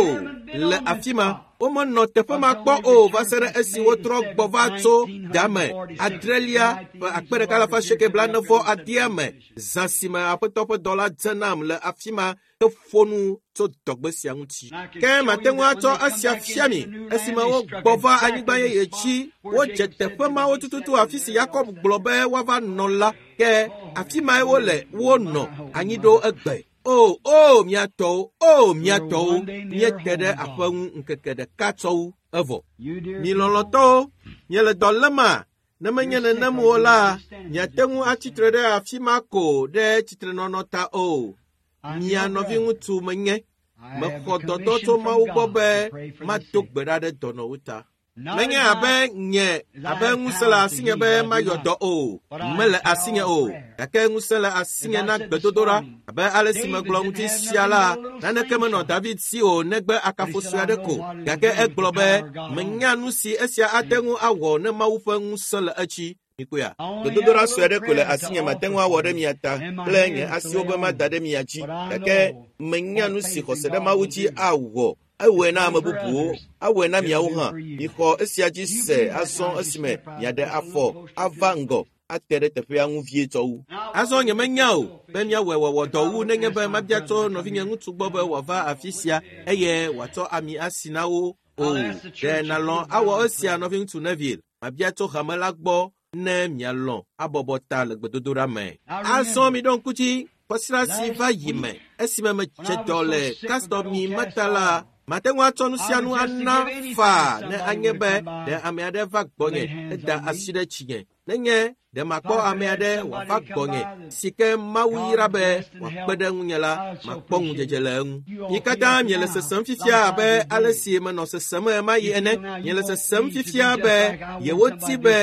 le afi ma. Womenɔ teƒe ma kpɔ o va se ɖe esi wotrɔ gbɔ va tso dame adrelia ƒe akpe ɖeka alafa asieke blaene vɔ adea me. Zã si me Aƒetɔ ƒe dɔla dze nam le afi ma heƒo nu tso dɔgbe sia ŋuti. Ke mate ŋu atsɔ esia fia mi esime wogbɔ va anyigba yeye dzi. Wodze teƒe mawo tututu afi si Yakob gblɔ be woava nɔ la. Ke afi mae wole wonɔ anyi ɖo egbe. O, o, mia tɔwo, o, mia tɔwo, míete ɖe aƒe ŋu ŋkeke ɖeka tsɔ wu evɔ. Mi lɔlɔ̃tɔwo, miele dɔ léma? Ne menye nenem o la, miate ŋu atsitre ɖe afi ma ko ɖe tsitrenɔnɔ ta o. Mia nɔviŋutsu menye. Mexɔ dɔdɔ tso Mawu gbɔ be mado gbe ɖa ɖe dɔnɔwo ta. Menye abe nye abe ŋusẽ le asinye be mayɔ dɔ o, mele asinye o, gake ŋusẽ le asinye na gbedodoɖa. Abe ale si megblɔ ŋuti sia la, naneke menɔ David si o negbe akafo sue aɖe ko. Gake egblɔ be, menya nu si esia ate ŋu awɔ ne Mawu ƒe ŋusẽ le edzi. Mikpɔea? Gbedodoɖa sue aɖe ko le asinye mate ŋu awɔ ɖe mia ta kple nye asiwo be mada ɖe mia dzi. Gake menya nu si xɔse ɖe Mawu dzi awɔ. Ewɔe na ame bubuwo, awɔe na miawo hã. Mixɔ esia dzi se azɔ esime miaɖe afɔ ava ŋgɔ ate ɖe teƒea ŋu vie tsɔ wu. Azɔ nyemenya o be míawɔe wɔwɔ dɔ wu nenye be mabia tso nɔvinye ŋutsu gbɔ be wòava afi sia eye wòatsɔ ami asi na wo o. Ɖe nàlɔ̃ awɔ esia nɔviŋutsu Neville? Mabia tso hame la gbɔ ne mialɔ̃ abɔbɔ ta le gbedodoɖa me. Azɔ miɖo ŋku dzi kɔsiɖa si va yi me esime medze dɔ le Castor mi meta la, mate ŋu atsɔ nu sia nu ana faa ne anye be ɖe ame aɖe va gbɔnye eda asi ɖe tsinye. Nenye ɖe makpɔ ame aɖe wòava gbɔnye si ke Mawu yra be wòakpe ɖe ŋunye la, makpɔ ŋudzedze le eŋu. Mi katã miele sesem fifia abe ale si menɔ sesem ɣemaɣi ene. Miele sesem fifia be yewoti be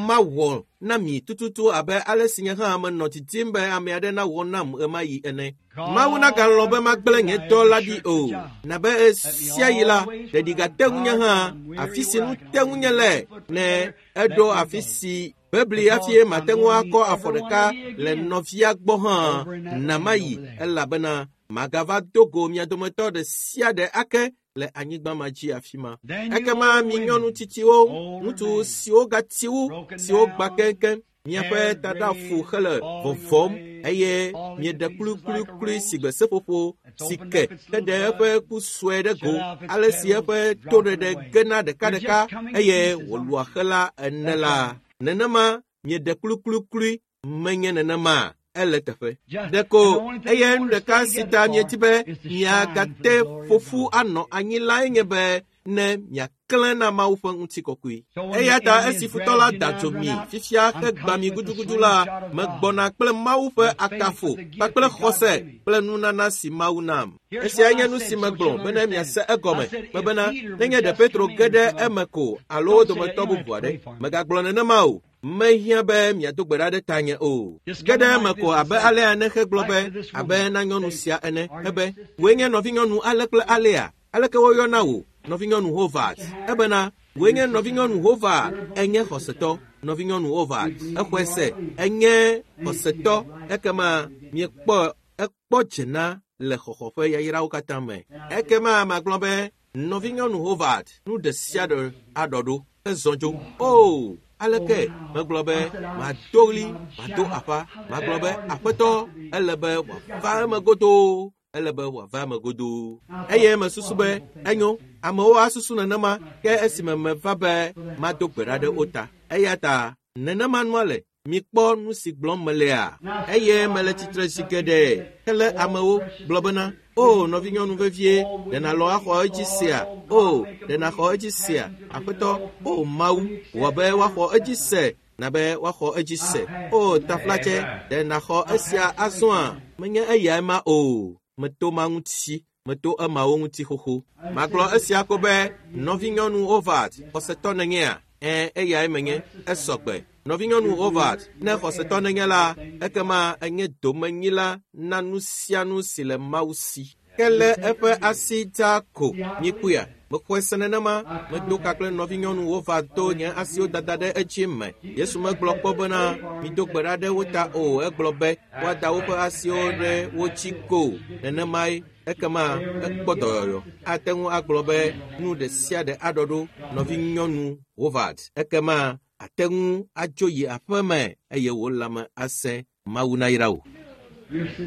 mawɔ na mi tututu abe ale si nye hã menɔ didim be ame aɖe nawɔ nam ɣemaɣi ene. Mawu nagalɔ̃ be magblẽ nye dɔ la ɖi o. Nabe ɣe sia ɣi la, ɖeɖi gate ŋunye hã afi si nu te ŋunye le ne eɖo afi si bebli hafi mate ŋu akɔ afɔ ɖeka le nɔvia gbɔ hã na mayi elabena magava do go mia dometɔ ɖe sia ɖe ake le anyigba ma dzi afi ma. Ekema mi nyɔnu tsitsiwo, ŋutsu siwo gati wu, siwo gbã keŋkeŋ, miaƒe taɖafu hele vɔvɔm eye mieɖe kluikluiklui si gbe seƒoƒo si ke heɖe eƒe ku sue ɖe go, ale si eƒe toɖeɖe gena ɖekaɖeka eye wòlua xe la ene la. Nenema mieɖe kluikluiklui menye nenema ele teƒe. Ɖeko eye nu ɖeka si ta miedi be miagate ƒoƒu anɔ anyi lae nye be ne miaklẽ na Mawu ƒe ŋutikɔkɔe. Eya ta esi futɔ la da dzo mi fifia hegbã mi gudugudu la, megbɔna kple Mawu ƒe akafo kpakple xɔse kple nunana si Mawu nam. Esiae nye nu si megblɔ bene miase egɔme mebena nenye ɖe Petro ge ɖe eme ko alo wo dometɔ bubu aɖe. Megagblɔ nenema o. Mehiã be miado gbe ɖa ɖe tanye o. Ge ɖe eme ko abe alea ne hegblɔ be abe na nyɔnu sia ene ebe wòe nye nɔvinyɔnu ale kple alea. Aleke woyɔna wò nɔvinyɔnu Hovat? Ebena Wòe nye nɔvinyɔnu Hova, enye xɔsetɔ. Nɔvinyɔnu Hova, exɔe se, enye xɔsetɔ. Ekema miekpɔ ekpɔ dzena le xɔxɔ ƒe yayrawo katã me. Ekema magblɔ be nɔvinyɔnu Howard, nu ɖe sia ɖe aɖɔ ɖo ezɔ dzo. O, aleke megblɔ be mado ɣli, mado aƒa, magblɔ be aƒetɔ, ele be wòava eme godoo, ele be wòava eme godoo. Eye mesusu be enyo, amewo asusu nenema ke esime meva be mado gbe ɖa ɖe wo ta. Eya ta nenema nua le. Mikpɔ nu si gblɔm melea. Eye mele tsitre zi geɖe hele amewo gblɔ bena, o nɔvinyɔnu vevie, ɖe nàlɔ axɔ edzi sea? O, ɖe nàxɔ edzi sea? Aƒetɔ, o Mawu, wɔ be woaxɔ edzi se, na be woaxɔ edzi se. O taflatse, ɖe nàxɔ esia azɔa? Menye eyae ma o. Meto ma ŋuti, meto emawo ŋuti xoxo. Magblɔ esia ko be nɔvinyɔnu Howard, xɔsetɔ nènyea? Ẽ, eyae menye, esɔgbe. Nɔvinyɔnu Howard, ne xɔsetɔ nenye la, ekema enye domenyila na nu sia nu si le Mawu si. Ke le eƒe asi dza ko, mikpɔea, mexɔe se nenema, medo ka kple nɔvinyɔnu Howard to nye asiwo dada ɖe edzi me. Yesu megblɔ kpɔ bena, mido gbe ɖa ɖe wo ta o, egblɔ be woada woƒe asiwo ɖe wo dzi ko. Nenemae, ekema ekpɔ dɔyɔyɔ. Ate ŋu agblɔ be nu ɖe sia ɖe aɖɔ ɖo nɔvinyɔnu Howard. Ekema ate ŋu adzo yi aƒe me eye wò lãme asẽ. Mawu nayra wò.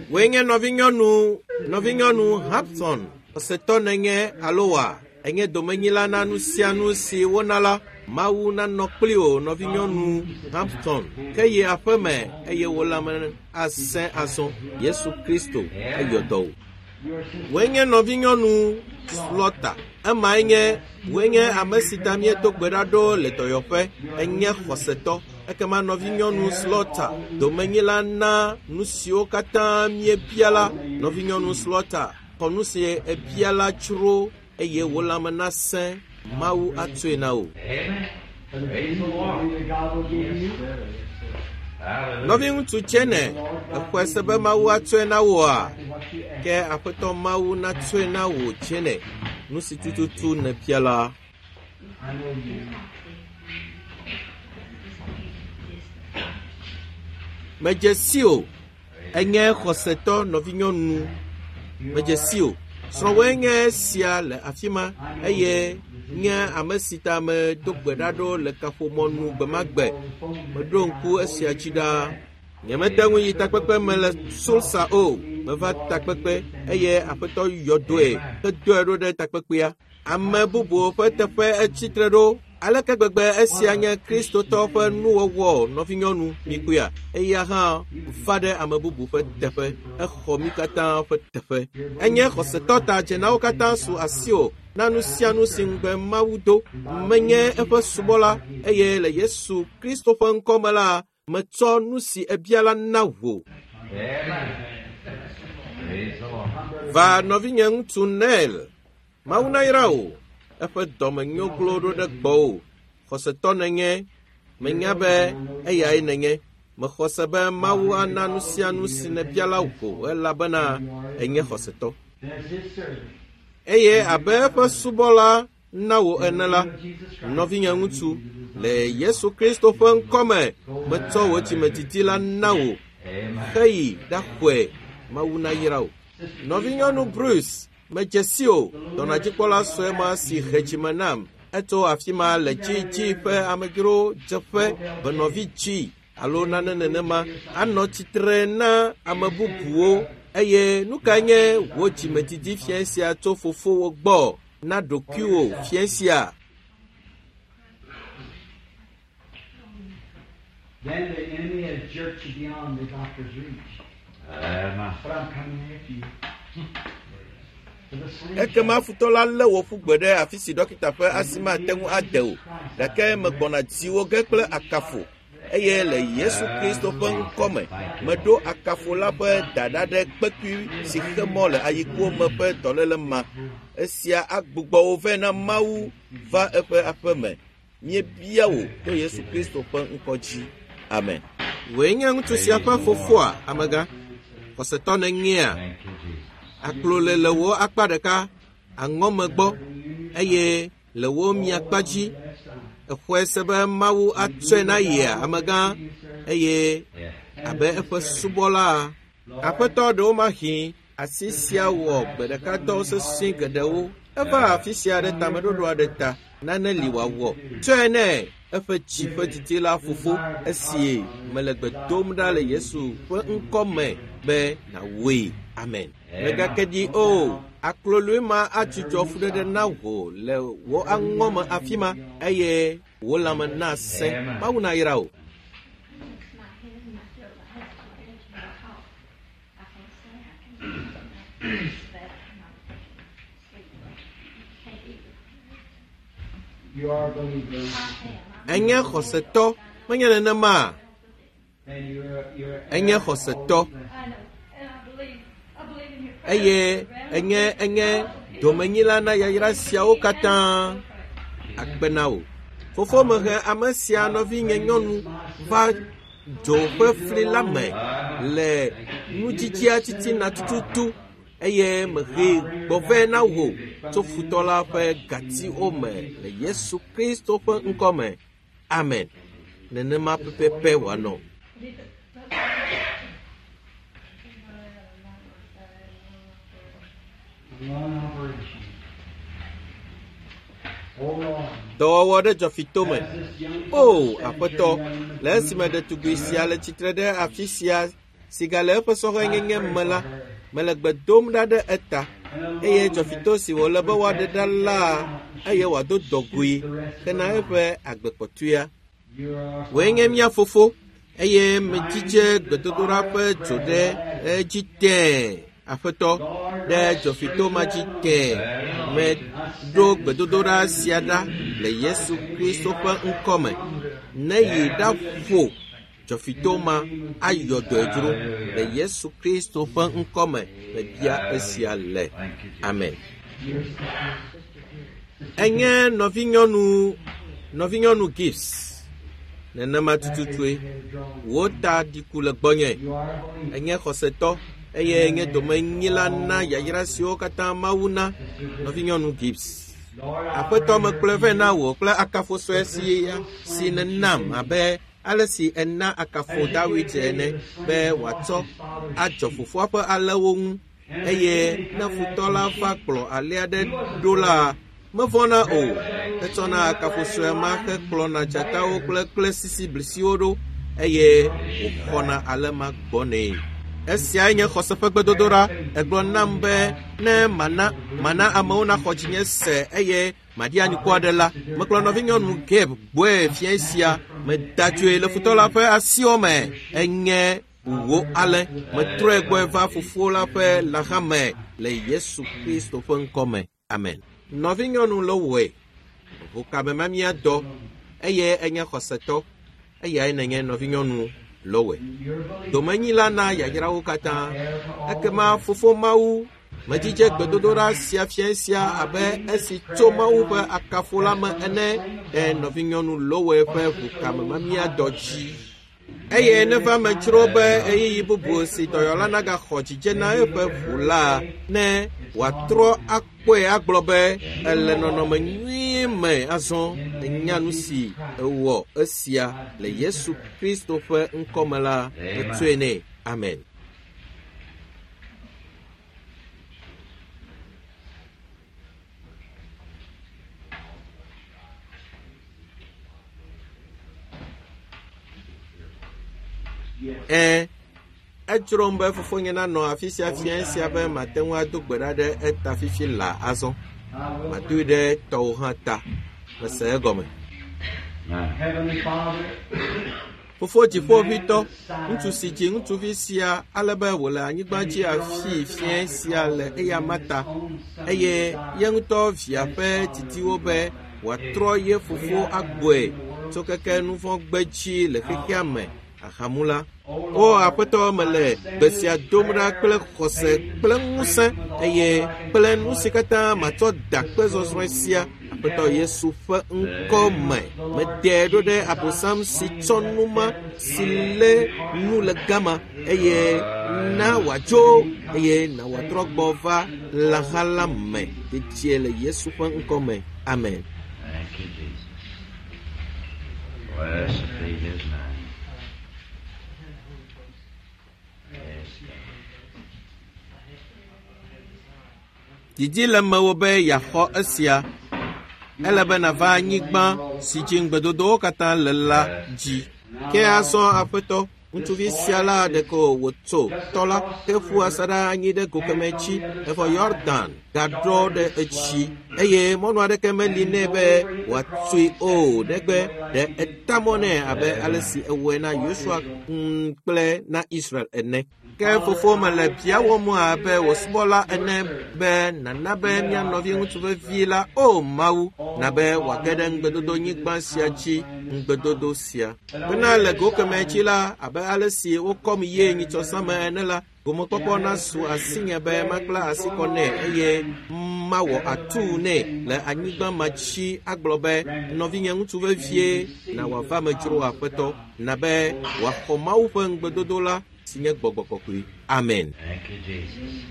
Wòe nye nɔvinyɔnu, nɔvinyɔnu Hampson, xɔsetɔ nènye alo wa? Enye domenyila na nu sia nu si wona la. Mawu nanɔ kpli wò, nɔvinyɔnu Hampson. Ke yi aƒe me eye wò lãme asẽ azɔ. Yesu Kristo eyɔ dɔ wò. Wòe nye nɔvinyɔnu Slaughter. Emae nye wòe nye ame si ta míedo gbe ɖa ɖo le dɔyɔƒe. Enye xɔsetɔ. Ekema nɔvinyɔnu Slaughter, domenyila na nu siwo katã míebia la. Nɔvinyɔnu Slaughter, xɔ nu si ebia la tsro eye wò lãme nasẽ. Mawu atsoe na wò. Nɔviŋutsu Tsene, exɔe se be Mawu atsoe na wòa? Ke Aƒetɔ Mawu natsoe na wò Tsene, nu si tututu nèbia la. Medze si o, enye xɔsetɔ nɔvinyɔnu. Medze si o. Srɔ̃wòe nye esia le afi ma eye nye ame si ta medo gbe ɖa ɖo le kaƒomɔnu gbe ma gbe. Meɖo ŋku esia dzi ɖaa. Nyemete ŋu yi takpekpe me le Tulsa o. Meva takpekpe eye Aƒetɔ yɔ dɔe hedoe ɖo ɖe takpekpea. Ame bubuwo ƒe teƒe etsi tre ɖo. Aleke gbegbe esia nye Kristotɔ ƒe nuwɔwɔ nɔvinyɔnu mikpɔea? Eya hã va ɖe ame bubu ƒe teƒe. Exɔ mí katã ƒe teƒe. Enye xɔsetɔ ta dzenawo katã su asiwò na nu sia nu si ŋugbe Mawu do. Menye eƒe subɔla eye le Yesu Kristo ƒe ŋkɔ me la, metsɔ nu si ebia la na wò. Va nɔvinye ŋutsu Nel, Mawu nayra wò. Eƒe dɔme nyo glo ɖo ɖe gbɔwò. Xɔsetɔ nènye, menya be eyae nènye. Mexɔ se be Mawu ana nu sia nu si nèbia la wò elabena enye xɔsetɔ. Eye abe eƒe subɔla na wò ene la, nɔvinye ŋutsu, le Yesu Kristo ƒe ŋkɔ me, metsɔ wò dzimedidi la na wò. Heyi ɖaxɔe. Mawu nayra wò. Nɔvinyɔnu Bruce, medze si o, dɔnɔdzikpɔla sue ma si he dzime nam. Etso afi ma le dzidzi ƒe amedzrodzeƒe venɔvi dzi alo nane nenema anɔ tsitre na ame bubuwo. Eye nu kae nye wò dzimedidi fia sia tso fofowò gbɔ na ɖokuiwò fia sia? Then the enemy has jerked you beyond the doctor's reach. But I'm coming after you. Ekema futɔ la lé wò ƒu gbe ɖe afi si dɔkita ƒe asi mate ŋu ade o, gake megbɔna dziwò ge kple akafo. Eye le Yesu Kristo ƒe ŋkɔ me, meɖo akafo la ƒe dada ɖe kpekui si xe mɔ le ayikuwo me ƒe dɔléle ma. Esia agbugbɔ wò vɛ na Mawu va eƒe aƒe me. Míebia wò to Yesu Kristo ƒe ŋkɔ dzi. Amen. Wòe nye ŋutsu sia ƒe fofoa, amegã? Xɔsetɔ nènyea? Aklo le le wò akpa ɖeka, aŋɔme gbɔ, eye le wò miakpa dzi, Exɔe se be Mawu atsɔe na yea, amegã, eye abe eƒe subɔla. Aƒetɔ ɖewomahi asi sia wɔ gbe ɖeka dɔ sesẽ geɖewo. Eva afi sia ɖe tameɖoɖo aɖe ta. Nane li wòawɔ. Tsɔe nɛ eƒe dzi ƒe didi la fofo esi mele gbe dom ɖa le Yesu ƒe ŋkɔ me be nàwɔe. Amen. Mègake ɖi o. Akloloe ma atsutsɔ fuɖeɖe na wò le wò aŋɔme afi ma eye wò lãme nasẽ. Mawu nayra wò. You are a believer. Enye xɔsetɔ, menye nenema? And you're, you're Enye xɔsetɔ. Eye enye enye domenyila na yayra siawo katã. Akpe na wò. Fofo mehe ame sia nɔvinye nyɔnu va dzo ƒe fli la me le nudzidzia titina tututu eye mehe gbɔ vɛ na wò tso futɔ la ƒe gatiwo me le Yesu Kristo ƒe ŋkɔ me. Amen. Nenema pɛpɛpɛ wòanɔ. One operation. Hold on. Dɔwɔwɔ ɖe dzɔfitome. As this young O, fellow stands aƒetɔ, here young le esime ɖetugbi sia le tsitre ɖe afi sia si gale eƒe sɔhɛnyenye me la, mele gbe dom ɖa ɖe eta eye dzɔfito si wòle be woaɖe ɖa la eye wòado dɔgoe hena eƒe agbekpɔtɔea. You are Wòe nye mía fofo eye medzidze gbedodoɖa ƒe dzo ɖe edzi tẽe. Aƒetɔ, ɖe dzɔfito ma dzi tẽe. Meɖo gbedodoɖa sia ɖa le Yesu Kristo ƒe ŋkɔ me. Ne yi ɖaƒo dzɔfito ma ayɔ dɔe dzro le Yesu Kristo ƒe ŋkɔ me. Mebia esia le. Amen. Enye nɔvinyɔnu nɔvinyɔnu Gibbs. Nenema tututue. Wò ta ɖiku le gbɔnye. You are a believer. Enye xɔsetɔ eye nye domenyila na yayra siwo katã Mawu na nɔvinyɔnu Gibbs. Lord, I Aƒetɔ mekplɔe vɛ na wò kple akafo sue si si nènam abe ale si ena akafo Dawid ene be wòatsɔ adzɔ fofoa ƒe alẽwo ŋu eye ne futɔ la va kplɔ alẽ aɖe ɖo la, mevɔ̃na o. Etsɔna akafo sue ma hekplɔna dzatawo kple klesisiblisiwo ɖo eye wòxɔna alẽ ma gbɔnɛ. Esiae nye xɔse ƒe gbedodoɖa. Egblɔ nam be ne mana mana amewo naxɔ dzinye se eye maɖi anyikɔ aɖe la, mekplɔ nɔvinyɔnu Gabe gbɔe fiẽ sia. Meda dzoe le futɔ la ƒe asiwo me. Enye wò alẽ. Metrɔe gbɔe va fofo la ƒe lãha me le Yesu Kristo ƒe ŋkɔ me. Amen. Nɔvinyɔnu Lowoe, ʋukamemamia dɔ eye enye xɔsetɔ. Eyae nenye nɔvinyɔnu Lowoe. You're a believer. Domenyila na yayrawo katã. Ekema fofo Mawu medzidze gbedodoɖa sia fiẽ sia abe esi tso Mawu ƒe akafo la me ene ɖe nɔvinyɔnu Lowoe ƒe ʋukamemamia dɔ dzi. Eye neva medzro be ɣeyiɣi bubu si dɔyɔla nagaxɔ dzidze na eƒe ʋu la, ne wòatrɔ akpɔe agblɔ be ele nɔnɔme nyui me azɔ. Enya nu si ewɔ esia le Yesu Kristo ƒe ŋkɔ me la, metsɔe nɛ. Amen. Ẽ, edzrom be fofonye nanɔ afi sia fiẽ sia be mate ŋu ado gbe ɖa ɖe eta fifi laa azɔ. I will Madoe ɖe tɔwò hã ta. Mese egɔme. Heavenly Father, Fofo dziƒoʋĩtɔ, ŋutsu si dzi ŋutsuvi sia ale be wòle anyigba dzi afii fiẽ sia le eyama ta eye ye ŋutɔ via ƒe didiwo be wòatrɔ ye fofo agbɔe tso keke nu vɔ̃ gbedzi le xexea me ahamula. O aƒetɔ mele gbe sia dom ɖa kple xɔse kple ŋusẽ eye kple nu si katã matsɔ da kpe zɔzrɔ̃e sia Aƒetɔ Yesu ƒe ŋkɔ me. Meɖe ɖo ɖe Abosam si tsɔ nu ma si lé nu le gama eye na wòadzo eye na wòatrɔ gbɔ va lãha la me dedie le Yesu ƒe ŋkɔ me. Amen. Thank you, Jesus. Blessed be his name. Yes, God. Didi le mewò be yeaxɔ esia. Ele be nàva anyigba si dzi ŋugbedodowo katã le la dzi. Ke azɔ aƒetɔ, ŋutsuvi sia la ɖeko wòtso tɔ la heƒu asaɖa anyi ɖe go kemɛ dzi evɔ Yɔdan gaɖɔ ɖe etsi eye mɔnu aɖeke meli nɛ be wòatsoe o negbe ɖe eta mɔ nɛ abe ale si ewɔe na Yosua mm, kple na Israel ene. Ke fofo mele biawòm abe wò subɔla ene be nàna be mía nɔvi ŋutsu vevi la, o Mawu, na be wòage ɖe ŋugbedodonyigba sia dzi, ŋugbedodo sia. Bena le go kemɛ dzi la, abe ale si wokɔm ye nyitsɔsãme ene la, gomekpɔkpɔ nasu asinye be makpla asi kɔ nɛ eye mawɔ atuu nɛ le anyigba ma dzi agblɔ be nɔvinye ŋutsu vevie na wòava me dzro aƒetɔ na be wòaxɔ Mawu ƒe ŋugbedodo la si nye gbɔgbɔ kɔkɔe. Amen. Thank you, Jesus.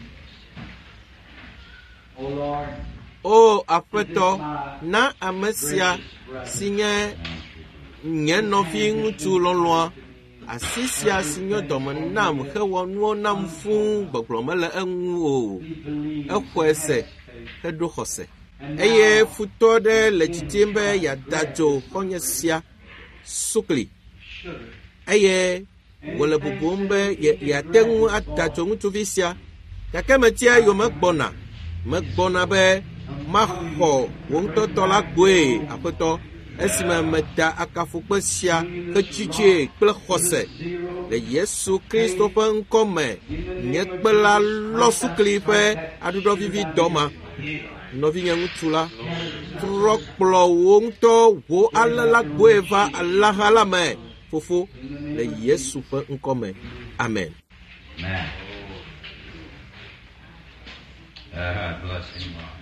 O Lord, O aƒetɔ, na ame sia si nye nye nɔvi ŋutsu lɔlɔ̃a, asi sia si nyo dɔme nam hewɔ nuwo nam fũu gbɔgblɔ mele eŋu o. Exɔe se heɖo xɔse. Eye futɔ ɖe le didim be yeada dzo xɔ̃nye sia sukli eye wòle bubum be ye yeate ŋu ada dzo ŋutsuvi sia. Gake metia eyome gbɔna. Megbɔna be maxɔ wò ŋutɔ tɔ la gbɔe, aƒetɔ, esime meda akafokpe sia hedzidzee kple xɔse le Yesu Kristo ƒe ŋkɔ me. Nye kpe la lɔ sukli ƒe aɖuɖɔvivi dɔ ma. Nɔvinye ŋutsu la, trɔ kplɔ wò ŋutɔ wò alẽ la gbɔe va alẽha la me, fofo, le Yesu ƒe ŋkɔ me. Amen. Amen. Ah, bless him, Lord.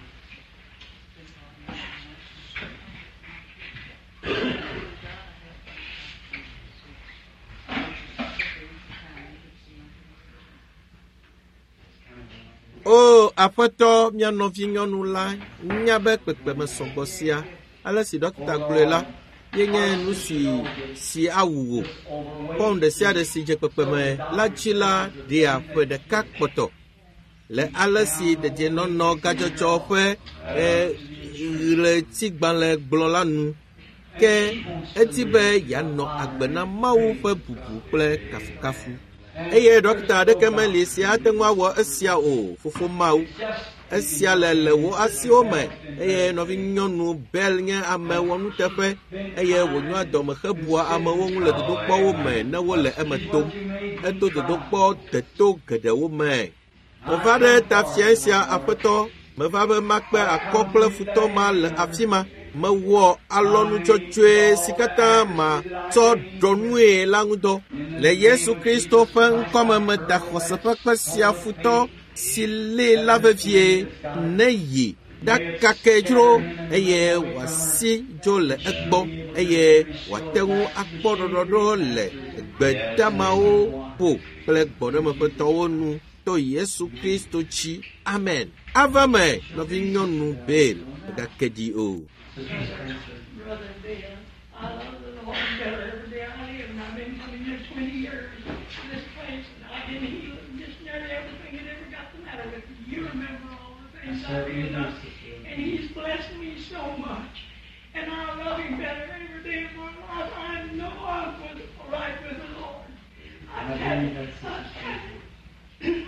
O aƒetɔ, mía nɔvinyɔnu la nya be kpekpeme sɔgbɔ sia, ale si ɖɔkita gblɔe la, yenye nu si si awu wò. Pɔn ɖe sia ɖe si dze kpekpeme la dzi la ɖea ƒe ɖeka kpɔtɔ. Le ale si dedienɔnɔ gadzɔdzɔ ƒe e, ɣletigbalẽ gblɔ la nu. Ke edi be yeanɔ agbe na Mawu ƒe bubu kple kafukafu. Eye ɖɔkita aɖeke meli si ate ŋu awɔ esia o, fofo Mawu. Esia le le wò asiwo me eye nɔvinyɔnu Bell nye ame wɔnuteƒe eye wònyoa dɔme hebua amewo ŋu le dodokpɔwo me ne wole eme tom. Eto dodokpɔ deto geɖewo me. Meva ɖe ta fiae sia aƒetɔ, meva be makpe akɔ kple futɔ ma le afi ma. Mewɔ alɔnu dzɔdzɔe si katã matsɔ ɖɔ nue la ŋudɔ. Le Yesu Kristo ƒe ŋkɔme meda xɔse ƒe kpe sia futɔ si lée la vevie ne yi ɖakake dzro eye wòasi dzo le egbɔ eye wòate ŋu akpɔ ɖɔɖɔɖo le gbedamawo ƒo kple gbɔɖemeƒetɔwo nu to Yesu Kristo dzi. Amen. Ava me, nɔvinyɔnu Bell, mègake ɖi o. Brother Ben, I love the Lord better every day I live, and I've been coming here twenty years to this place, and I've been healed and just nearly everything that ever got the matter with me. You remember all the things I've been done, and He's blessed me so much, and I love Him better every day of my life. I know I'm with, right with the Lord. I tell you, I tell you,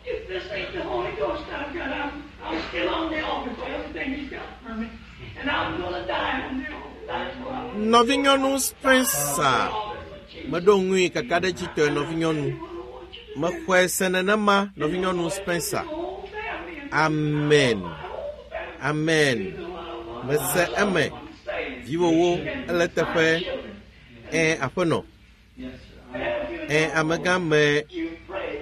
if this ain't the Holy Ghost I've got, I'm, I'm still on the altar for everything He's got for me, and I'm gonna die on the altar. That's what I'm Nɔvinyɔnu Spencer, meɖo ŋui kakaɖedzitɔe nɔvinyɔnu. Mexɔe se nenema nɔvinyɔnu Spencer. Amen. Amen. Mese eme. Viwòwo ele teƒe. Ẽ aƒenɔ. Ẽ amegã me.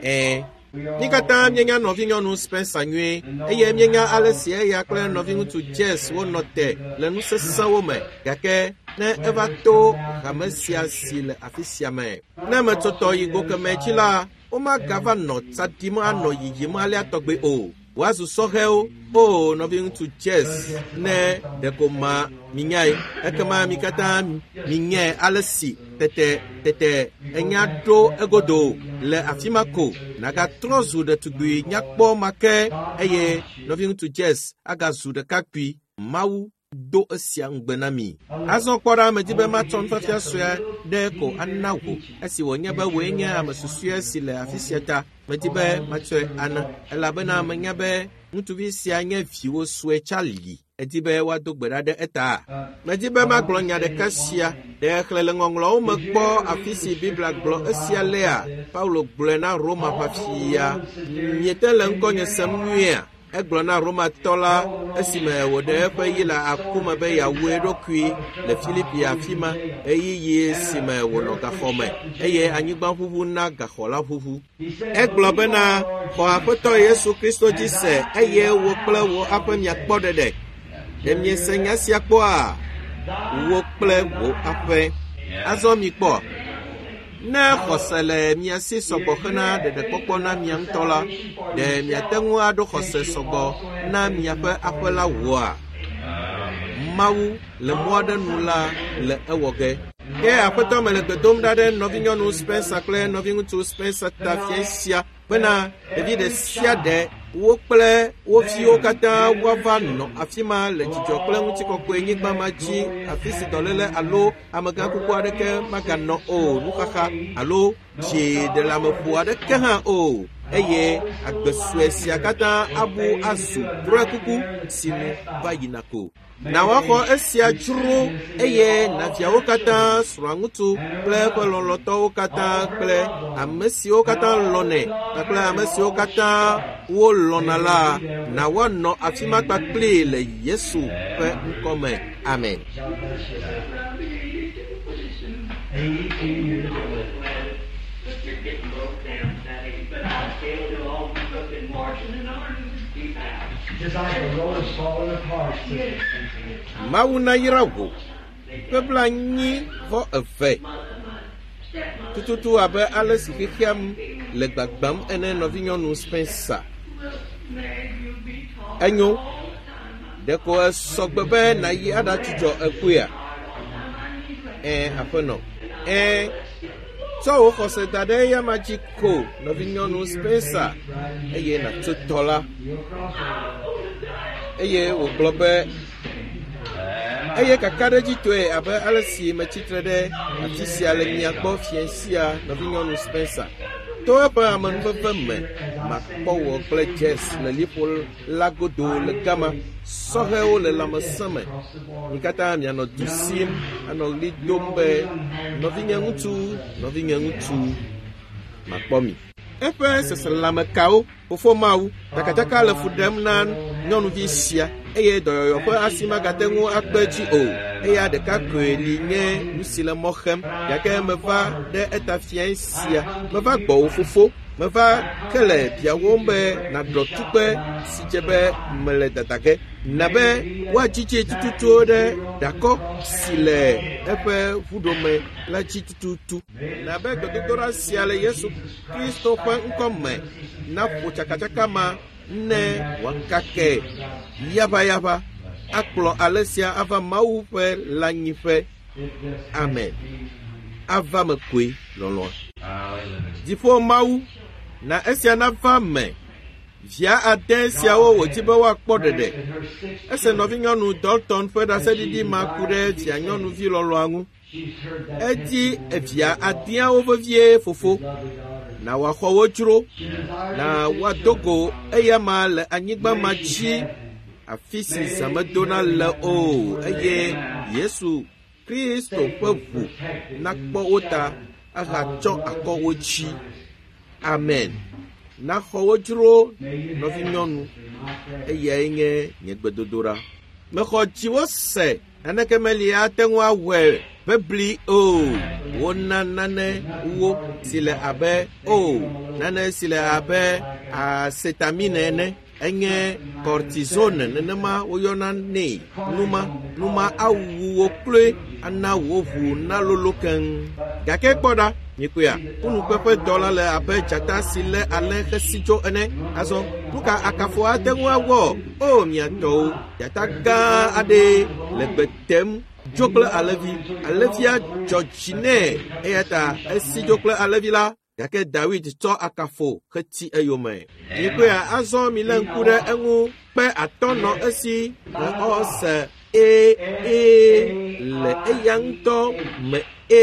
Ẽ. Mí katã míenya nɔvinyɔnu Spencer nyuie eye míenya ale si eya kple nɔviŋutsu Jess wonɔ te le nu sesẽwo me gake ne eva to hame sia si le afi sia me. Ne metsɔtɔ yi go kemɛ dzi la, womagava nɔ tsa ɖim anɔ yiyim alea tɔgbe o. Woazu sɔhɛwo. O nɔviŋutsu Jess, ne ɖeko ma minyae, ekema mi katã minyae ale si tete tete enya ɖo egodo le afi ma ko nagatrɔ zu ɖetugbui nyakpɔ ma ke eye nɔviŋutsu Jess agazu ɖekakpui. Mawu do esia ŋugbe na mi. Azɔ kpɔ ɖa, medi be matsɔ nufiafia sue ɖe ko ana wò. Esi wònye be wòe nye ame susɔe si le afi sia ta, medi be matsɔe ana elabena menya be ŋutsuvi sia nye viwò sue Charlie. Edi be woado gbe ɖa ɖe eta. Medi be magblɔ nya ɖeka sia. Ɖe xlẽ le ŋɔŋlɔawo me kpɔ afi si Biblia gblɔ esia lea? Paulo gblɔe na Roma ʋafia. Miete le ŋkɔnye sem nyuiea? Egblɔ na Romatɔ la esime wòɖe eƒe yi le aku me be yeawu eɖokui le Filipi afi ma ɣeyiɣi si me wònɔ gaxɔ me eye anyigba ʋuʋu na gaxɔ la ʋuʋu. Egblɔ bena, xɔ Aƒetɔ Yesu Kristo dzi se eye wò kple wò aƒe miakpɔ ɖeɖe. Ɖe miese nya sia kpɔa? Wò kple wò aƒe. Azɔ mikpɔ. Ne xɔse le mia si sɔgbɔ hena ɖeɖekpɔkpɔ na mia ŋutɔ la, ɖe miate ŋu aɖo xɔse sɔgbɔ na miaƒe aƒe la wòa? Mawu le mɔ aɖe nu la le ewɔ ge. Ke Aƒetɔ mele gbe dom ɖa ɖe nɔvinyɔnu Spencer kple nɔviŋutsu Spencer ta fia sia bena ɖevi ɖe sia ɖe wo kple wo viwo katã woava nɔ afi ma le dzidzɔ kple ŋutikɔkɔe nyigba ma dzi, afi si dɔléle alo amegãkuku aɖeke maganɔ o, nuxaxa alo dziɖeleameƒo aɖeke hã o, eye agbe sue sia katã abu azu drɔ̃ekuku si nu va yina ko. Na woaxɔ esia dzro eye naviawo katã, srɔ̃aŋutsu kple eƒe lɔlɔ̃tɔwo katã kple ame siwo katã lɔ̃nɛ kpakple ame siwo katã wolɔ̃na la, na woanɔ afi ma kpakpli le Yesu ƒe ŋkɔ me. Amen. Around the eighty-two pretty soon. Eighty-two years old. But you're getting broke down at that age. But I still do all the cooking, washing, and ironing and keep out. Just like the road is falling apart. Yes. Mawu nayra wò. Ƒe blanyi vɔ eve. Tututu abe ale si xexea le gbagbam ene nɔvinyɔnu Spencer. Enyo. Ɖeko esɔgbe be nàyi aɖadzudzɔ ekuia? Ɛ̃, aƒenɔ. Ɛ̃, tsɔ wò xɔse da ɖe eyama dzi ko nɔvinyɔnu Spencer eye nàtso tɔ la. Eye wògblɔ be eye kakaɖedzitɔe abe ale si metsitre ɖe afi sia le mia gbɔ fiẽ sia nɔvinyɔnu Spencer. To eƒe amenuveve me makpɔ wò kple Jess le liƒo la godo le gama. Sɔhɛwo le lãmesẽ me. Mi katã mianɔ du sim anɔ ɣli dom be nɔvinye ŋutsu, nɔvinye ŋutsu, makpɔ mi. Eƒe seselelãmekawo, fofo Mawu, tsakatsaka le fu ɖem na nyɔnuvi sia eye dɔyɔyɔ ƒe asi magate ŋu akpe edzi o. Eya ɖeka koe li nye nu si le mɔ xem. Gake meva ɖe eta fiae sia. Meva gbɔwò fofo. Meva ke le biawòm be nàɖɔ tukpe si dze be mele dada ge. Na be woadzidze tututu ɖe ɖakɔ si le eƒe ʋuɖome la dzi tututu. Na be gbedodoɖa sia le Yesu Kristo ƒe ŋkɔ me naƒo tsakatsaka ma ne wòakake yaʋayaʋa akplɔ ale sia ava Mawu ƒe lãnyiƒe. Amen. Ava me koe lɔlɔ̃a. Dziƒo Mawu, na esia nava me. Via ade siawo wòdi be woakpɔ ɖeɖe. Ese nɔvinyɔnu Dalton ƒe ɖaseɖiɖi ma ku ɖe via nyɔnuvi lɔlɔ̃a ŋu. Edi evia adeawo vevie fofo. Na wòaxɔ wo dzro. Na woado go eyama le anyigba ma dzi afi si zã medona le o eye Yesu Kristo ƒe ʋu nakpɔ wo ta ahatsɔ akɔ wo dzi. Amen. Naxɔ wo dzro nɔvinyɔnu. Eyae nye nye gbedodoɖa. Mexɔ dziwò se. Naneke meli ate ŋu awɔe bebli o. Wona nane wo si le abe o, nane si le abe acetamine ene. Enye cortisone nenema woyɔna nɛ. Numa, numa awu wò kloe ana wò ʋu nalolo keŋ. Gake kpɔ ɖa, Mikpɔea, ƒunukpeƒe dɔ la le abe dzata si lé alẽ xesi tso ene. Azɔ, nu ka akafo ate ŋu awɔ? O mia tɔwo, dzata gã aɖee le gbe tem dzo kple alẽvi. Alẽvia dzɔ dzi nɛ eya ta esi dzo kple alẽvi la. Gake Dawid tsɔ akafo xeti eyome. Mikpɔea, azɔ milé ŋku ɖe eŋu. Kpe atɔ̃ nɔ esi ɔse e e le eya ŋutɔ me e.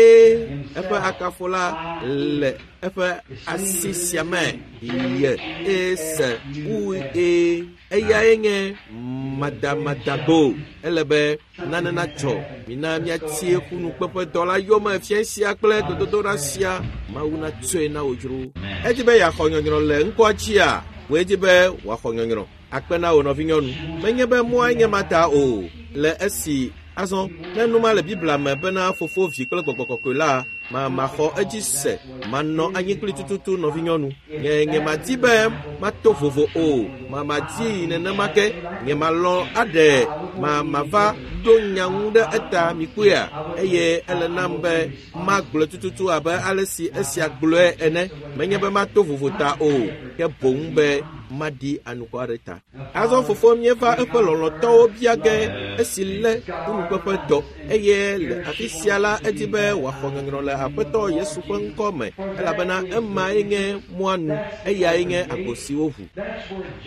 Eƒe akafo la le eƒe asi sia me ye e se u e. Eyae nye madamadagbo. Ele be nane natsɔ. Mina míatie ƒunukpeƒe dɔ la yome fia sia kple gbedodoɖa sia. Mawu natsɔe na wò dzro. Edzi be yeaxɔ nyɔnyrɔ le ŋkɔa dzia? Wòe dzi be wòaxɔ nyɔnyrɔ. Akpe na wò nɔvinyɔnu. Menye be mɔae nye ma ta o. Le esi azɔ ne nu ma le Biblia me bena fofo, vi kple gbɔgbɔ kɔkɔe la, ma maxɔ edzi se. Manɔ anyi kpli tututu nɔvinyɔnu. Nye nye madi be mato vovo o. Ma madi nenema ke. Nye malɔ̃ aɖe ma mava ɖo nya ŋu ɖe eta mikpɔea. Eye ele nam be magblɔe tututu abe ale si esia gblɔe ene. Menye be mato vovo ta o, ke boŋ be maɖi anukware ta. Azɔ fofo míeva eƒe lɔlɔ̃tɔwo bia ge esi lé ƒunukpeƒe dɔ eye le afi sia la edi be wòaxɔ nyɔnyrɔ le Aƒetɔ Yesu ƒe ŋkɔ me elabena emae nye mɔa nu, eyae nye agbo si woʋu.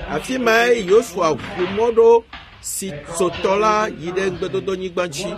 Afi mae Yosua ʋu mɔ ɖo si tso tɔ la yi ɖe ŋugbedodonyigba dzi.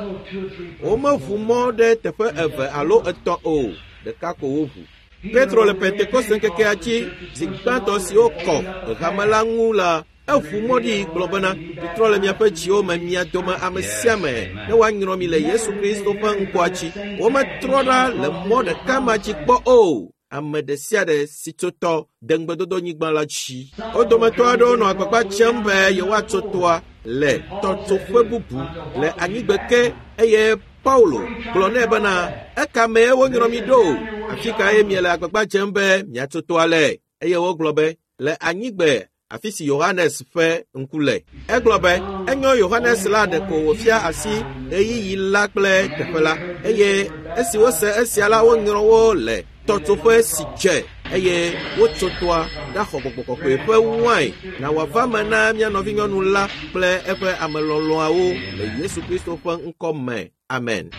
Womeʋu mɔ ɖe teƒe eve alo etɔ̃ o, ɖeka ko woʋu. Petro le Pentekoste ŋkekea dzi zi gbãtɔ si wokɔ hame la ŋu la, eʋu mɔ ɖi gblɔ bena, mitrɔ le miaƒe dziwo me mia dome ame sia ame ne woanyrɔ mi le Yesu Kristo ƒe ŋkɔa dzi. Wometrɔ ɖa le mɔ ɖeka ma dzi kpɔ o. Ame ɖe sia ɖe si tso tɔ de ŋugbedodonyigba la dzi. Wo dometɔ aɖewo nɔ agbagba dzem be yewoatso tɔa le tɔtsoƒe bubu le anyigbe ke eye Paulo gblɔ nɛ bena, eka mee wonyrɔ mi ɖo? Afi kae miele agbagba dzem be miatso tɔa le? Eye wogblɔ be, le anyigbe afi si Yohanes ƒe ŋku le. Egblɔ be, enyo Yohanes la ɖeko wòfia asi ɣeyiɣi la kple teƒe la. Eye esi wose esia la, wonyrɔ wo le tɔtsoƒe si dze eye wotso tɔa ɖaxɔ gbɔgbɔ kɔkɔe ƒe wain na wòava me na mía nɔvinyɔnu la kple eƒe amelɔlɔ̃awo le Yesu Kristo ƒe ŋkɔ me. Amen.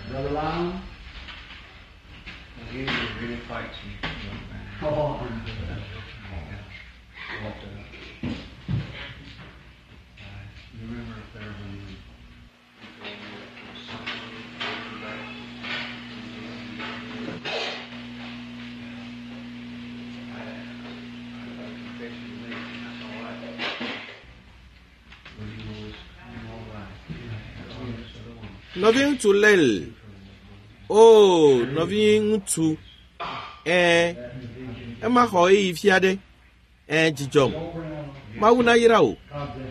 Brother Lyle? He really fights me, young man. Oh. But, uh, I remember up there when we I, I got a confession to make, and that's all right. But he was all right. Nɔviŋutsu Lel. O, nɔviŋutsu. Ɛ̃, ema xɔ ɣeyiɣi fia ɖe. Ɛ̃, dzidzɔm. Mawu nayra wò.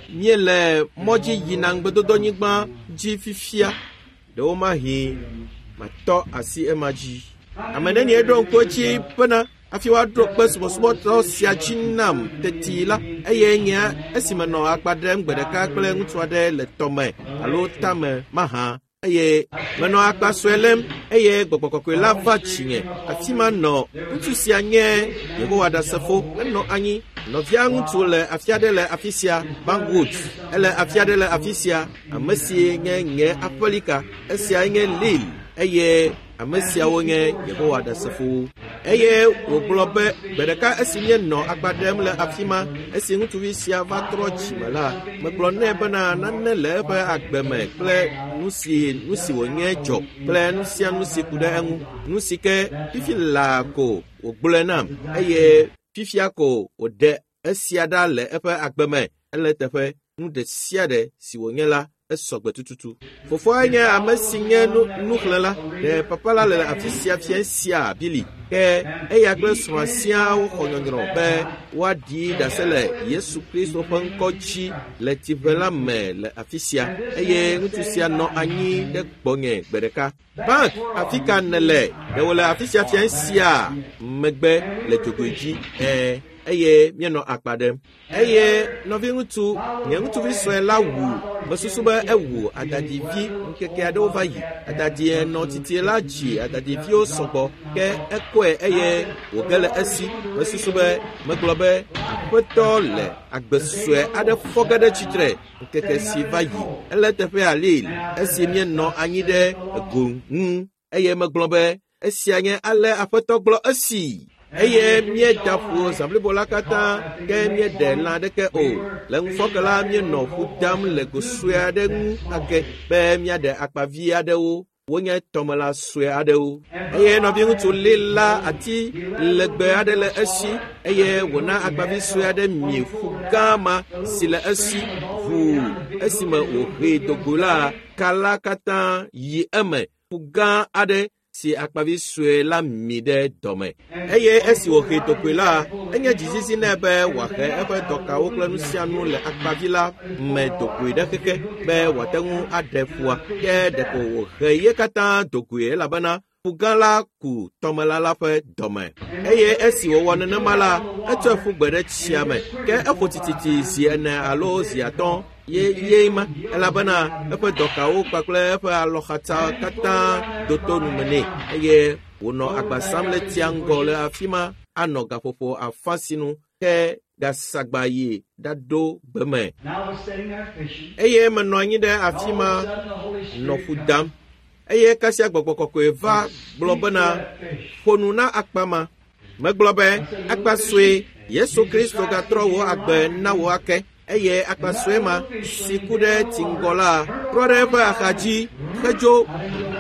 Míele mɔ dzi yina ŋugbedodonyigba dzi fifia. Ɖewomahi matɔ asi ema dzi. Ame nenie ɖo ŋku edzi bena hafi woaɖo kpe subɔsubɔdɔ sia dzi nam teti la, eye nye esi menɔ akpa ɖem gbe ɖeka kple ŋutsu aɖe le tɔme alo tame mahã eye menɔ akpa sue lém eye gbɔgbɔ kɔkɔe la va dzinye. Afi ma nɔ ŋutsu sia nye Yehowa Ɖasefo. Enɔ anyi. Nɔvia ŋutsu le afi aɖe le afi sia, Bangwood. Ele afi aɖe le afi sia. Ame si nye nye aƒelika. Esiae nye Lil eye ame siawo nye Yehowa Ɖasefowo. Eye wògblɔ be gbe ɖeka esi míenɔ akpa ɖem le afi ma, esi ŋutsuvi sia va trɔ dzime la, megblɔ nɛ bena nane le eƒe agbe me kple nu si nu si wònye dzɔ kple nu sia nu si ku ɖe eŋu. Nu si ke fifi laa ko wògblɔe nam eye fifia ko wòɖe esia ɖa le eƒe agbe me. Ele teƒe nu ɖe sia ɖe si wònye la esɔ gbe tututu. Fofoae nye ame si nye nu nuxlẽla. Ɖe papa la le afi sia fia sia Bili. Ke eya kple srɔ̃a siaa woxɔ nyɔnyrɔ be woaɖi ɖase le Yesu Kristo ƒe ŋkɔ dzi le tsiʋe la me le afi sia. Eye ŋutsu sia nɔ anyi ɖe gbɔnye gbe ɖeka. Bank, afi ka nèle? Ɖe wòle afi sia fia sia megbe le dzogoe dzi. Ɛ̃. eye míenɔ akpa ɖem. Eye nɔviŋutsu, nye ŋutsuvi sue la wu, mesusu be ewu adadivi ŋkeke aɖewo va yi. Adadie nɔ titie la dzi adadiviwo sɔgbɔ ke ekɔe eye wòge le esi. Mesusu be megblɔ be aƒetɔ le agbe sue aɖe fɔ ge ɖe tsitre ŋkeke si va yi. Ele teƒea Lil esi míenɔ anyi ɖe ego ŋu eye megblɔ be esia nye ale aƒetɔ gblɔ esi. Eye míeda ƒu zã blibo la katã ke míeɖe lã aɖeke o. Le ŋufɔke la míenɔ ƒu dam le go sue aɖe ŋu ake be míaɖe akpavi aɖewo. Wonye tɔmelã sue aɖewo. Eye nɔviŋutsu Lil la ati legbe aɖe le esi eye wòna akpavi sue aɖe mi ƒu gã ma si le esi ʋuu esime wòhee do go la, ka la katã yi eme. Ƒu gã aɖe si akpavi sue la mi ɖe dɔme. Eye esi wòhee dogoe la, enye dzizizi nɛ be wòahe eƒe dɔkawo kple nu sia nu le akpavi la me dogoe ɖe xexe be wòate ŋu aɖe ƒua. Ke ɖeko wòhe ye katã dogoe elabena ƒu gã la ku tɔmelã la ƒe dɔme. Eye esi wòwɔ nenema la, etsɔe ƒu gbe ɖe tsia me. Ke eƒo tititi zi ene alo zi atɔ̃ ye ye ma elabena eƒe dɔkawo kpakple eƒe alɔxatsa katã do to nume nɛ eye wònɔ agba sam le tsia ŋgɔ le afi ma anɔ gaƒoƒo afã sinu ke gasagba yi ɖaɖo gbe me. And I was sitting there fishing. Eye menɔ anyi ɖe afi ma All of a sudden, the Holy Spirit nɔ ƒu dam. Eye kasia gbɔgbɔ kɔkɔe va gblɔ bena ƒo nu na akpa ma. Megblɔ be akpa sue Yesu Kristo gatrɔ wò agbe na wò ake. Eye akpa sue ma si ku ɖe tsi ŋgɔ la trɔ ɖe eƒe axadzi hedzo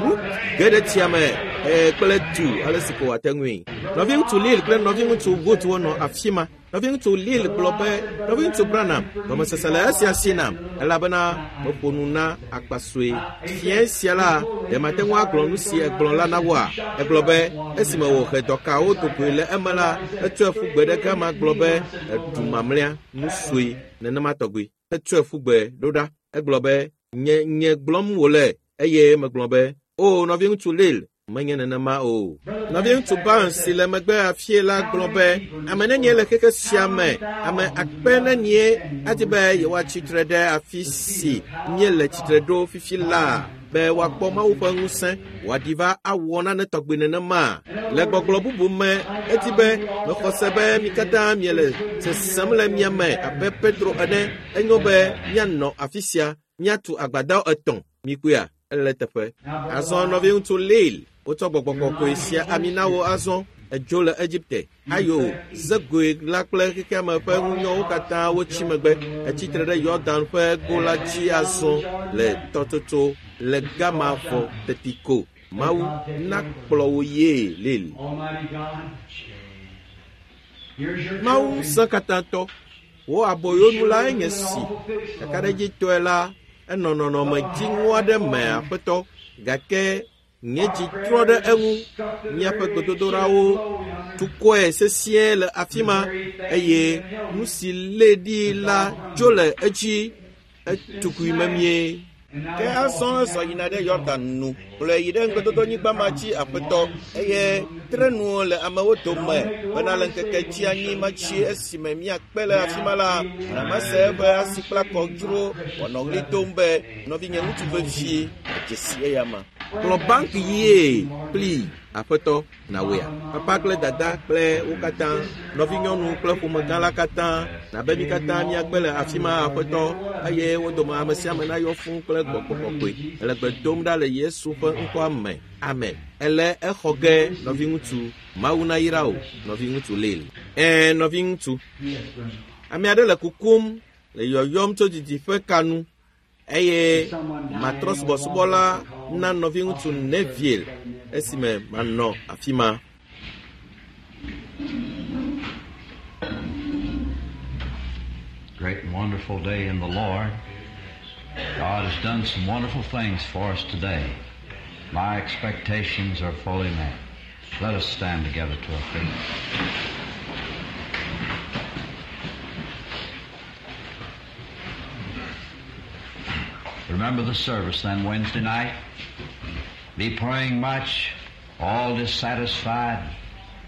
wu ge ɖe tsia me eh, kple du ale si ko wòate ŋui. Nɔviŋutsu Lil kple nɔviŋutsu Wood wonɔ afi ma. Nɔviŋutsu Lil gblɔ be nɔviŋutsu Branham gɔmesese le esia si nam elabena meƒo nu na akpa sue. Fiẽ sia la ɖe mate ŋu agblɔ nu si egblɔ la na woa? Egblɔ be esime wòhe dɔkawo dogoe le eme la, etsɔe ƒu gbe ɖe gama gblɔ be eɖu mamlɛa nu sue nenema tɔgbi. Etsɔe ƒu gbe ɖo ɖa. Egblɔ be nye nye gblɔm wòle eye megblɔ be o nɔviŋutsu Lil menye nenema o. Nɔviŋutsu Barnes si le megbe afie la gblɔ be ame nenie le xexe sia me, ame akpe nenie adi be yewoatsi tre ɖe afi si míele tsitre ɖo fifi laa be woakpɔ Mawu ƒe ŋusẽ wòaɖi va awɔ nane tɔgbi nenema. Le gbɔgblɔ bubu me, edi be mexɔ se be mi katã miele sesem le mia me abe Petro ene. Enyo be míanɔ afi sia míatu agbadɔ etɔ̃. Mikpɔea, ele teƒe. Azɔ nɔviŋutsu Lil wotsɔ gbɔgbɔ kɔkɔe sia ami na wo azɔ edzo le Egipte. Ayo zegoe la kple xexeame ƒe ŋunyɔwo katã wotsi megbe. Etsi tre ɖe Yɔdan ƒe go la dzi azɔ le tɔtsotso le gama vɔ teti ko. Mawu nakplɔ wò yee Lil. Almighty God, here's your Mawu children. ŋusẽ katãtɔ, wò aboyonu lae nye si. Kakaɖedzitɔe la, enɔ nɔnɔme dziŋɔ aɖe me aƒetɔ gake nye dzi trɔ ɖe eŋu. Míaƒe gbedodoɖawo tukɔe sesĩe le afi ma eye nu si lée ɖi la dzo le edzi etukui memie. Ke azɔ ezɔ yina ɖe Yɔdan nu kplɔe yi ɖe ŋugbedodonyigba ma dzi aƒetɔ eye tre nu le amewo dome bena le ŋkeke dzi anyi matsi esime míakpe le afi ma la namase eƒe asikplakɔ dzro wòanɔ ɣli dom be nɔvinye ŋutsu vevie edze si eya ma. Kplɔ banki yie kpli aƒetɔ nawɔea. Papa kple dada kple wo katã, nɔvinyɔnu kple ƒomegã la katã, nabe mi katã míakpe le afi ma aƒetɔ eye wo dome ame sia ame nayɔ fũu kple gbɔgbɔ kɔkɔe. Ele gbe dom ɖa le Yesu ƒe ŋkɔa me. Amen. Ele exɔ ge nɔviŋutsu. Mawu nayra wò nɔviŋutsu Lil. Ɛ̃ nɔviŋutsu. Ame aɖe le kukum le yɔyɔm tso didiƒe ka nu eye matrɔ subɔsubɔla na nɔviŋutsu Neville esime manɔ afi ma. Great and wonderful day in the Lord. God has done some wonderful things for us today. My expectations are fully met. Let us stand together to our feet. Remember the service then Wednesday night. Be praying much, all dissatisfied.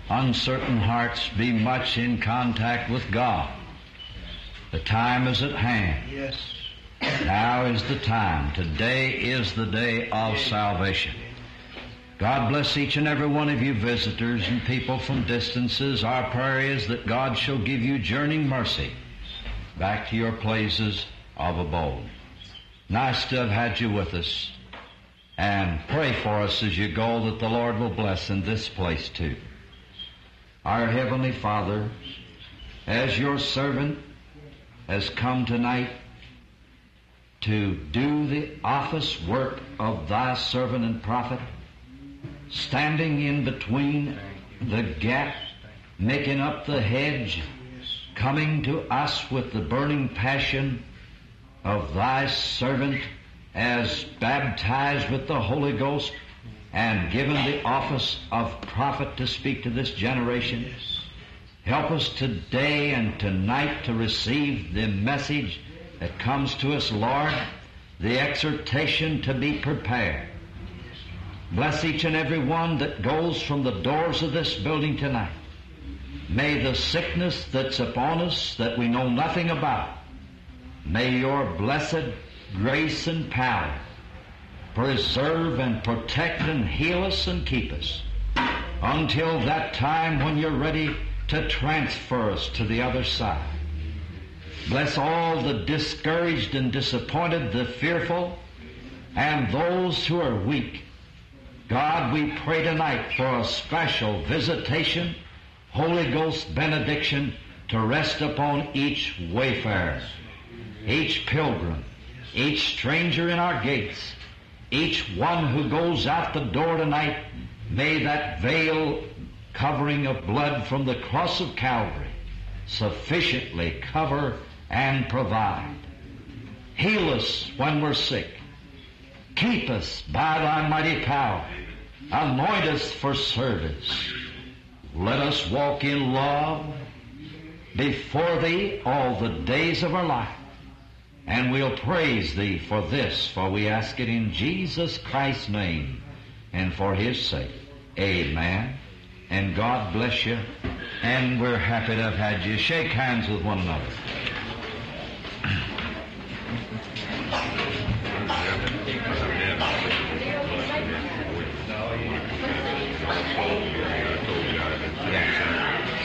uncertain hearts be much in contact with God. The time is at hand. Yes. Now is the time. Today is the day of salvation. God bless each and every one of you visitors and people from distances. Our prayer is that God shall give you journeying mercy back to your places of abode. Nice to have had you with us. And pray for us as you go that the Lord will bless in this place too. Our Heavenly Father, as your servant has come tonight to do the office work of thy servant and prophet, standing in between the gap, making up the hedge, coming to us with the burning passion of thy servant as baptized with the Holy Ghost and given the office of prophet to speak to this generation. Help us today and tonight to receive the message that comes to us, Lord, the exhortation to be prepared. Bless each and every one that goes from the doors of this building tonight. May the sickness that's upon us that we know nothing about, may your blessed grace and power preserve and protect and heal us and keep us until that time when you're ready to transfer us to the other side. Bless all the discouraged and disappointed, the fearful, and those who are weak. God, we pray tonight for a special visitation, Holy Ghost benediction to rest upon each wayfarer, each pilgrim, each stranger in our gates, each one who goes out the door tonight. May that veil covering of blood from the cross of Calvary sufficiently cover and provide. Heal us when we're sick. Keep us by thy mighty power. Anoint us for service. Let us walk in love before thee all the days of our life. And we'll praise thee for this, for we ask it in Jesus Christ's name and for his sake. Amen. And God bless you. And we're happy to have had you. Shake hands with one another.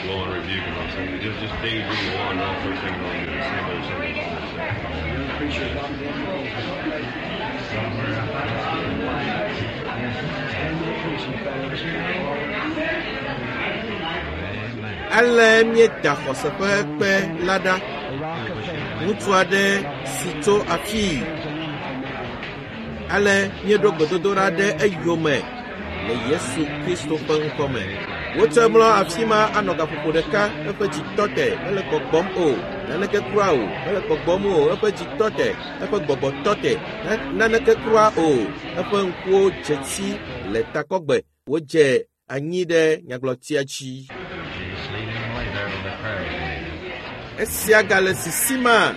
Law and rebuke and all that. Just, just daydream on and off first thing on the same old, same old. Ale míeda xɔse ƒe kpe la ɖa. Ŋutsu aɖe si tso afii. Ale míeɖo gbedodoɖa ɖe eyome le Yesu Kristo ƒe ŋkɔme. Wotsɔe mlɔ afi ma anɔ gaƒoƒo ɖeka, eƒe dzi tɔ te, mele gbɔgbɔm o, naneke kura o, mele gbɔgbɔm o, eƒe dzi tɔ te, eƒe gbɔgbɔ tɔ te, naneke kura o, eƒe ŋkuwo dze si le takɔgbe, wodze anyi ɖe nyagblɔtia dzi. Just leave him lay there till the prayer is made. Esia gale sisima.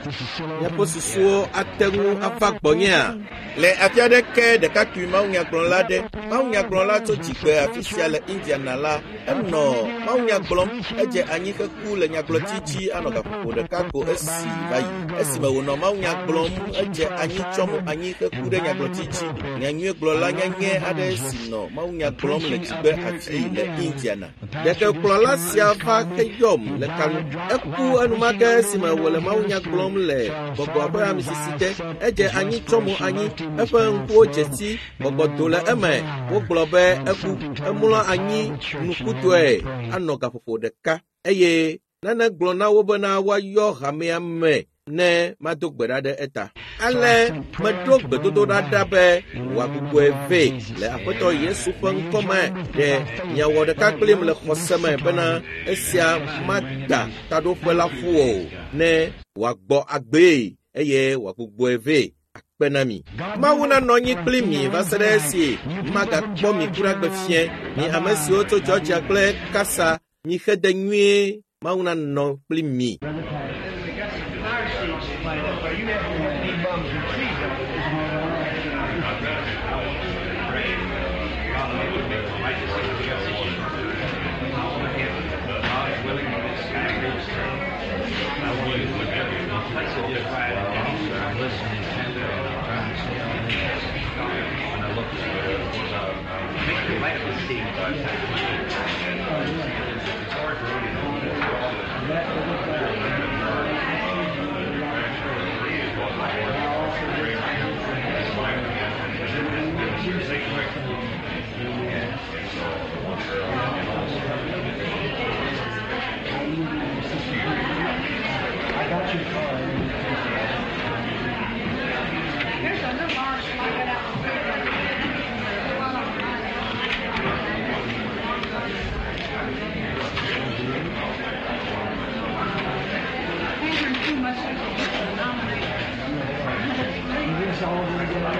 Miaƒe susuwo ate ŋu ava gbɔnyea? Le afi aɖeke ɖekakpui mawunyagblɔla aɖe, mawunyagblɔla tso dzigbe afi sia le Indiana la, enɔ mawunya gblɔm, edze anyi heku le nyagblɔti dzi anɔ gaƒoƒo ɖeka ko esi va yi. Esime wònɔ mawunya gblɔm, edze anyi tsɔ mo anyi heku ɖe nyagblɔti dzi. Nyanyuiegblɔla nyanyɛ aɖe si nɔ mawunya gblɔm le dzigbe afi le Indiana. Ɖekekplɔla sia va heyɔm le kanu. Eku enumake esime wòle mawunya gblɔm le gbɔgbɔ ƒe amisisi te. Edze anyi tsɔ mo anyi, eƒe ŋkuwo dze si, gbɔgbɔ do le eme. Wogblɔ be eku. Emlɔ anyi nukutɔe anɔ gaƒoƒo ɖeka eye nane gblɔ na wo bena woayɔ hamea me ne mado gbe ɖa ɖe eta. Ale meɖo gbedodoɖa ɖa be wòagbugbɔe vɛ le Aƒetɔ Yesu ƒe ŋkɔme ɖe miawɔ ɖeka kplim le xɔse me bena esia mada taɖoƒe la ƒu o, ne wòagbɔ agbee eye wòagbugbɔe vɛ akpe na mi. Mawu nanɔ anyi kpli mi va se ɖe esi magakpɔ mi kura gbe fie. Mi ame siwo tso Georgia kple Kasa, mi xede nyuie. Mawu nanɔ kpli mi. got your card. There's a little article I got out. Andrew, too much to nominate. Is this all going to get out?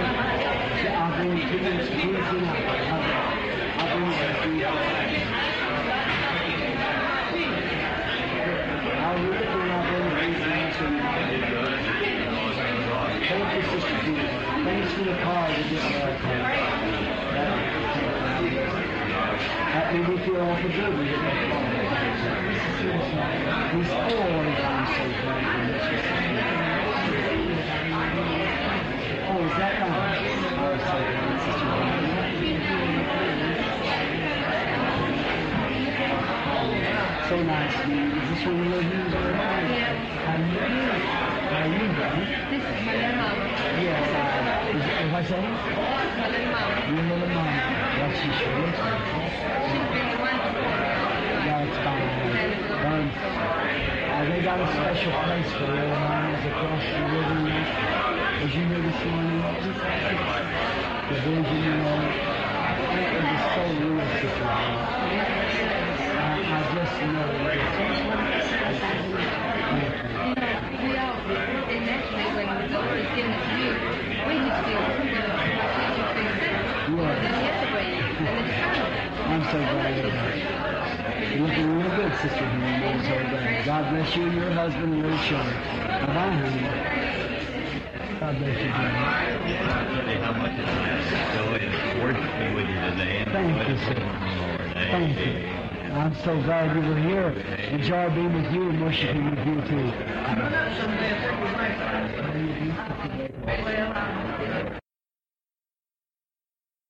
I'll bring it to you Tuesday night. I'll, I'll bring it to you. I'll read it and I'll bring it Tuesday night. so you can- Thank you, Sister Judy. Thanks for the card. You just uh, that, that made me feel awful good when you get that card. He's always I'm so glad you met you, Sister. Oh, is that right? Oh, so glad, Sister. So nice to meet you. Is this one of your Hughes? Yeah. How you doing? How you doing? This is my little mama. Yes, I, is, is I saying? This is my little mama. Your little mama. Well, she sure looks like it. She's been the one before me. That's fine. Um, uh, they got a special place for little mamas across the river. Was you here this morning? The vision, you know. It was so real, Sister. I, I just know. Thank you. You know, we all, and naturally, when the Lord is giving it to you, we just feel, you know, we just feel sick. Yes. And the other way, and the discernment. I'm so glad you're here. You're looking real good, Sister Henry. I'm so glad. God bless you and your husband and little children. Bye-bye, honey. God bless you, Jimmy. I tell you how much it's joy of worshiping with you today. And Thank you, sir. Thank you. I'm so glad you were here. Enjoy being with you and worshiping with you, too. Well, I'm